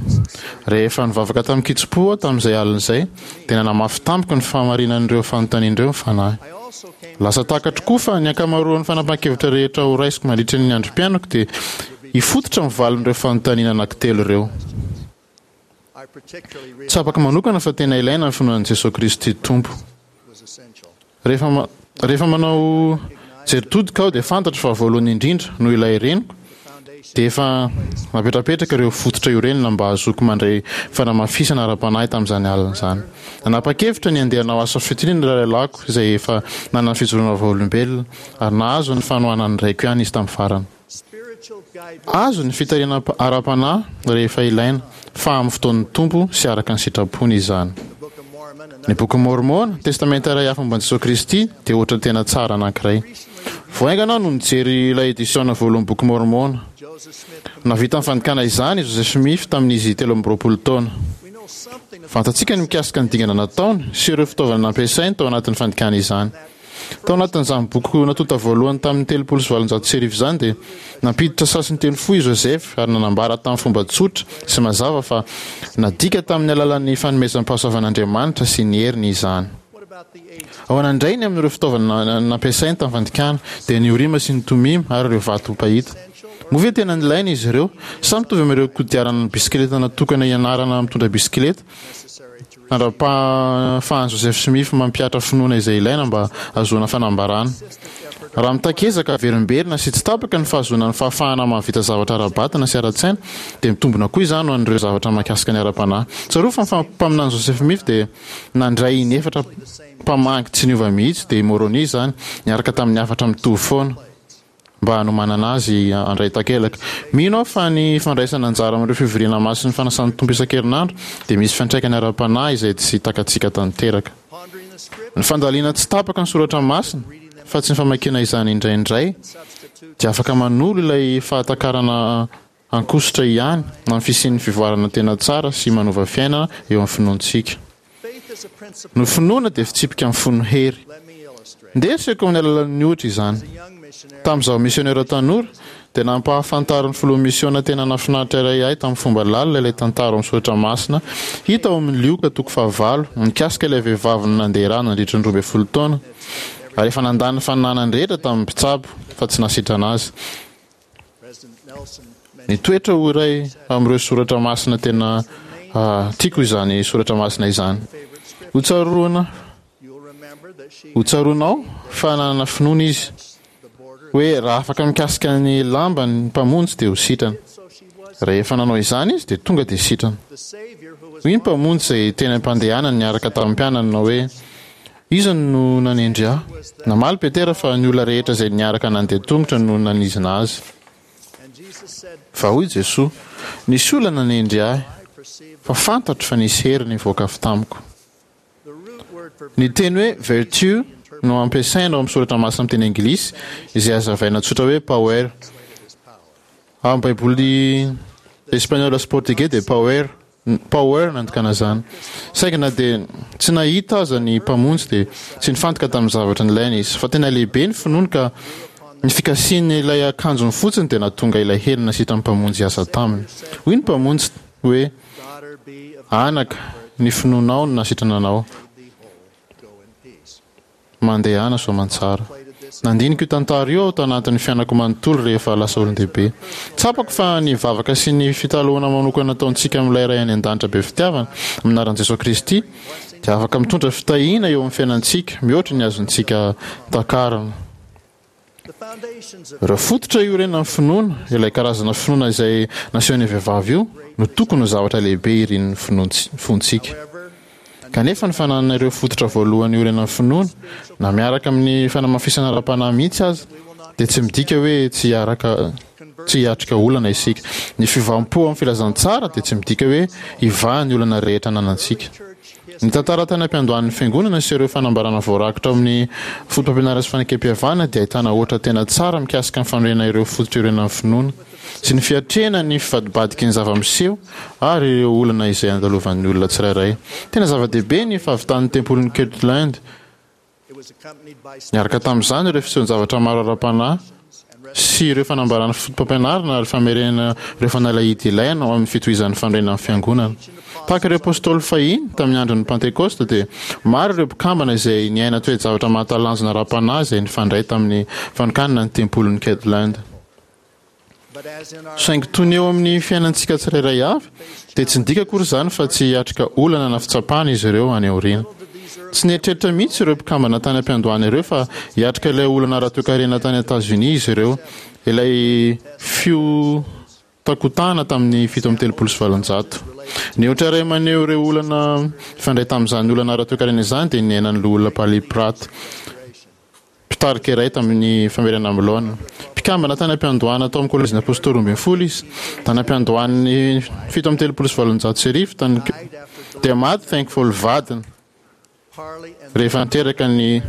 Rehefa nivavaka tamin-kitsim-po aho tamin'izay alina izay, dia nanamafy tamiko ny fahamarinan'ireo fanontaniana ireo ny Fanahy. Lasa takatro koa fa ny ankamaroan'ny fanapahan-kevitra rehetra horaisiko mandritra ny androm-piainako dia hifototra amin'ny valin'ireo fanontaniana anankitelo ireo. Tsapako manokana fa tena ilaina ny finoana an'i Jesoa Kristy Tompo. Rehefa rehefa manao jery todika aho dia fantatro fa voalohany indrindra noho ilay reniko dia efa napetrapetraka ireo fototra iorenana mba hahazoako mandray fanamafisana ara-panahy tamin'izany alina izany. Nanapa-kevitra ny handeha hanao asa fitoriana ilay rahalahiko izay efa nanana fijoroana vavolombelona ary nahazo ny fanohanan'ny raiko ihany izy tamin'ny farany. Azo ny fitarihana ara-panahy rehefa ilaina, fa amin'ny fotoan'ny Tompo sy araka ny sitrapony izany. Ny Bokin'i Môrmôna, Testamenta iray hafa momba an'i Jesoa Kristy, dia ohatra tena tsara anankiray. Vao haingana aho no nijery ilay edisiôna voalohan'ny Boky Môrmôna. Nahavita ny fandikana izany i Joseph Smith tamin'izy telo amby roapolo taona. Fantatsika ny mikasika ny dingana nataony sy ireo fitaovana nampiasainy tao anatin'ny fandikana izany. Tao anatin'izany boky natonta voalohany tamin'ny telopolo sy valonjato sy arivo izany dia nampiditra sasin-teny fohy i Joseph ary nanambara tamin'ny fomba tsotra sy mazava fa nadika tamin'ny alalan'ny fanomezam-pahasoavan'Andriamanitra sy ny heriny izany. Ahoana indray ny amin'ireo fitaovana nampiasainy tamin'ny fandikana, dia ny Orima sy ny Tomima ary ireo vato mpahita? Moa ve tena nilaina izy ireo? Sa mitovy amin'ireo kodiarana bisikileta natokana hianarana mitondra bisikileta? Mandra-pahafahan'i Joseph Smith mampihatra finoana izay ilaina mba hahazoana fanambarana. Raha mitaky ezaka averimberina sy tsy tapaka ny fahazoana ny fahafahana mahavita zavatra ara-batana sy ara-tsaina, dia mitombina koa izany ho an'ireo zavatra mahakasika ny ara-panahy. Tsarovy fa ny mpaminany Joseph Smith dia nandray inefatra mpamangy tsy niova mihitsy, dia i Môrônia izany, niaraka tamin'ny hafatra mitovy foana. mba hanomanana azy handray takelaka. Mino aho fa ny fandraisana anjara amin'ireo fivoriana masin'ny fanasan'ny Tompo isan-kerinandro dia misy fiantraikany ara-panahy izay tsy takatsika tanteraka. Ny fandalina tsy tapaka ny soratra masina, fa tsy ny famakiana izany indraindray, dia afaka manolo ilay fahatakarana ankosotra ihany amin'ny fisian'ny fivoarana tena tsara sy manova fiainana eo amin'ny finoantsika. Ny finoana dia fitsipika mifono hery. Ndeha asehoko amin'ny alalan'ny ohatra izany. Tamin'izaho misionera tanora, dia nampahafantarin'ny filoha misiona tena nahafinaritra iray ahy tamin'ny fomba lalina ilay tantara ao amin'ny soratra masina hita ao amin'ny Lioka toko fahavalo mikasika ilay vehivavy nandeha ra nandritra ny roa ambin'ny folo taona ary efa nandany ny fananany rehetra tamin'ny mpitsabo fa tsy nahasitrana azy. Nitoetra ho iray amin'ireo soratra masina tena tiako izany soratra masina izany. Hotsaroana, hotsaroanao fa nanana finoana izy hoe raha afaka mikasika ny lambany ny Mpamonjy dia ho sitrana. Rehefa nanao izany izy dia tonga dia sitrana. Hoy ny Mpamonjy izay teny am-pandehanany niaraka tamin'ny mpianany nanao hoe, Iza no nanendry ahy? Namaly Petera fa ny olona rehetra izay niaraka nandeha tongotra no nanizina azy. Fa hoy Jesoa, Nisy olona nanendry ahy, fa fantatro fa nisy hery nivoaka avy tamiko. Ny teny hoe virtue no ampiasaina ao amin'ny soratra masina amin'ny teny anglisy, izay hazavaina tsotra hoe power. Ao amin'ny Baiboly espaniola sy portugais dia power, power no andikana izany. Saingy na dia tsy nahita aza ny Mpamonjy dia tsy nifantoka tamin'ny zavatra nilainy izy. Fa tena lehibe ny finoany ka ny fikasihany ilay akanjony fotsiny dia nahatonga ilay hery nasitran'ny Mpamonjy hiasa taminy. Hoy ny Mpamonjy hoe, Anaka, ny finoanao no nasitrana anao. Mandehana soamantsara. Nandinika io tantara io aho tanatin'ny fiainako manontolo rehefa lasa olon-dehibe. Tsapako fa ny vavaka sy ny fitalahoana manokana ataontsika amin'ilay Ray any An-danitra be fitiavana, amin'ny anaran'i Jesoa Kristy, dia afaka mitondra fitahiana eo amin'ny fiainantsika mihoatra ny azontsika takarina. Ireo fototra iorenan'ny finoana, ilay karazana finoana izay nasehon'io vehivavy io, no tokony ho zavatra lehibe irin'ny fontsika. Kanefa ny fananana ireo fototra voalohany iorenan'ny finoana, na miaraka amin'ny fanamafisana ara-panahy mihitsy aza, dia tsy midika hoe tsy hiaraka tsy hiatrika olana isika. Ny fiovam-po amin'ny filazantsara dia tsy midika hoe hivaha ny olana rehetra ananantsika. Ny tantara tany am-piandohan'ny Fiangonana sy ireo fanambarana voarakitra ao amin'ny Fotopampianarana sy Fanekempihavanana dia ahitana ohatra tena tsara mikasika ny fanorenana ireo fototra iorenan'ny finoana, sy ny fiatrehana ny fivadibadiky ny zava-miseho ary ireo olana izay andalovan'ny olona tsirairay. Tena zava-dehibe ny fahavitan'ny Tempolin'i Kirtland. Niaraka tamin'izany ireo fisehoan-javatra maro ara-panahy sy ireo fanambarana fotopampianarana ary famerenana ireo fanalahidy ilaina ho amin'ny fitohizan'ny fanorenan'ny Fiangonana. Tahaka ireo Apôstôly fahiny tamin'ny andron'ny Pantekôsta dia maro ireo mpikambana izay niaina toe-javatra mahatalanjona ara-panahy izay nifandray tamin'ny fanokanana ny Tempolin'i Kirtland. Saingy toy ny eo amin'ny fiainantsika tsirairay avy, dia tsy midika akory izany fa tsy hiatrika olana na fitsapana izy ireo any aoriana. Tsy nieritreritra mihitsy ireo mpikambana tany am-piandohana ireo fa hiatrika ilay olana ara-toekarena tany Etazonia izy ireo, ilay fihotakotahana tamin'ny fito amby telopolo sy valonjato. Ny ohatra iray maneho ireo olana mifandray tamin'izany olana ara-toekarena izany dia ny niainan'ny Loholona Parley Pratt. Mpitarika iray tamin'ny famerenana amin'ny laoniny. Mpikambana tany am-piandohana tao amin'ny Kolejin'ny Apostoly Roa ambin'ny Folo izy. Tany am-piandohan'ny fito amby telopolo sy valonjato sy arivo, tany dia maty Thankful vadiny rehefa niteraka ny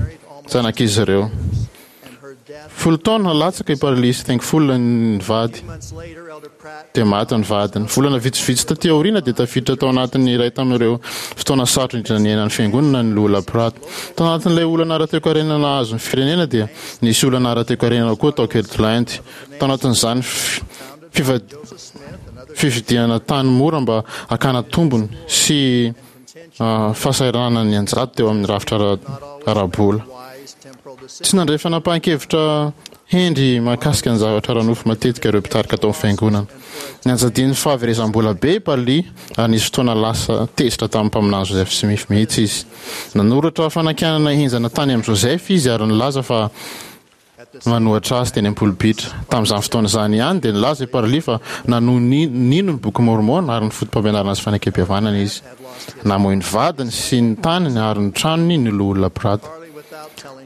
zanak'izy ireo. Folo taona latsaka i Parley sy Thankful nivady. Dia maty ny vadiny. Volana vitsivitsy taty aoriana dia tafiditra tao anatin'ny iray tamin'ireo fotoana sarotra indrindra niainan'ny Fiangonana ny Loholona Pratt. Tao anatin'ilay olana ara-toekarena nahazo ny firenena dia nisy olana ara-toekarena koa tao Kirtland. Tao anatin'izany fividianana tany mora mba hakana tombony sy fahasahiranana nianjady teo amin'ny rafitra ara-bola. Tsy nandray fanapahan-kevitra hendry mahakasika ny zavatra ara-nofo matetika ireo mpitarika tao amin'ny fiangonana. Nianjadian'ny fahaverezam-bola be i Parley ary nisy fotoana lasa tezitra tamin'ny mpaminany Joseph Smith mihitsy izy. Nanoratra fanakianana henjana tany amin'i Joseph izy ary nilaza fa manohatra azy teny am-polipitra. Tamin'izany fotoana izany ihany dia nilaza i Parley fa nanohy nino ny Boky Môrmôna ary ny fotopampianarana sy fanekempihavanana izy. Namoy ny vadiny sy ny taniny ary ny tranony ny Loholona Pratt.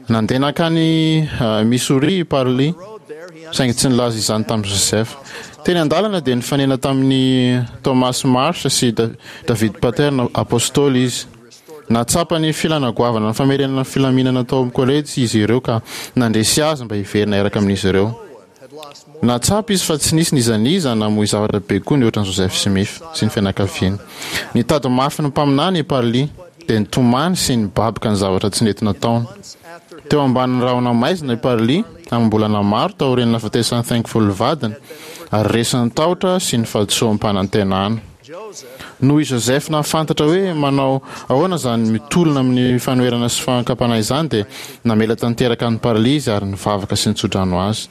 Nandeha nankany Missouri i Parley, saingy tsy nilaza izany tamin'i Joseph. Teny an-dalana dia nifanena tamin'i Thomas Marsh sy David Pattern Apôstôly izy. Nahatsapa ny filana goavana ny famerenana ny filaminana tao amin'ny kolejy izy ireo ka nandresy azy mba hiverina hiaraka amin'izy ireo. Nahatsapa izy fa tsy nisy n'iza n'iza namoy zavatra be koa nihoatra an'i Joseph Smith sy ny fianakaviany. Nitady mafy ny mpaminany i Parley, dia nitomany sy nibaboka ny zavatra tsy nety nataony. Teo ambanin'ny rahona maizina i Parley amam-bolana maro taorian'ny nahafatesan'i Thankful vadiny, ary resin'ny tahotra sy ny fahadisoam-panantenana. Noho i Joseph nahafantatra hoe manao ahoana izany mitolona amin'ny fanoherana sy fankam-panahy izany dia namela tanteraka an'i Parley izy ary nivavaka sy nitsodrano azy.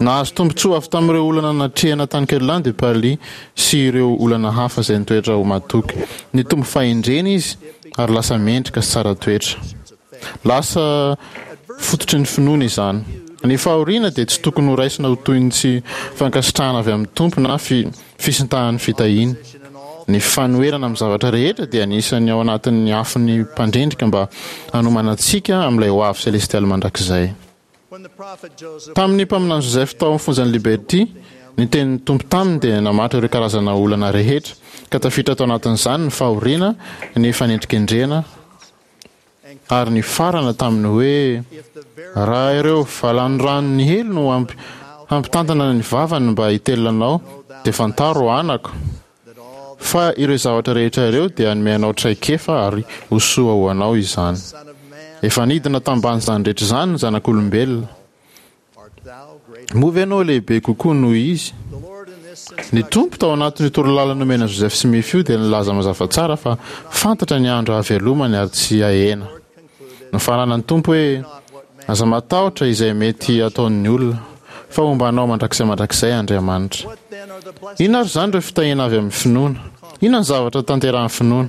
Nahazo tombontsoa avy tamin'ireo olana natrehina tany Kirtland i Parley sy ireo olana hafa izay nitoetra ho mahatoky. Nitombo fahendrena izy ary lasa mendrika sy tsara toetra. Lasa fototry ny finoany izany. Ny fahoriana dia tsy tokony horaisina ho toy ny tsy fankasitrahana avy amin'ny Tompo na fisintahan'ny fitahiana. Ny fanoherana amin'ny zavatra rehetra dia anisan'ny ao anatin'ny afon'ny mpandrendrika mba hanomana antsika amin'ilay hoavy selestialy mandrakizay. Tamin'ny mpaminany Joseph tao amin'ny fonjan'i Liberty, ny tenin'ny Tompo taminy dia namaritra ireo karazana olana rehetra, ka tafiditra tao anatin'izany ny fahoriana, ny fanendrikendrehana, ary nifarana tamin'ny hoe, Raha ireo valanoranon'ny helo no hampitantana ny vavany mba hitelina anao, dia fantaro, anako, fa ireo zavatra rehetra ireo dia hanome anao traikefa ary ho soa ho anao izany. Efa nidina tamban'izany rehetra izany ny zanak'olombelona. Moa ve ianao lehibe kokoa noho izy? Ny Tompo, tao anatin'io torolalana nomena an'i Joseph Smith io, dia nilaza mazava tsara fa fantatra ny andro hahavelomany ary tsy hahena. Nofaranan'ny Tompo hoe, Aza matahotra izay mety hataon'ny olona, fa homba anao mandrakizay mandrakizay Andriamanitra. Inona ary izany ireo fitahiana avy amin'ny finoana? Inona ny zavatra tanterahin'ny finoana?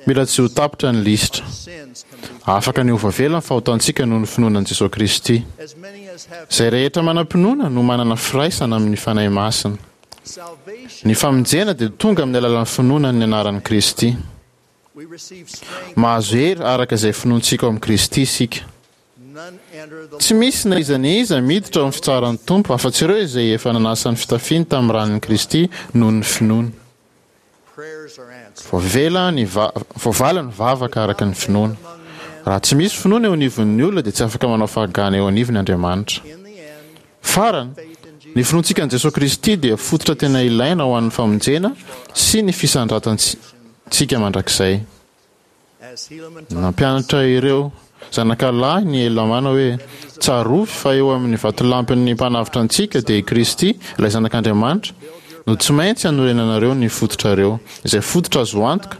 Mila tsy ho tapitra ny lisitra. Afaka ny ho voavela ny fahotantsika noho ny finoana an'i Jesoa Kristy. Izay rehetra manam-pinoana no manana firaisana amin'ny Fanahy Masina. Ny famonjena dia tonga amin'ny alalan'ny finoana ny anaran'i Kristy. Mahazo hery araka izay finoantsika ao amin'i Kristy isika. Tsy misy na iza na iza miditra ao amin'ny fitsaharan'ny Tompo afa-tsy ireo izay efa nanasa ny fitafiany tamin'ny ran'i Kristy noho ny finoany. Voavela ny voavaly ny vavaka araka ny finoana. Raha tsy misy finoana eo anivon'ny olona dia tsy afaka manao fahagana eo anivony Andriamanitra. Farany, ny finoantsika an'i Jesoa Kristy dia fototra tena ilaina ho an'ny famonjena sy ny fisandratantsika mandrakizay. Nampianatra ireo zanakalahin' i Helamàna hoe, Tsarovy fa eo amin' ny vatolampin' ny Mpanavotra antsika, dia i Kristy, ilay Zanak' Andriamanitra, no tsy maintsy hanorenanareo ny fototrareo, izay fototra azo antoka,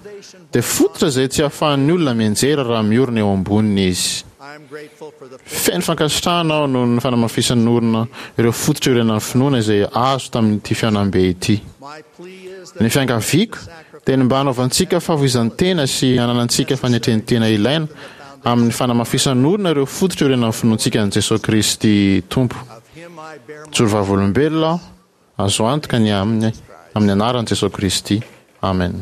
dia fototra izay tsy ahafahan' ny olona mianjera raha miorina eo amboniny izy. Feno fankasitrahana aho noho ny fanamafisan' orina ireo fototra iorenan'ny finoana izay azo tamin' ity fihaonambe ity. Ny fiangaviako dia ny mba hanaovantsika fahafoizan-tena sy hananantsika fanetren-tena ilaina amin'ny fanamafisan'orina ireo fototra iorenan'ny finoantsika an'i Jesoa Kristy Tompo. Mijoro vavolombelona aho, azo antoka ny aminy, amin'ny anaran'i Jesoa Kristy. Amen.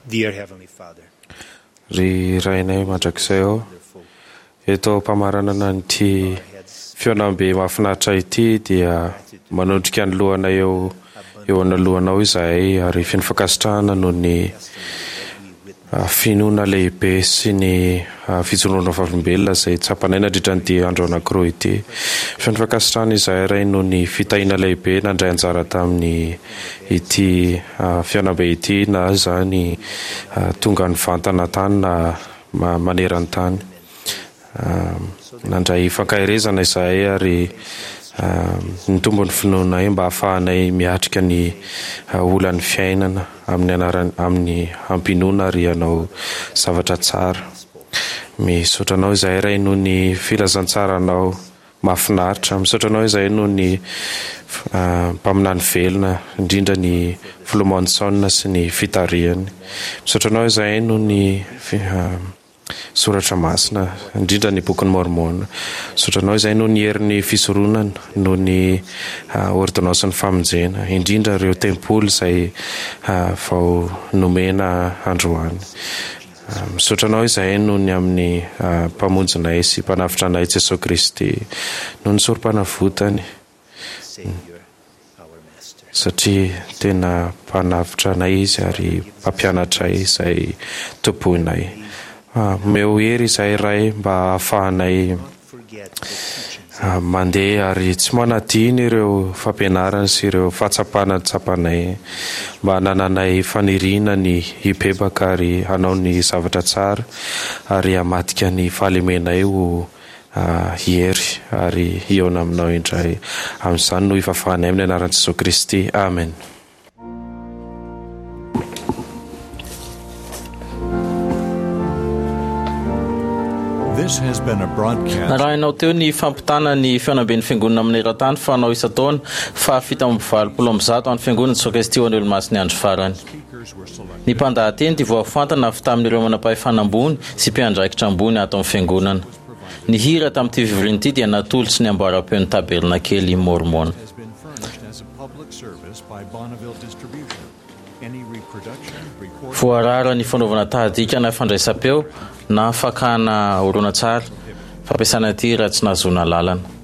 Dear Heavenly Father, Ry Rainay mandrakizay ô, eto am-pamaranana an'ity fihaonambe mahafinaritra ity dia manondrika ny lohanay eo eo analohanao izahay ary feno fankasitrahana noho ny finoana lehibe sy ny fijoroana vavolombelona izay tsapanay nandritra an'ity andro anankiroa ity. Feno fankasitrahana izahay Ray noho ny fitahiana lehibe nandray anjara tamin'ny ity fihaonambe ity na izany tonga nivantana tany na maneran-tany. Nandray fankaherezana izahay ary nitombo ny finoanay mba hahafahanay miatrika ny olan'ny fiainana amin'ny anarany amin'ny hampinoana ary hanao zavatra tsara. Misaotra anao izahay Ray noho ny filazantsaranao mahafinaritra. Misaotra anao izahay noho ny mpaminany velona, indrindra ny Filoha Monson sy ny fitarihany. Misaotra anao izahay noho ny Soratra Masina, indrindra ny Bokin'i Môrmôna. Misaotra anao izahay noho ny herin'ny fisoronana, noho ny ôrdônansin'ny famonjena, indrindra ireo tempoly izay vao nomena androany. Misaotra anao izahay noho ny amin'ny Mpamonjinay sy Mpanavotra anay Jesoa Kristy, noho ny sorompanavotany, satria tena Mpanavotra anay Izy ary Mpampianatray izay tompoinay. Omeo hery izahay Ray mba hahafahanay mandeha ary tsy manadino ireo fampianarany sy ireo fahatsapana tsapanay mba hanananay faniriana ny hibebaka ary hanao ny zavatra tsara ary hamadika ny fahalemenay ho hery ary hihaona aminao indray. Amin'izany no ivavahanay amin'ny anaran'i Jesoa Kristy. Amen. Narahinao teo ny fampitana ny fihaonamben'ny Fiangonana maneran-tany fanao isan-taona faha fito amby valopolo amby zato an'ny Fiangonana Jesoa Kristy ho an'ny Olomasin'ny Andro Farany. Ny mpandahateny dia voafantana avy tamin'ireo manam-pahefana ambony sy mpiandraikitra ambony ato amin'ny Fiangonana. Ny hira tamin'ity fivoriana ity dia natolotry ny amboaram-peon'ny Tabernakely Môrmôna. Voarara ny fanaovana tahadika na fandraisam-peo na fakana horonantsary fampiasana ity raha tsy nahazoana alalana.